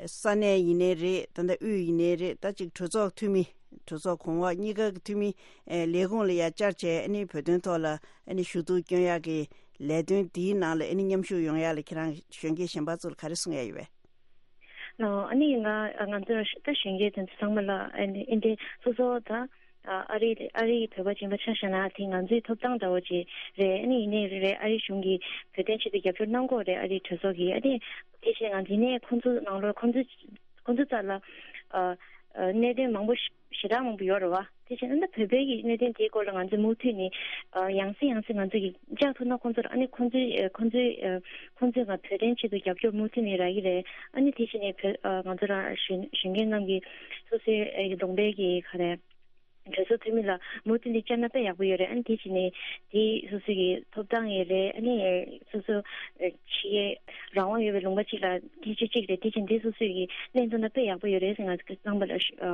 ས་གནས་ཡིན་ནའི་རེད། ད་ལྟ་དབུས་ཡིན་ནའི་རེད། ད་ཅིག་གྲོས་ཚོགས་འཐུས་མི་གྲོས་ཚོགས་གོང་འོག་གཉིས་ཀ་གི་འཐུས་མི་ལས་ཁུངས་ལ་ཡ་བཅར་བྱས་ཨ་ནི་བོད་དོན་ཐོག་ལ་ཨ་ནི་ཞུ་གཏུག་སྐྱོན་ཡག་གི་ལས་དོན་འདིའི་ནང་ལ་ཨ་ནི་མཉམ་ཞུགས་ཡོང་ཡག་ལ་ཁྱེད་རང་གཞོན་སྐྱེས་གཞན་པ་ཚོ་ལ་ག་རེ་གསུང་ཡ་ཡོད་པས། ཨ་ནི་ང་ང་ཚོ་ད་གཞོན་སྐྱེས་དེ་ཚོ་ཚང་མ་ལ་ཨ་ནི་ཨིན་ཏེ་སོ་སོ་ད་ཨ་རི་ཨ་རིའི་བོད་པ་སྦྱིན་པ་ཆ་བཞག་ན་དེ་ང་ཚོའི་ཐོབ་ཐང་འདྲ་བོ་ཅིག་རེད། ཨ་ནི་ཡིན་ནའི་རེད་ཨ་རི་གཞུང་གིས་བོད་དོན་ཆེད་དུ་རྒྱབ་སྐྱོར་གནང་གི་ཡོད་རེད། ཨ་རིའི་གྲོས་ཚོགས་ཀྱིས་ཨ་ནི་དེ་བཞིན་ང་ཚོ་ཡིན་ནའི་ཁོང་ཚོ་ནང་ལོགས་ཁོང་ཚོ་ཁོང་ཚོ་རྩ་ལ་ཨ་ཨ་གནད་དོན་མང་པོ་ཞེ་དྲག་མང་པོ་ཡོད་རེད་བ། དེ་བཞིན་ཨ་ནི་བོད་པའི་གི་གནད་དོན་དེའི་སྐོར་ལ་ང་ཚོས་མུ་མཐུད་ནས་ཨ་ཡང་སེ་ཡང་སེ་ང་ཚོས་ཀྱི་བཅར་ཐུབ་ན་ཁོང་ཚོར་ཨ་ནི་ཁོང་ཚོའི་ཨ་ཁོང་ཚོའི་ཨ་ཁོང་ཚོས་ང་བོད་དོན་ཆེད་དུ་རྒྱབ་སྐྱོར་མུ་མཐུད་ནས་རག་གི་རེད། ཨ་ནི་དེ་བཞིན་ནས་བོད་ཨ་ང་ཚོ་རང་གཞོན་གཞོན་སྐྱེས་རྣམས་ཀྱིས་སོ་སོའི་ཨ་གདོང་པའི་གི་ག་རེ་གྲོས་ཚོགས་འཐུས་མི་ལ་མུ་མཐུད་ནས་བཅར་ན་དཔེ་ཡག་པོ་ཡོད་རེད། ཨ་ནི་དེ་བཞིན་ནས་དེ་སོ་སོའི་གི་ཐོབ་ཐང་ཡོད་རེད། ཨ་ནི་སོ་སོ་ཨ་ཕྱི་རྒྱལ་རང་དབང་ཡོད་པའི་ལུང་པ་གཅིག་ལ་སྐད་ཆ་གཅིག་རེད། དེ་བཞིན་དེ་སོ་སོའི་གི་གནས་ཚུལ་ན་དཔེ་ཡག་པོ་ཡོད་རེད་ཟེར་ང་ཚོ་རྣམ་པ་ལ་ཞུ་ཨ་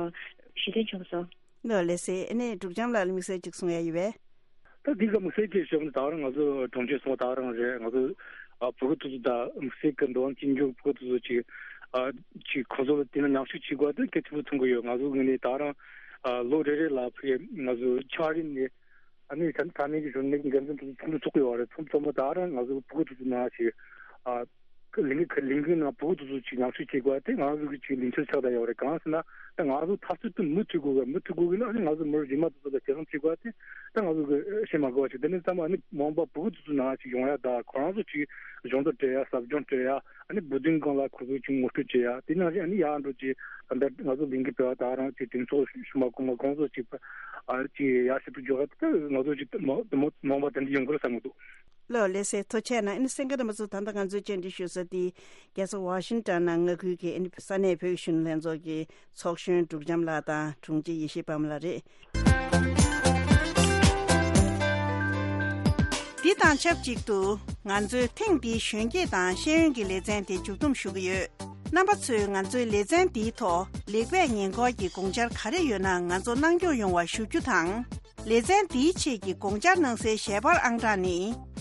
ཞུ་འདོད་བྱུང་སོང་། ལགས་ལགས་སེ། ཨ་ནི་འབྲུག་རྒྱམ་ལགས་ལ་དམིགས་བསལ་ཅིག་གསུང་ཡ་ཡོད་པས། ད་འདི་ག་དམིགས་བསལ་ཅིག་ཞུ་ན་ད་རང་ང་ཚོ་གྲོང་ཁྱེར་སོང་ད་རང་རེད། ང་ཚོ་ཨ་བོད་ཕྲུག་ཚོ་ད་དམིགས་བསལ་གྱི་འགྲོ་བ་སྐྱིད་འཇུག་བོད་ཕྲུག་ཚོ་ཅིག་ ཨ་ཅིག་ཁོང་ཚོ་ལ་དེ་ནི་ཉམས་ཞིབ་བྱེད་དགོས་དེ་གལ་ཆེན་པོ་མཐོང་གི་ཡོད། ང་ཚོ་ངོས་ནས་ད་རང་ཨ་ལོ་རེ་རེ་ལ་ཕ་གི་ང་ཚོ་ཆ་རིམ་ནས་ཨ་ནི་ད་ད་ནས་ཀྱི་གཞོན་ནུ་འགན་འཛིན་དེ་ཚོ་ཚོགས་འདུ་ཚོགས་ཀྱི་ཡོད་རེད། ཚང་ཚང་མ་ད་རང་ང་ཚོ་ཕྲུ་གུ་དེ་ཚོ་ནང་ཞིག་ཨ་ལས་འགུལ་ཁ་ལས་འགུལ་ནང་ཕྲུ་གུ་དེ་ཚོ་ཅིག་ཉམས་ཞིབ་བྱེད་དགོས་དེ་ང་ཚོ་གི་ཅིག་ལས་འཆར་ཆགས་བསྡད་ཡོད་རེད། གང་ཟེར་ན་ད་ང་ཚོ་འཐབ་རྩོད་དེ་མུ་མཐུད་དགོས་གི། མུ་མཐུད་དགོས་གི་ལ་ཨ་ནི་ང་ཚོ་མི་རིགས་རྗེས་མ་དེ་ཚོ་ལ་སྐྱེ་ཁམས་བྱེད་དགོས་དེ་ད་ང་ཚོ་གི་བཤད་མ་དགོས་པ་ཞིག་དེ་ནས་ཚང་མ་ཨ་ནི་མ་འོངས་པ་ཕྲུ་གུ་དེ་ཚོ་ནང་ཞིག་ཡོང་ཡ། ད་ཁོ་རང་ཚོ་ཅིག་གཞོགས་འདེགས་སྤྲད་ཡ། ཟབ་སྦྱོང་སྤྲད་ཡ། ཨ་ནི་བོད་དོན་སྒང་ལ་ཁོ་ཚོ་ཅིག་ངོ་སྤྲོད་བྱེད་ཡ། དེ་ནང་བཞིན་ཨ་ནི་ཡར་འགྲོ་ཅིག་ད་ལྟ་ང་ཚོ་ལས་འགུལ་སྤེལ་བ་དང་རང་ཅིག་གདེང་ཚོགས་ཞུ་མ་གོང་མ་ཁོང་ཚོ་ཅིག་ཨ་ཅིག་ཡར་ཞིག་ཏུ་འཇོག་ཡ། ད་ང་ཚོ་ཅིག་མ་མ་མ་འོངས་པ་དེ་འདྲ་ཡོང་གི་རེད་བསམ་གི་འདུག། ལོ་ལེ་སེ་ཐུགས་རྗེ་ཆེ་གནང་། ཨ་ནི་གསན་མཁན་རྣམ་པ་ཚོ་ད་ལྟ་ང་ཚོའི་བཅར་འདྲི་ཞུ་ས་དེ་རྒྱལ་ས་ཝ་ཤིང་ཊོན་ནང་མངའ་ཁུལ་གྱི་ཨ་ནི་ས་གནས་བོད་ཀྱི་གཞོན་ནུ་ལྷན་ཚོགས་ཀྱི་ཚོགས་གཞོན་འབྲུག་བྱམས་ལགས་དང་དྲུང་ཆེ་ཡེ་ཤེས་དཔལམོ་ལགས་རེད། འདི་དང་ཆབས་ཅིག་ཏུ་ང་ཚོའི་ཐེངས་འདིའི་གཞོན་སྐྱེས་དང་ཤེས་ཡོན་གྱི་ལེ་ཚན་དེ་མཇུག་བསྡོམས་ཞུ་གི་ཡོད། རྣམ་པ་ཚོས་ང་ཚོའི་ལེ་ཚན་འདིའི་ཐོག་ལེགས་སྤེལ་ཉེས་འགོག་གི་དགོངས་འཆར་ག་རེ་ཡོད་ན་ང་ཚོ་གནང་སྐྱོང་ཡོང་བ་ཞུ་རྒྱུ་དང་། ལེ་ཚན་འདིའི་ཆེད་ཀྱི་དགོངས་འཆར་གནང་སའི་ཞལ་པར་ཨང་གྲངས་ནི།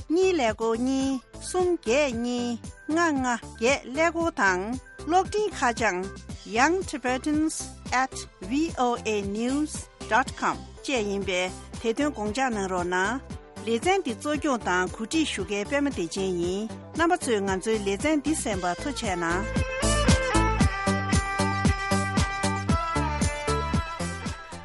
གཉིས་ཀླད་ཀོར་གཉིས། གསུམ་བརྒྱད་གཉིས། ལྔ་ལྔ་བརྒྱད་ཀླད་ཀོར་དང་། གློག་འཕྲིན་ཁ་བྱང་young tibetans at voa news dot com བཅས་ཡིན་པས་དེ་དོན་དགོངས་འཇགས་གནང་རོགས་གནང་། ལེ་ཚན་འདི་གཙོ་སྐྱོང་དང་གོ་སྒྲིག་ཞུ་མཁན་པད་མ་བདེ་ཆེན་ཡིན། རྣམ་པ་ཚོས་ང་ཚོའི་ལེ་ཚན་འདི་གསན་པར་ཐུགས་རྗེ་གནང་།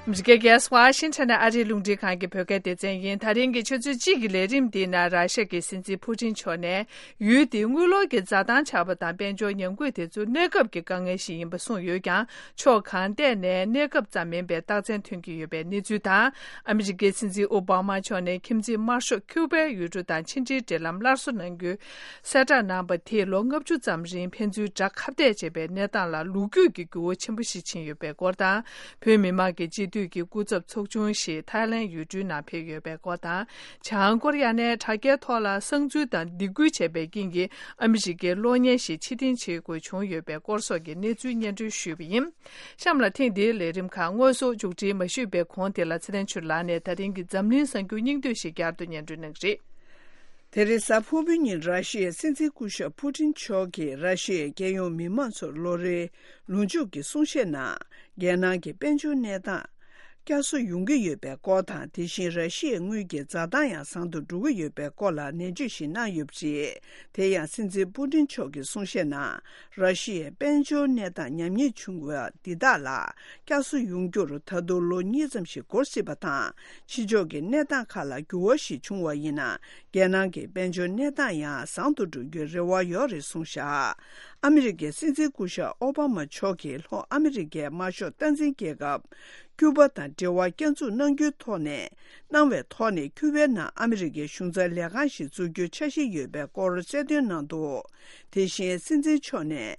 ཨ་མི་རི་ཀའི་རྒྱལ་ས་ཝ་ཤིང་ཊོན་ནས་ཨ་རིའི་རླུང་འཕྲིན་ཁང་གི་བོད་སྐད་སྡེ་ཚན་ཡིན། ད་རིང་གི་ཆུ་ཚོད་གཅིག་གི་ལས་རིམ་འདིའི་ནང་ར་ཤ་གི་སྲིད་འཛིན་ཕུ་ཊིན་མཆོག་ནས། ཡུལ་དེའི་དངུལ་ལོར་གྱི་འཛའ་ཐང་ཆག་པ་དང་དཔལ་འབྱོར་ཉམས་རྒུད་དེ་ཚོ་གནས་སྐབས་ཀྱི་དཀའ་ངལ་ཞིག་ཡིན་པ་གསུངས་ཡོད་ཀྱང་། ཕྱོགས་གང་ཐད་ནས་གནས་སྐབས་ཙམ་མིན་པའི་རྟགས་མཚན་ཐོན་གྱི་ཡོད་པའི་གནས་ཚུལ་དང་། ཨ་མི་རི་ཀའི་སྲིད་འཛིན་ཨོ་བྷ་མ་མཆོག་ནས་ཁྱིམ་མཚེས་དམར་ཤོག་ཁྱུ་པའི་ཡུལ་གྲུ་དང་ཕྱི་འབྲེལ་འབྲེལ་ལམ་སླར་གསོ་གནང་རྒྱུའི་གསལ་བསྒྲགས་གནང་བ་དེས་ལོ་ལྔ་བཅུ་ཙམ་རིང་ཕན་ཚུན་དགྲ་ཁ་གཏད་བྱེད་པའི་གནས་སྟངས་ལ་ལོ་རྒྱུས་ཀྱི་འགྱུར་བ་ཆེན་པོ་ཞིག་ཕྱིན་ཡོད་པའི་སྐོར་དང་། བོད་མི་མང་གི་སྤྱི་འཐུས་ཀྱི་སྐུ་ཚབ་ཚོགས་ཆུང་ཞིག་ཐའི་ལེན་ཡུལ་གྲུའི་ནང་ཕེབས་ཡོད་པའི་སྐོར་དང་། བྱང་ཀོ་རི་ཡ་ནས་དྲ་རྒྱའི་ཐོག་ལ་གསང་འཛུལ་དང་སྡིགས་སྐུལ་བྱས་པའི་རྐྱེན་གྱིས་ཨ་མི་རི་ཀའི་གློག་བརྙན་ཞིག་ཕྱིར་འཐེན་བྱེད་དགོས་བྱུང་ཡོད་པའི་སྐོར་སོགས་ཀྱི་གནས་ཚུལ་སྙན་སྒྲོན་ཞུས་པ་ཡིན། གཤམ་ལ་ཐེངས་འདིའི་ལས་རིམ་ཁག་དངོས་སུ་མཇུག་སྒྲིལ་མ་ཞུས་པའི་གོང་དེ་ལ་ཚེ་བརྟན་ཆོས་ལགས་ནས་ད་རིང་གི་འཛམ་གླིང་གསར་འགྱུར་སྙིང་བསྡུས་ཤིག་བསྐྱར་དུ་སྙན་སྒྲོན་གནང་གི་རེད། དེ་རིང་གཟའ་ཕུར་བུའི་ཉིན་ར་ཤི་ཡའི་སྲིད་འཛིན་སྐུ་ཞབས་ཕུ་ཊིན་མཆོག་གིས་ར་ཤི་ཡའི་རྒྱལ་ཡོངས་མི་མང་ཚོར་ལོ་རེའི་ལོ་མཇུག་གི་གསུང་བཤད་ནང་། རྒྱལ་ནང་གི་དཔལ་འབྱོར་གནས་སྟངས་བསྐྱར་གསོ་ཡོང་གི་ཡོད་པའི་སྐོར་དང་། དེ་བཞིན་ར་ཤི་ཡའི་དངུལ་གྱི་འཛའ་ཐང་ཡང་བཟང་དུ་འགྲོ་གི་ཡོད་པའི་སྐོར་ལ་ནན་བརྗོད་ཞིག་གནང་ཡོད་པ་རེད། དེ་ཡང་སྲིད་འཛིན་པུ་ཏིན་མཆོག་གི་གསུང་བཤད་ནང་། ར་ཤི་ཡའི་དཔལ་འབྱོར་གནས་སྟངས་ཉམས་ཉེས་བྱུང་བ་འདི་དག་ལ་བསྐྱར་གསོ་ཡོང་རྒྱུར་ད་དུང་ལོ་གཉིས་ཙམ་ཞིག་འགོར་སྲིད་པ་དང་། ཕྱི་ཕྱོགས་ཀྱི་གནས་སྟངས་ཁག་ལ་འགྱུར་བ་ཞིག་བྱུང་བ་ཡིན་ན། རྒྱལ་ནང་གི་དཔལ་འབྱོར་གནས་སྟངས་ཡང་བཟང་དུ་འགྲོ་རྒྱུའི་རེ་བ་ཡོད་རེད་གསུངས་བཞག། ཨ་མི་རི་ཀའི་སྲིད་འཛིན་སྐུ་ཞབས་ཨོ་བྷ་མ་མཆོག་གིས་ལྷོ་ཨ་མི་རི་ཀའི་དམར་ཤོག་སྟངས་འཛིན་རྒྱལ་ཁབ་ཀྱུ་པ་དང་འབྲེལ་བ་བསྐྱར་འཛུགས་གནང་རྒྱུའི་ཐོག་ནས་གནང་བའི་ཐོག་ནས། ཀྱུ་པའི་ནང་ཨ་མི་རི་ཀའི་གཞུང་ཚབ་ལས་ཁང་ཞིག་འཛུགས་རྒྱུའི་འཆར་གཞི་ཡོད་པའི་སྐོར་གསལ་སྟོན་གནང་འདུག། དེ་བཞིན་སྲིད་འཛིན་མཆོག་ནས།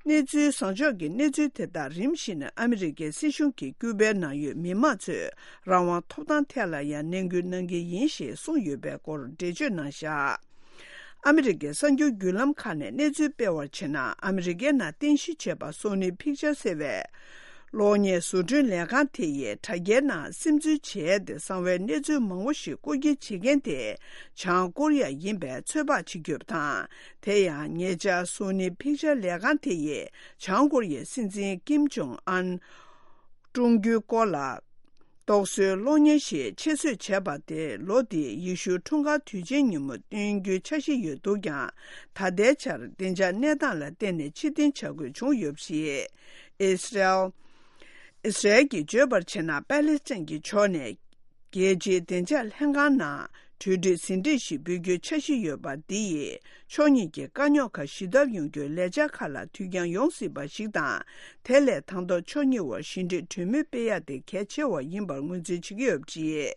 གནས་ཚུལ་བཟང་ཕྱོགས་ཀྱི་གནས་ཚུལ་དེ་དག་རིམ་བཞིན་ཨ་མི་རི་ཀའི་སྲིད་གཞུང་གིས་ཀྱུ་པའི་ནང་ཡོད་མི་མང་ཚོའི་རང་དབང་ཐོབ་ཐང་ཐད་ལ་ཡང་ནན་སྐུལ་གནང་གི་ཡིན་ཞེས་གསུངས་ཡོད་པའི་སྐོར་འགྲེལ་བརྗོད་གནང་བཞག། ཨ་མི་རི་ཀའི་གསར་འགྱུར་བརྒྱུད་ལམ་ཁག་ནས་གནས་ཚུལ་སྤེལ་བར་བྱས་ན། ཨ་མི་རི་ཀའི་ནང་རྟེན་གཞི་བྱས་པ་སོ་ནི་ཕིག་ཅར་ཟེར་བའི་གློག་བརྙན་བཟོ་སྐྲུན་ལས་ཁང་དེ་ཡིས་དྲ་རྒྱའི་ནང་སིམ་འཛུལ་བྱས་ཏེ་གསང་བའི་གནས་ཚུལ་མང་པོ་ཞིག་རྐུ་འཁྱེར་བྱེད་མཁན་དེ་བྱང་ཀོ་རི་ཡ་ཡིན་པའི་ཚོད་དཔག་བྱེད་ཀྱི་ཡོད་པ་དང་། དེ་ཡང་ཉེ་ཆར་སོ་ནི་ཕིག་ཅར་ལས་ཁང་དེ་ཡིས་བྱང་ཀོ་རི་ཡའི་སྲིད་འཛིན་ཀིམ་ཇོང་ཨན་བཀྲོངས་རྒྱུའི་སྐོར་ལ། རྟོག་བཟོའི་གློག་བརྙན་ཞིག་ཆེད་བཟོས་བྱས་པ་དེ་ལོ་འདིའི་ཡེ་ཤུའི་འཁྲུངས་སྐར་དུས་ཆེན་ཉིན་མོ་སྟོན་རྒྱུའི་འཆར་གཞི་ཡོད་འདུག་ཀྱང་། ད་ལྟའི་ཆར་བདེ་འཇགས་གནས་སྟངས་ལ་བརྟེན་ནས་ཕྱིར་འཐེན་བྱ་དགོས་བྱུང་ཡོད་པ་རེད། ཨི་སི་རལ། ཨི་སི་རལ་གྱིས་བརྗོད་པར་བྱས་ན། པཱ་ལེ་སི་ཐན་གྱི་ཕྱོགས་ནས་རྒྱལ་སྤྱིའི་བདེ་འཇགས་ལྷན་ཁང་ནང་གྲོས་འགྲིག་ཟིན་བྲིས་ཤིག་འབུལ་རྒྱུའི་འཆར་གཞི་ཡོད་པ་འདི་ཡིས། ཕྱོགས་གཉིས་ཀྱི་དཀའ་རྙོག་ཁག་ཞི་ཐབས་ཡོང་རྒྱུའི་ལས་འཆར་ཁག་ལ་དུས་འགྱངས་ཡོང་སྲིད་པ་ཞིག་དང་། དེ་ལས་དང་ཐོག་ཕྱོགས་གཉིས་བར་ཞི་འགྲིག་གྲོས་མོལ་སྤེལ་ཡ་དེ་གལ་ཆེ་བ་ཡིན་པར་ངོས་འཛིན་བྱེད་ཀྱི་ཡོད་པ་རེད།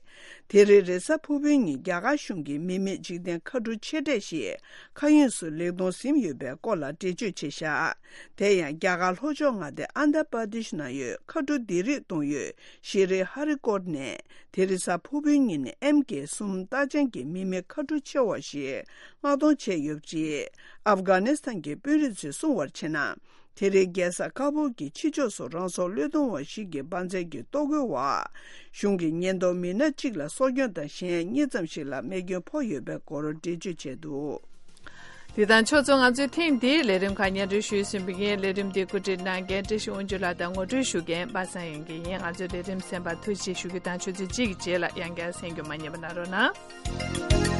དེ་རིང་རེས་གཟའ་ཕུར་བུའི་ཉིན་རྒྱ་གར་གཞུང་གི་མི་མེད་འཇིག་རྟེན་མཁའ་འགྲུལ་ཆེ་གྲས་ཤིག་མཁའ་དབྱིངས་སུ་ལེགས་གཏོང་ཟིན་ཡོད་པའི་སྐོར་ལ་འགྲེལ་བརྗོད་བྱས་བཞག། དེ་ཡང་རྒྱ་གར་ལྷོ་ཕྱོགས་མངའ་སྡེ་ཨན་དྷ་པར་དེཤ་ནང་ཡོད་མཁའ་འགྲུལ་ལྡི་རིག་གཏོང་ཡུལ་ཤི་རི་ཧ་རི་ཀོཊ་ནས། དེ་རིང་གཟའ་ཕུར་བུའི་ཉིན་ནས་ཨེམ་ཀེ་གསུམ་རྟགས་ཅན་གྱི་མི་མེད་མཁའ་འགྲུལ་ཆེ་བ་ཞིག་མངགས་གཏོང་བྱས་ཡོད་པ་རེད། ཨབ་གྷ་ནི་སི་ཐན་གྱི་དཔོན་རིགས་ཚོས་གསུངས་པར་བྱས་ན། དེ་རིང་རྒྱལ་ས་ཀ་བུལ་གྱི་ཕྱི་ཕྱོགས་སུ་རང་སྲོག་བློས་གཏོང་བ་ཞིག་གི་འབར་རྫས་ཀྱི་གཏོར་རྒོལ་འོག་གཞུང་གི་ཉེན་རྟོག་མི་སྣ་གཅིག་ལ་སྲོག་སྐྱོན་དང་གཞན་གཉིས་ཙམ་ཞིག་ལ་རྨས་སྐྱོན་ཕོག་ཡོད་པའི་སྐོར་འགྲེལ་བརྗོད་བྱས་འདུག། འདི་དང་ཕྱོགས་མཚུངས་ང་ཚོའི་ཐེངས་འདིའི་ལས་རིམ་ཁག་སྙན་སྒྲོན་ཞུས་ཟིན་པ་ཡིན། ལས་རིམ་འདི་གོ་སྒྲིག་གནང་མཁན་བཀྲ་ཤིས་དབང་ཕྱུག་ལགས་དང་ངོ་སྤྲོད་ཞུ་མཁན་པ་སངས་དབྱངས་སྐྱིད་ཡིན། ང་ཚོའི་ལས་རིམ་གསན་པར་ཐུགས་རྗེ་ཆེ་ཞུ་རྒྱུ་དང་ཆུ་ཚོད་གཅིག་གི་རྗེས་ལ་ཡང་བསྐྱར་གསན་རྒྱུ་མ་བསྙེལ་བ་གནང་རོགས་གནང་།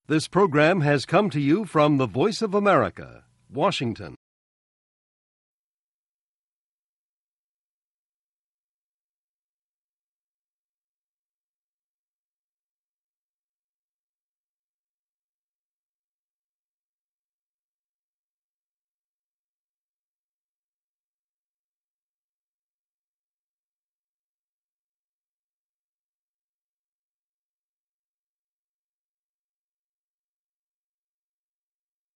This program has come to you from the Voice of America, Washington.